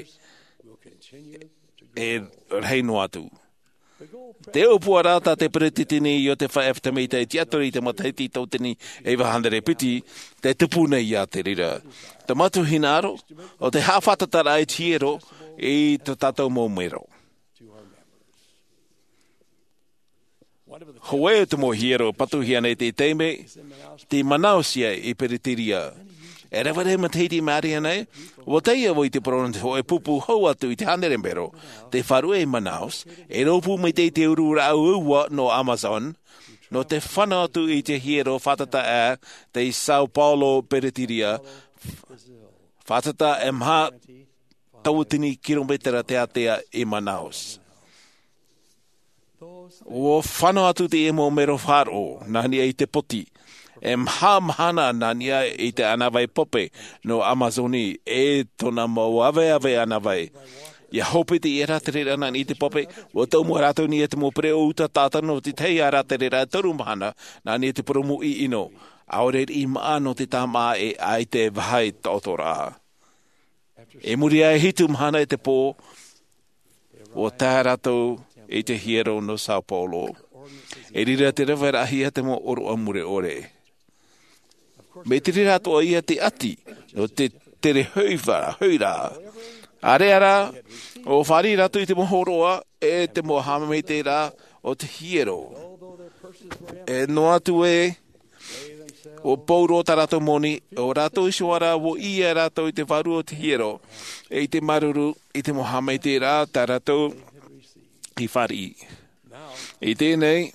E rahi noa atu. Te ʻōpuaraʻa tā te peretiteni Iotefa F. Temita i tiʻaturi i te matahiti tauatini iva hānere piti, tē tupu nei ia te reira. Te mau hinaʻaro, ʻo te haʻafātataraʻa i te hiero i tō tātou mau mero. Hōʻē o te mau hiero patuhia nei i teie taime, tei Manaus ia i Peretīria. E rave rahi matahiti i maʻiri ana, ʻua tae au i te parau nō te hōʻē pupu hau atu i te hānere mero, tei faʻaruʻe i Manaus, e rōpū maitaʻi i te uru rāʻau ua nō Amazon, nō te fānau atu i te hiero fātata ʻā, tei São Paulo, Peretīria, fātata e maha tauatini kirometera te ātea i Manaus. Ua fano atu te ia mau mero faʻaroʻo nā niʻa i te poti. E maha mahana nā niʻa i te ʻānāvai pope nō amazoni, e tōna mau aveave ʻānāvai. Ia hope te ia rātere rā nā niʻa i te pope. Ua tau mua rātou niʻa te mau pereʻo uta tātano o te tahi a rātere rā toru mahana nā niʻa i te poromu ʻino. ʻAore riʻi maʻa nō te tāmaʻa e ʻaita e vaha i taʻoto rā. I muri aʻe hitu mahana i te pō, ua tae rātou i te hiero nō sao paulo. I reira te rave raʻahia te mau ʻōroʻa mure ʻore. Mai te reira atoʻa ia te ʻati nō te tere hoʻi rā. Area rā, ua fāriʻi rātou i te mau hōroʻa e te mau haʻamaitaʻiraʻa o te hiero. E noa atu ē, ua pauroa tā rātou moni, ʻo rātou iho ā rā ua ʻī rātou i te vārua o te hiero, e i te māuruuru i te mau haʻamaitaʻiraʻa tā rātou i fāriʻi. I teie nei,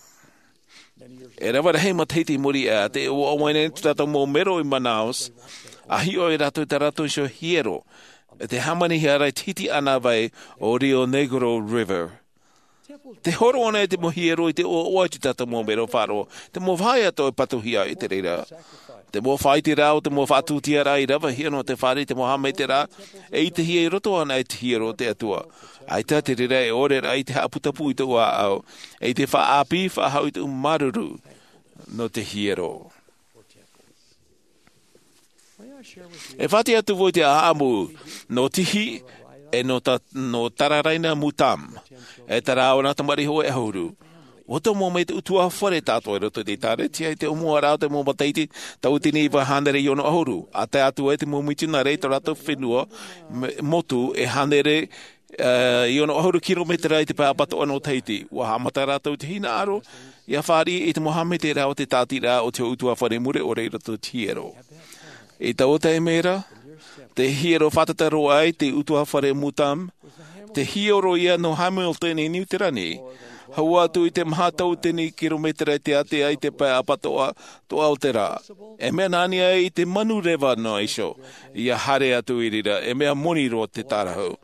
e rave rahi matahiti i muri aʻe, tē ʻoaʻoa nei tā tātou mau mero i manaus, a hiʻo ai rātou i tā rātou iho hiero, e te hāmanihia ra i te hiti ʻānāvai o rio negro river. Te horo ana e te mau hiero i te ʻoaʻoa i tā tātou mau mero faʻaroʻo, te mau vahaʻa atoʻa e patuhia i te reira. Te mau faʻaiteraʻa o te mau faʻatūtiaraʻa i ravehia nō te fāriʻi i te mau haʻamaitaʻiraʻa, e ʻitehia i roto ana i te hiero o te atua. ʻAita te reira e ʻore rā i te haʻaputapū i tōʻu ʻāʻau, e i te faʻaʻāpī faʻahou i tōʻu māuruuru nō te hiero. E faʻaʻite atu vau i te ʻāʻamu nō tihi, e nō ta nō tararaina mutam, e tarau ana tamariʻi hoʻe ʻahuru. Ua tomo mai te ʻutuāfare tātou i roto i te ʻēkālesia i te ʻōmuaraʻa o te mau matahiti, tauatini iva hānere i ono ʻahuru, a tae atu ai te mau mitionare i tō rātou fenua, motu e hānere i ono ʻahuru kirometera i te pae apatoʻa nō tahiti. Ua haʻamata rātou i te hinaʻaro ia fāriʻi i te mau haʻamaitaʻiraʻa o te tāʻatiraʻa o te ʻutuāfare mure ʻore i roto i te hiero. I taua taime ra, te hiero faʻatataro ai te ʻutuāfare mutam, te hiero ia nō hamilton i niuterani, hau atu i te maha tauatini kirometera i te ātea i te pae apatoʻa toʻa o te rā. E mea nā niʻa i te manu reva nō iho ia haere atu i reira, e mea moni roa te tārahu.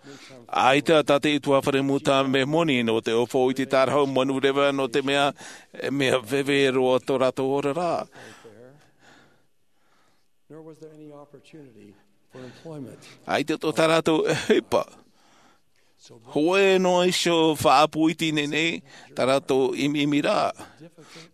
ʻAita tā te ʻutuāfare mutam e moni nō te ʻōfou i te tārahu manu reva, nō te mea e mea veve roa tō rātou oraraʻa. ʻAita tō tā rātou ʻohipa. Hōʻē noa iho faʻaʻapu iti nei nei tā rātou ʻimiʻimiraʻa.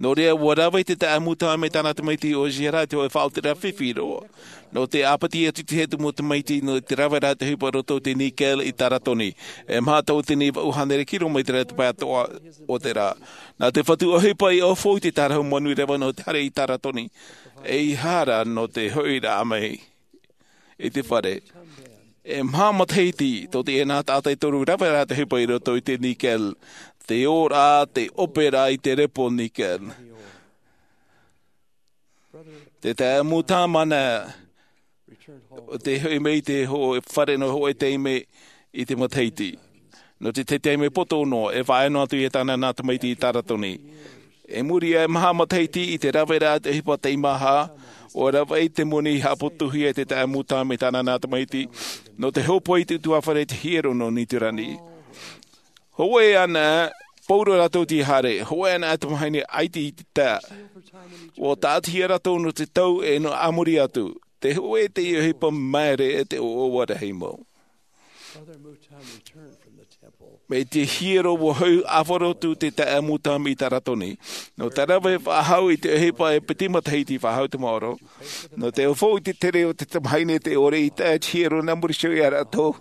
Nō reira ua rave te taʻata mutam e tāna tamaiti o jera i te hōʻē faʻaotiraʻa fifi roa. Nō te ʻāpiti atu i te hea mau tamaiti nō te rave ra te ʻohipa i roto i te nikel i taratoni, e maha tauatini vaʻu hānere kirometera i te pae atoʻa o te rā. Nā te fatu ʻohipa i ʻōfou i te tārahu manu reva nō te haere i taratoni, e i hara nō te hoʻiraʻa mai i te fare. E maha matahiti tō teie nā taʻata e toru rave ra te ʻohipa i roto i te nikel, te ora, te ʻopera i te repo nikel. Te taʻata mutam ʻana, te hoʻi mai i te hōʻē fare nō hōʻē taime i te matahiti. Nō te tahi taime poto noa, e faʻaea noa atu ia tāna nā tamaiti i taratoni. I muri aʻe maha matahiti i te rave ra te ʻohipa teimaha, ua rave ai te moni i haʻaputuhia e te taʻata mutam e tāna nā tamaiti, nō te hōpoi i te ʻutuāfare i te hiero nō niuterani. Hōʻē ana, pauroa rātou i te haere, hōʻē ana tamahine ʻaita i te taʻa. Ua tāʻatihia rātou nō te tau e nō a muri atu. Te hōʻē te ʻohipa māere e te ʻoaʻoa rahi mau. Mai te hiero ua hau ʻāfaro atu te taʻata mutam i taratoni. Nō te rave faʻahou i te ʻohipa e piti matahiti faʻahou te maoro. Nō te ʻōfou i te tere o te tamahine te ʻore i taʻa te hiero nā muri iho ia rātou.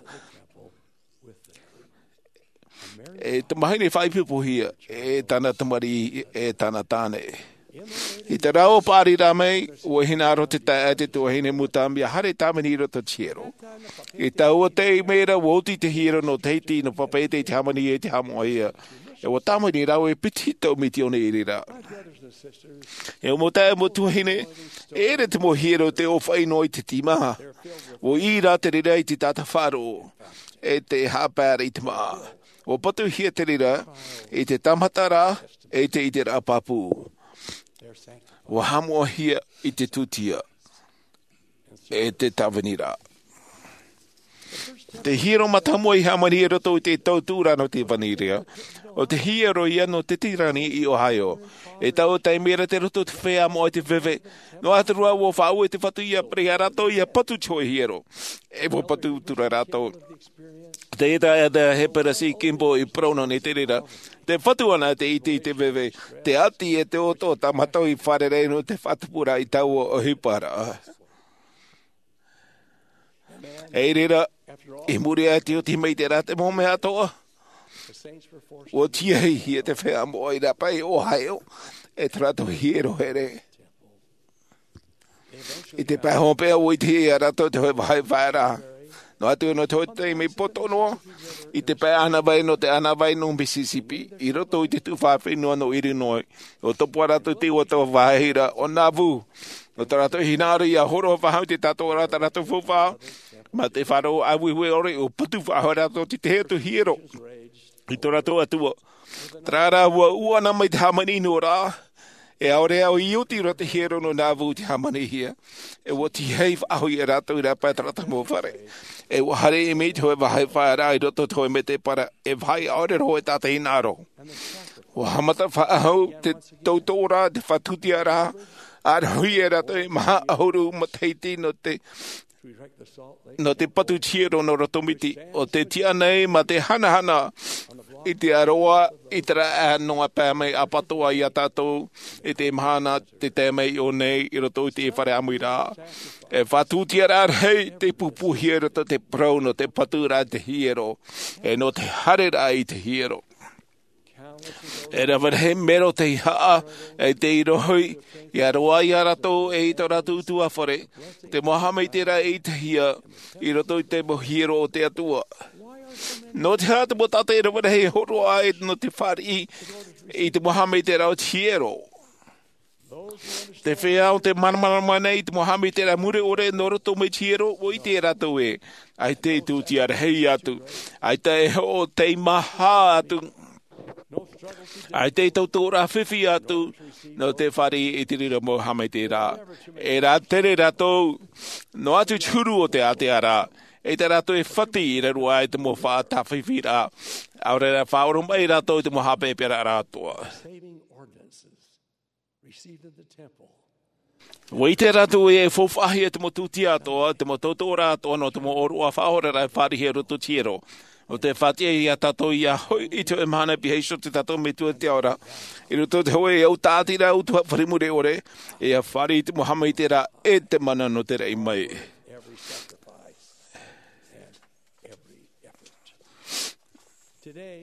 E tamahine faʻaipoipohia, e tāna tamariʻi, e tāna tāne. I te rā o paʻari rā mai, ua hinaʻaro te taʻata e te tuahine mutam ia haere tāvini i roto i te hiero. I taua taime ra ua oti te hiero nō tahiti nō papeʻete i te hāmani e te haʻamoʻahia. E ua tāvini rāua e piti tau mitione i reira. E mau taeaʻe mau tuahine, e ʻere te mau hiero te ʻōfaʻi noa i te tīmaha. Ua ʻī rā te reira i te taʻata faʻaroʻo, e te haʻapaeraʻa i te māʻa. Ua patuhia te reira i te tāmataraʻa, e te ʻiteraʻa pāpū. Ua haʻamoʻahia i te tūtia, e te tāviniraʻa. Te hiero mātāmua i hāmani i roto i te tau tuʻuraʻa nō te vaniria. ʻO te hiero ia nō Tetirani i Ohio. E taua taime ra te roto te feiā moʻa i te veve. Noa atu rā ʻua faʻaue te Fatu ia, ʻia pure ia rātou ʻia patu te hōʻē hiero. E ʻua patu atu ra rātou. Tē ʻite ra Hepelesi Kimball i parau nō nei te reira. Tē fatu ana te ʻite i te veve. Tē ʻati e te ʻoto o tā mātou i fārerei nō te faʻatupu ra i taua ʻohipa ra. I reira, i muri aʻe i te oti mai i terā mau mea atoʻa, ʻua tīaʻi ia te feiā moʻa i rāpae i Ohio, e tō rātou hiero here. I te pae hopeʻa ʻua ʻitehia ia rātou te hōʻē vāhi faʻaearaʻa. Noa atu nō te hōʻē taime poto noa, i te pae ʻānāvai nō te ʻānāvai nō Mississippi, i roto i te tuhaʻa fenua nō Illinois, ʻua topa rātou te ua taua vāhi ra ʻo Nauvoo. Nō tā rātou hinaʻaro ʻia hōroʻa faʻahou i te tātōraʻa tā rātou faufaʻa, mā te faʻaroʻo ʻāueue ʻore ʻua patu faʻahou rātou i te tahi atu hiero i tō rātou Atua. Terā rā ʻua ʻū ana mai te hāmani noa ra, e ʻaore au i oti roa te hiero nō Nauvoo i te hāmanihia, e ʻua tīaʻi faʻahou ia rātou i rāpae i tō rātou mau fare. E ʻua haere mai te hōʻē vāhi faʻaearaʻa i roto i te hōʻē mētēpara, e vāhi ʻaore roa e tātaʻi hinaʻaro. ʻUa haʻamata faʻahou te tautooraʻa, te faʻatūtiaraʻa, ʻa rohi e rātou e maha ʻahuru matahiti nō te, nō te patu hiero nō roto miti. ʻO te tiʻa nei mā te hanahana i te aroā, i terā noa pae mai ʻapatoʻa ia tātou, i te mahana tē tae mai iho nei i roto i te fare ʻāmuiraʻa. E faʻatūtiaraʻa rahi tei pūpūhia i roto i te parau nō te paturaʻa i te hiero, e nō te haereraʻa i te hiero. E rave rahi mero tei haʻa, e tei rohi, ʻia roaʻa ia rātou e i tō rātou utuafare, te mau haʻamaitaʻiraʻa e ʻitehia i roto i te mau hiero o te Atua. Nō te aha te mau taʻata e rave rahi e hōroʻa ai nō te fāriʻi i te mau haʻamaitaʻiraʻa o te hiero? Te feiā ʻo tē māramarama nei i te mau haʻamaitaʻiraʻa mure ʻore nō roto mai te hiero, ʻua ʻite rātou ē, ʻaita e tūtia rahi atu, ʻaita e hoʻo teimaha atu, ʻaita e tautooraʻa fifi atu, nō te fāriʻi i te reira mau haʻamaitaʻiraʻa. E rātere rātou, noa atu te huru o te ātea ra, ʻaita rātou e fati i raro aʻe i te mau faʻatāfifiraʻa, ʻaore rā faʻaoromaʻi rātou i te mau haʻapeʻapeʻaraʻa atoʻa. Received in the temple. ʻUa ʻite rātou ē e faufaʻahia te mau tūtia atoʻa, te mau tautooraʻa atoʻa nō te mau ʻōroʻa faʻaoraraʻa e fāriʻi i roto i te hiero. ʻO tē faʻatiʻa ia tātou ʻia hoʻi i te hōʻē mahana pihaʻi iho tō tātou Metua i te ao ra, i roto i te hōʻē au tāʻatiraʻa utuafare mure ʻore, ʻia fāriʻi i te mau haʻamaitaʻiraʻa e te mana nō te raʻi mai.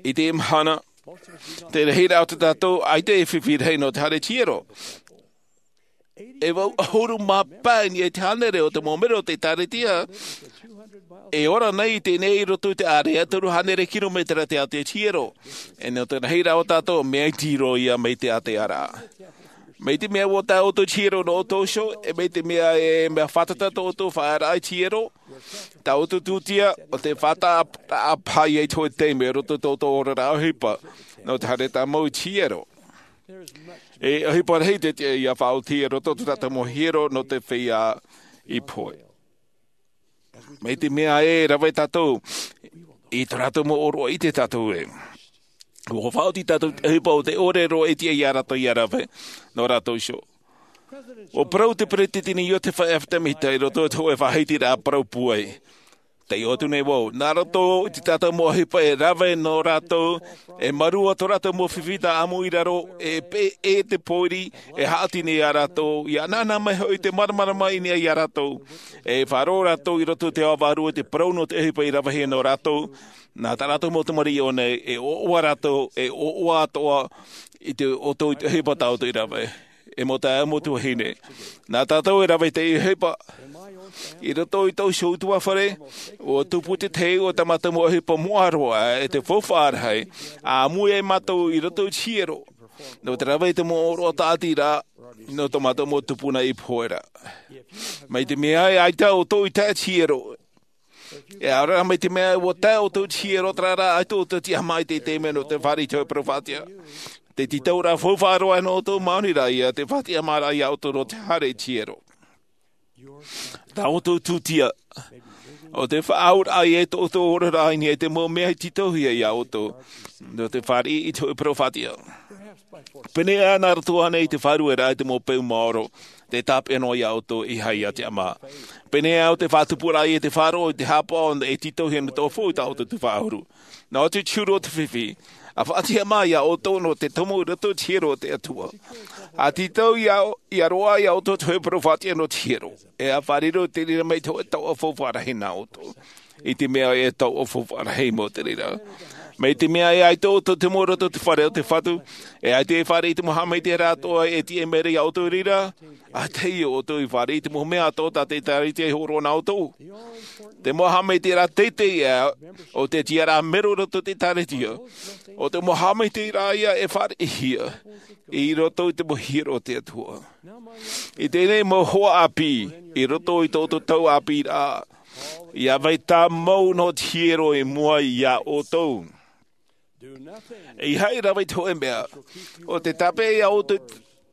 I teie mahana, te rahiraʻa o tā tātou, ʻaita e fifi rahi nō te haere i te hiero. E vaʻu ʻahuru mā pae i niʻa i te hānere o te mau mero o te ʻĒkālesia e ora nei i teie nei i roto i te ārea toru hānere kiromētera te ātea i te hiero. E nō te rahiraʻa o tātou, mea iti roa ia mai te ātea ra. Mai te mea ʻua tae ʻoutou i te hiero nō ʻoutou iho, e mai te mea e mea fātata tō ʻoutou faʻaearaʻa i te hiero, tā ʻoutou tūtia, ʻo tē faʻataʻa paha ia i te hōʻē taime i roto i tō ʻoutou oraraʻa ʻohipa, nō te haere tāmau i te hiero. E ʻohipa rahi te tiʻa ʻia faʻaoti i roto i tō tātou mau hiero nō te feiā i pohe. Mai te mea e rave tātou, i tō rātou mau ʻōroʻa ʻite tātou ē. ʻUa faʻaoti tātou i te ʻohipa ʻo tē ʻore roa e tiʻa ia rātou ʻia rave, nō rātou iho. ʻUa parau te peresideni Iosepha F. Smith i roto i te hōʻē faʻahitiraʻa parau pūai. Taiʻo atu nei vau, nā roto i tā tātou mau ʻohipa e rave nō rātou, e mārū tō rātou mau fifi tā ʻamu i raro, e pē-, e te pōiri, e haʻati nei ia rātou, ʻia ʻanaʻana mai hoʻi te māramarama i niʻa ia rātou. E faʻaroʻo rātou i roto i te ao vārua i te parau nō te ʻohipa i ravehia nō rātou, nā tā rātou mau tamariʻi i ʻō nei, e ʻoaʻoa rātou, e ʻoaʻoa atoʻa i te ʻoutou i te ʻohipa tā ʻoutou i rave. E mau taeaʻe, mau tuahine. Nā tātou e rave i te ʻohipa. I roto i tōʻu iho utuafare, ʻua tupu te tahi o tā mātou mau ʻohipa moʻa roa, e te faufaʻa rahi, ʻāmui ai mātou i roto i te hiero. Nō te rave i te mau ʻōroʻa tāʻatiraʻa, nō tō mātou mau tupuna i pohe ra. Mai te mea ē ʻaita ʻoutou i tae i te hiero, e ʻaore rā mai te mea ē ʻua tae ʻoutou i te hiero, terā rā, ʻaita ʻoutou e tiʻa mai i te taime nō te fāriʻi i te hōʻē parau faʻatiʻa. Te tītauraʻa faufaʻa roa nō ʻoutou, maori rā ia, te faʻatiʻamāraʻa ia ʻoutou nō te haere i te hiero. Tā ʻoutou tūtia, ʻO te faʻaʻauraʻa i tō ʻoutou oraraʻa i niʻa i te mau mea i tītauhia iā ʻoutou nō te fāriʻi i te hōʻē parau faʻatiʻa. Pēnei ā nā roto ānei i te faʻarueraʻa i te mau peu maoro, te tāpeʻa noa iā ʻoutou e ʻeiaha te ʻama. Pēnei ā ʻo te faʻatupuraʻa i te faʻaroʻo i te haʻapaʻo e tītauhia nō te ʻōfaʻi tā ʻoutou te faʻahuru. Nā ʻō atu te huru o te fifi, ʻa faʻatiʻa mai iā ʻoutou nō te tomo i roto i te hiero o te Atua. ʻA tītau iā, iā roaʻa iā ʻoutou te hōʻē parau faʻatiʻa nō te hiero. E ʻa fāriʻi i te reira mai te hōʻē taoʻa faufaʻa rahi nā ʻoutou. I te mea e taoʻa faufaʻa rahi mau te reira. Mai te mea e ʻaita ʻoutou te mau i roto i te fare o te Fatu, e ʻaita e fāriʻi i te mau haʻamaitaʻiraʻa atoʻa e tiʻa mai ra iā ʻoutou i reira, ʻa teie ʻoutou i fāriʻi i te mau mea atoʻa tā te ʻĒkālesia i hōroʻa nā ʻoutou. Te mau haʻamaitaʻiraʻa teitei ā, ʻo te tiʻaraʻa mero i roto i te ʻĒkālesia, ʻo te mau haʻamaitaʻiraʻa ia e fāriʻihia i roto i te mau hiero o te Atua. I teie nei mau hoa ʻāpī, i roto i tō ʻoutou tau ʻāpīraʻa, ʻia vai tāmau noa te hiero i mua iā ʻoutou. E ʻeiaha e rave i te hōʻē mea, ʻo te tāpeʻa iā ʻoutou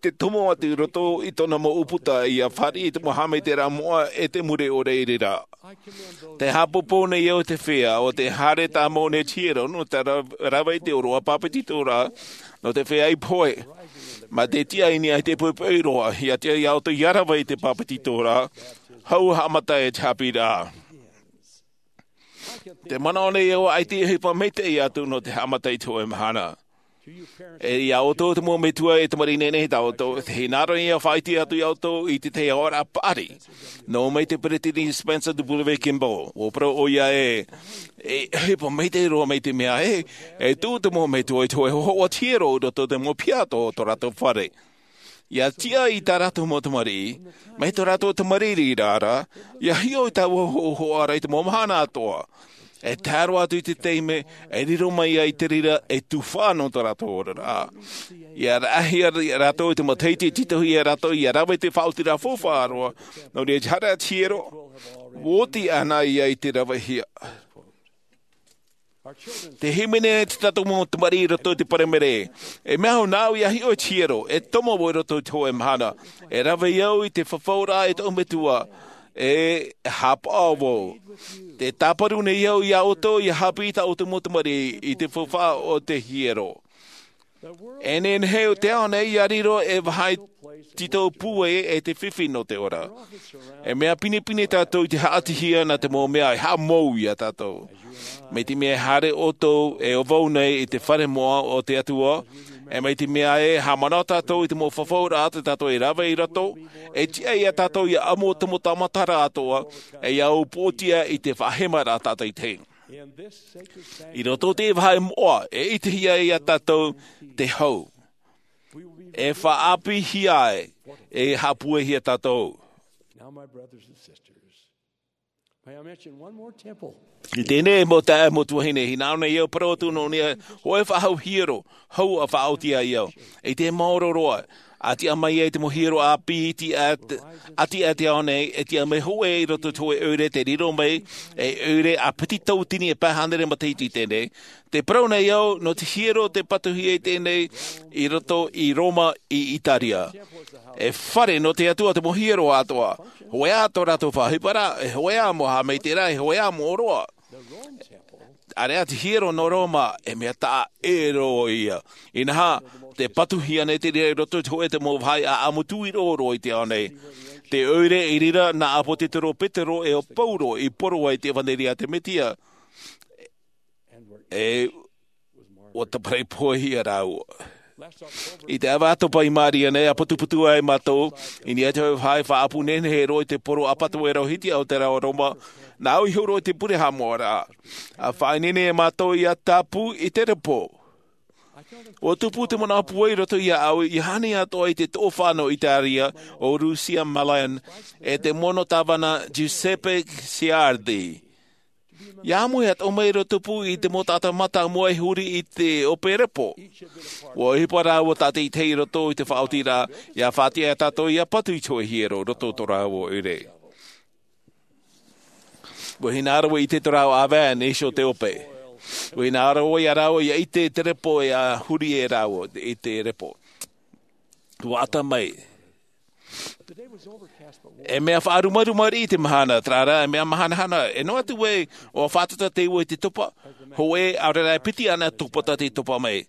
te tomo atu i roto i tōna mau ʻūputa ʻia fāriʻi i te mau haʻamaitaʻiraʻa moʻa e te mure ʻore i reira. Tē haʻapāpū nei au i te feiā, ʻo tē haere tāmau nei te hiero, nō te ra-, rave i te ʻōroʻa pāpetitoraʻa, nō te feiā i pohe. Mā te tiʻa i niʻa i te poʻipoʻi roa, ʻia tiʻa iā ʻoutou ʻia rave i te pāpetitoraʻa, hau haʻamata i te haʻapiʻiraʻa. Tē manaʻo nei au ʻaita e ʻohipa maitaʻi atu nō te haʻamata i te hōʻē mahana. E iā ʻoutou te mau metua e tamariʻi nehenehe tā ʻoutou, tē hinaʻaro nei au e faʻaʻite atu iā ʻoutou i te tahi aʻoraʻa paʻari. Nō mai te Peresideni Spencer W. Kimball, ʻua parau ʻoia ē, e ʻohipa maitaʻi roa mai te mea ē, e tuʻu te mau metua i te hōʻē hōhoʻa hiero i roto i te mau piha atoʻa o tō rātou fare. ʻIa tiʻa i tā rātou mau tamariʻi, mai tō rātou tamariʻi rā, ʻia hiʻo i taua hōhoʻa ra i te mau mahana atoʻa. E tae roa atu i te taime, e riro mai ai te reira e tuhaʻa nō tō rātou oraraʻa. ʻIa raʻahia rātou i te matahiti e tītauhia iā rātou ʻia rave i te faʻaotiraʻa faufaʻa roa, nō reira te haere a te hiero, ʻua oti ānei ia i te ravehia. Tē hīmene nei tā tātou mau tamariʻi i roto i te Paraimere. E mea au nāʻu ʻia hiʻo i te hiero, e tomo vau i roto i te hōʻē mahana. E rave au i te fafauraʻa e tōʻu metua, e haʻapaʻo vau. Tē tāparu nei au iā ʻoutou ʻia haʻapiʻi i tā ʻoutou mau tamariʻi i te faufaʻa o te hiero. E nehenehe te ao nei ʻia riro ei vāhi tītau pūai e te fifi nō te ora. E mea pinepine tātou i te haʻatihia nā te mau mea e haʻamou iā tātou. Mai te mea e haere ʻoutou e ʻo vau nei i te fare moʻa o te Atua, e mai te mea e haʻamanaʻo tātou i te mau fafauraʻa tā tātou e rave i roto, e tiʻa iā tātou ʻia ʻamu te mau tāmataraʻa atoʻa, e ʻia ʻōpuahia i te faʻahemaraʻa tātaitahi. I roto i te vāhi moʻa, e ʻitehia iā tātou te hau. E faʻaʻāpīhia ai, e haʻapūaihia tātou. Now, my brothers and sisters, may I mention one more temple? I teie nei mau taeaʻe, mau tuahine, hinaʻaro nei au e parau atu nō niʻa i te hōʻē faʻahou hiero, hau ʻa faʻaoti ai au. E te maoro roa, ʻa tiʻa mai ai te mau hiero ʻāpī, tiʻa, ʻa tiʻa i te ao nei, e tiʻa mai hōʻē i roto i te hōʻē ʻoire tē riro mai, e ʻoire ʻa piti tauatini e pae hānere matahiti i teie nei. Tē parau nei au, nō te hiero tē patuhia i teie nei, i roto i Roma i Itaria. E fare nō te Atua te mau hiero atoʻa. Hōʻē ā tō rātou faʻaʻohiparaʻa, e hōʻē ā mau haʻamaitaʻiraʻa, e hōʻē ā mau ʻōroʻa. ʻĀreʻa te hiero nō Roma, e mea taʻa ʻē roa ia. Inaha, tē patuhia nei te reira i roto i te hōʻē mau vāhi ʻāʻamu tuʻiroʻo i te ao nei. Te ʻoire i reira nā ʻApotetoro Petero e ʻo Pauro i poro ai te ʻevanelia a te Mesia. E ʻua tāparahi pohe ia rāua. I te ʻāvaʻe ʻātopa i Māria nei, ʻa putuputu ai mātou, i niʻa i te hōʻē vāhi faʻaʻapu nehenehe roa i te poro ʻapatoʻa e rauhiti ʻo te reo Roma, nāʻu i huru i te pure haʻamoʻaraʻa. ʻA faʻaineine mātou ʻia tāpū i te repo. ʻUa tupu te manaʻo pūai i roto iāʻu, ʻia ani atoʻa i te toʻofaʻa nō Italia, ʻo Lucia Malan, e te mono tāvana Giuseppe Ciardi. ʻIa ʻamu atoʻa mai ra tupu i te mau taʻata mātāmua e huri i te ʻope repo. ʻUa ʻohipa rāua tātaʻitahi i roto i te faʻaotiraʻa, ʻia faʻatiʻa tātou ʻia patu i te hōʻē hiero i roto i tō rāua ʻoire. ʻUa hinaʻaro ʻia ʻite tō rāua ʻāvae nā iho o te ʻope. ʻUa hinaʻaro ia rāua ʻia ʻite te repo e huri e rāua i te repo. ʻUa ʻata mai. E mea faʻarumaruma riʻi te mahana, terā rā, e mea mahanahana, e noa atu ē, ʻua fātata te ua i te topa, hōʻē, ʻaore rā e piti ana topa tā te topa mai.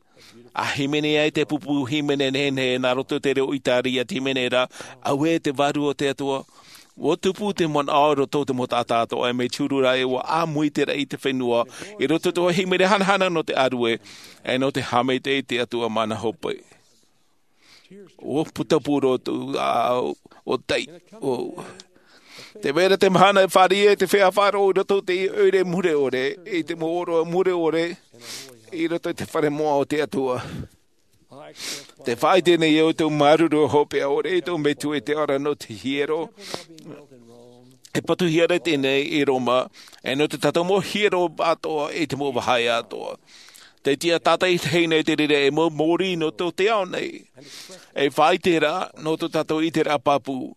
ʻA hīmene ai te pupu hīmene nehenehe nā roto i te reo ʻĪtārī ʻa te hīmene ra, auē te vārua o te Atua. ʻUa tupu te manaʻo i roto i te mau taʻata atoʻa, e mea tiuru rā ē ʻua ʻāmui te raʻi i te fenua, i roto i te hīmene hanahana nō te ʻārue, e nō te haʻamaitaʻi i te Atua mana hope. ʻUa putapū roto, ʻa, ʻua tai, ʻua. Tē vai ra te mahana e fāriʻi ai te feiā faʻaroʻo i roto i te ʻoire mure ʻore, i te mau ʻōroʻa mure ʻore, i roto i te fare moʻa o te Atua. Tē faʻaʻite nei au i tōʻu māuruuru hopeʻa ʻore, i tōʻu Metua i te Ao ra nō te hiero. E patuhia ra teie nei i Roma, e nō tā tātou mau hiero atoʻa i te mau vāhi atoʻa. Tē tiʻa tātaʻitahi nei te reira e mau mōrī nō tō te ao nei. E faʻaʻite ra, nō tō tātou ʻiteraʻa pāpū.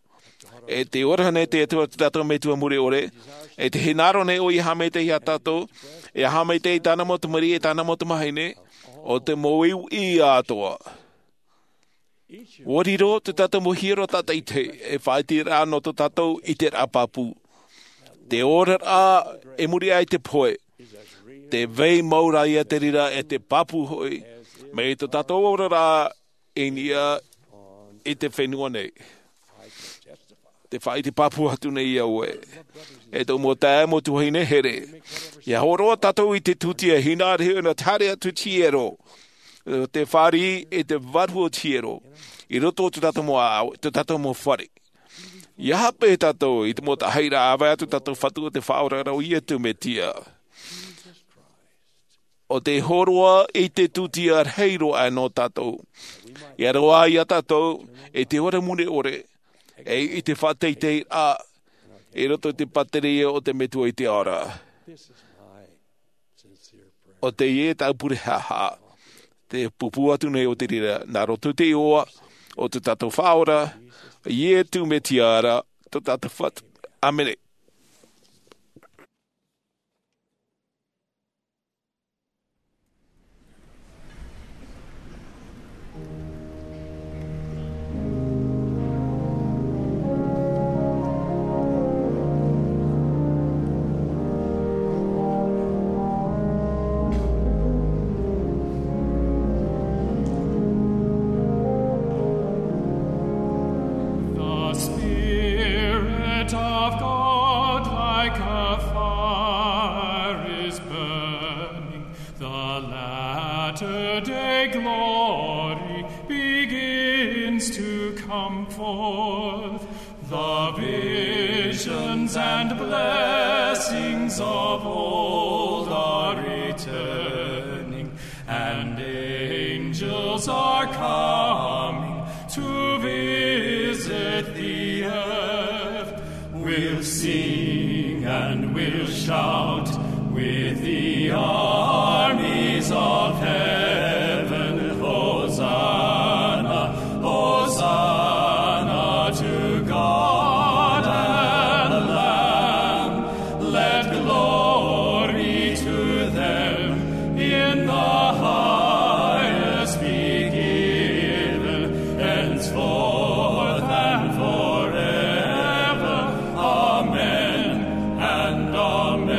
E te ora nei te Atua, tō tātou Metua mure ʻore. E tē hinaʻaro nei ʻoia e haʻamaitaʻi ia tātou, e haʻamaitaʻi i tāna mau tamariʻi, e tāna mau tamāhine, ʻo te mau uʻi atoʻa. ʻUa riro tō tātou mau hiero tātaʻitahi, e faʻaʻite ra nō tō tātou ʻiteraʻa pāpū. Te oraraʻa i muri aʻe i te pohe. Tē vai mau ra ia te reira e te pāpū hoʻi, mai tō tātou oraraʻa i niʻa i te fenua nei. Tē faʻaʻite pāpū atu nei au ē. E tōʻu mau taeaʻe, mau tuahine here. ʻIa hōroʻa tātou i te tūtia hinaʻaro, nō te haere atu i te hiero. Tē fāriʻi i te vārua o te hiero. I roto i tō tātou mau ʻāʻau, tō tātou mau fare. ʻIa hape tātou i te mau taʻahiraʻa ʻāvae atu tātou Fatu ʻo tē Faʻaora ra ʻo Iesu Mesia. ʻO tē hōroʻa i te tūtia rahi roa aʻe nō tātou. ʻIa roaʻa ia tātou i te ora mure ʻore, e i te faʻateiteiraʻa, i roto i te pātireia o te Metua i te Ao ra. ʻO teie tāʻu pure haʻahaʻa, tē pūpū atu nei au i te reira, nā roto i te iʻoa o tō tātou Faʻaora, Iesu Mesia ra, tō tātou Fatu. ʻĀmene. The Spirit of God, like a fire, is burning. The latter day glory begins to come forth. The visions and blessings of old are returning, and angels are coming to visit the earth. We'll sing and we'll shout with the armies of heaven. Hosanna, Hosanna to God and Lamb. Let glory to them in the highest be given, henceforth and forever. Amen and amen.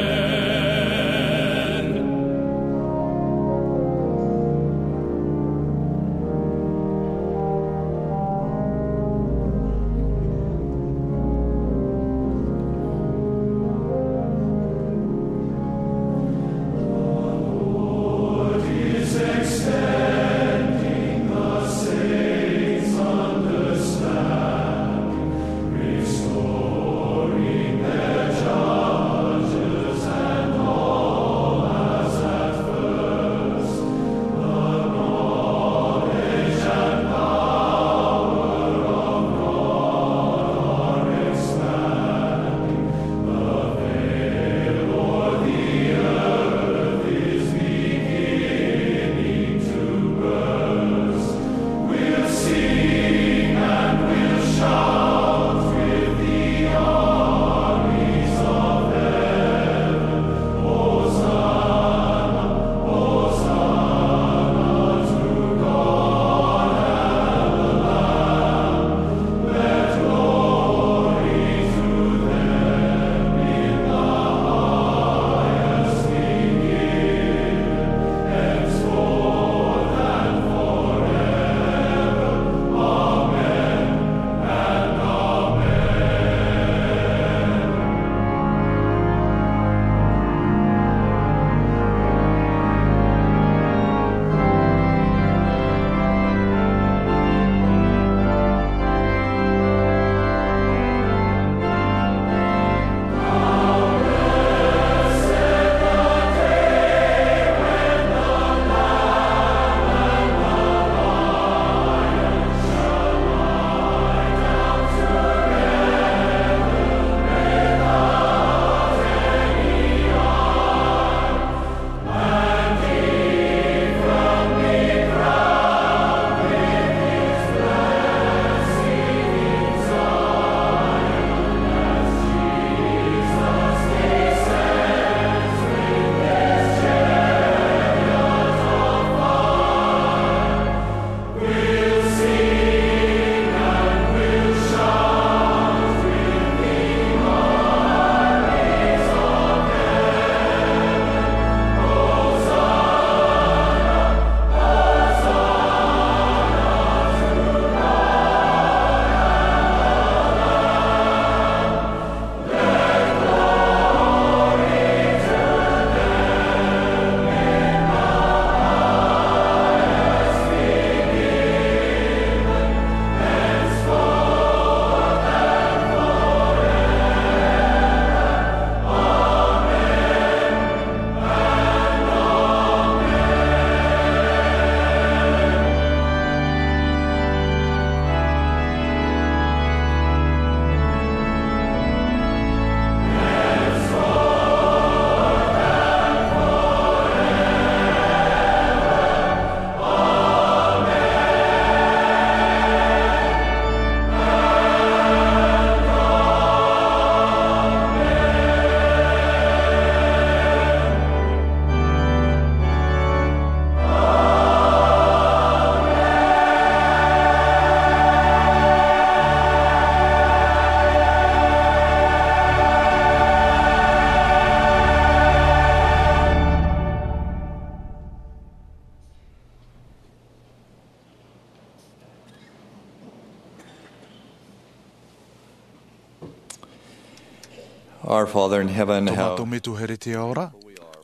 Our Father in heaven, tō mātou Metua here te ao ra,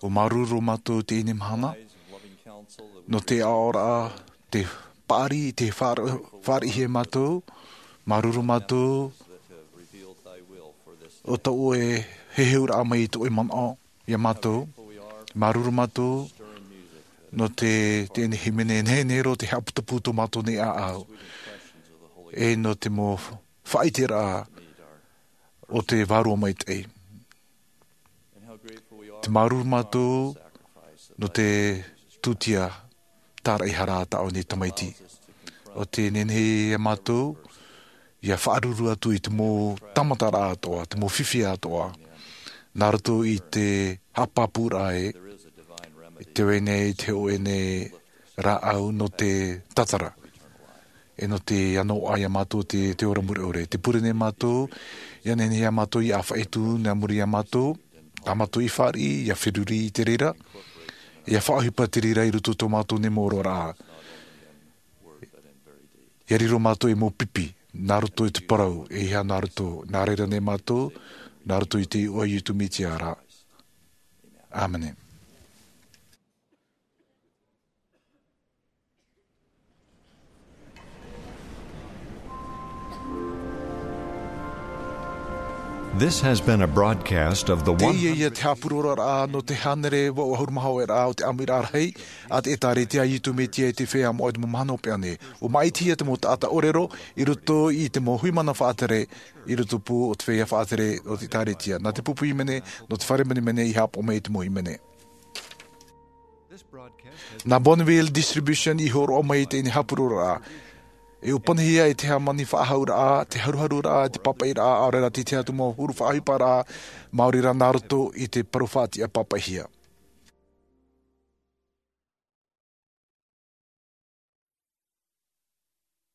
ʻua māuruuru mātou i teie mahana, nō te aʻoraʻa, te paʻari, te faʻa-, faʻariʻi e mātou, māuruuru mātou, ʻo tō ʻoe heheuraʻa mai i tō ʻoe manaʻo, iā mātou, māuruuru mātou, nō te, teie hīmene nehenehe roa te haʻaputapū tō mātou nei ʻāʻau, e nō te mau faʻaʻiteraʻa o te Vārua Maitaʻi. Te māuruuru mātou nō te tūtia tāraʻehara a tā ʻoe nei tamaiti. ʻO te nehenehe iā mātou, ʻia faʻaruru atu i te mau tāmataraʻa atoʻa, te mau fifi atoʻa. Nā roto i te haʻapāpūraʻa ē, te vai nei te hōʻē nei rāʻau nō te tatara. E nō te ʻanoʻa iā mātou te, te ora mure ʻore. Te pure nei mātou, ʻia nehenehe iā mātou ʻia ʻāfaʻi atu, nā muri iā mātou, tā mātou i fāriʻi, ʻia feruri i te reira, ʻia faʻaʻohipa te reira i roto tō mātou nei mau oraraʻa. ʻIa riro mātou ei mau pipi, nā roto i te parau, e ʻeiaha nā roto, nā reira nei mātou, nā roto i te iʻoa o Iesu Mesia ra. ʻĀmene. This has been a broadcast of the one. Teie ia te haʻapurororaʻa nō te hānere vaʻu ʻahuru mā hōʻē raʻa o te ʻāmuiraʻa rahi a te ʻĒtārētia a Iesu Mesia i te Feiā Moʻa i te mau mahana hopeʻa nei. ʻUa māʻitihia te mau taʻata ʻōrero i roto i te mau hui mana faʻatere, i roto pū o te feiā faʻatere o te ʻĒtārētia. Nā te pupu hīmene, nō te fare menemene i haʻapaʻo mai i te mau hīmene. Nā Bonneville Distribution i hōroʻa mai i teie haʻapurororaʻa. E ʻōpanihia e te hāmani faʻahauraʻa, te haruharuraʻa, te pāpaʻiraʻa, ʻaore rā te tahi atu mau huru faʻaʻohiparaʻa, maori rā nā roto i te parau faʻatiʻa pāpaʻihia.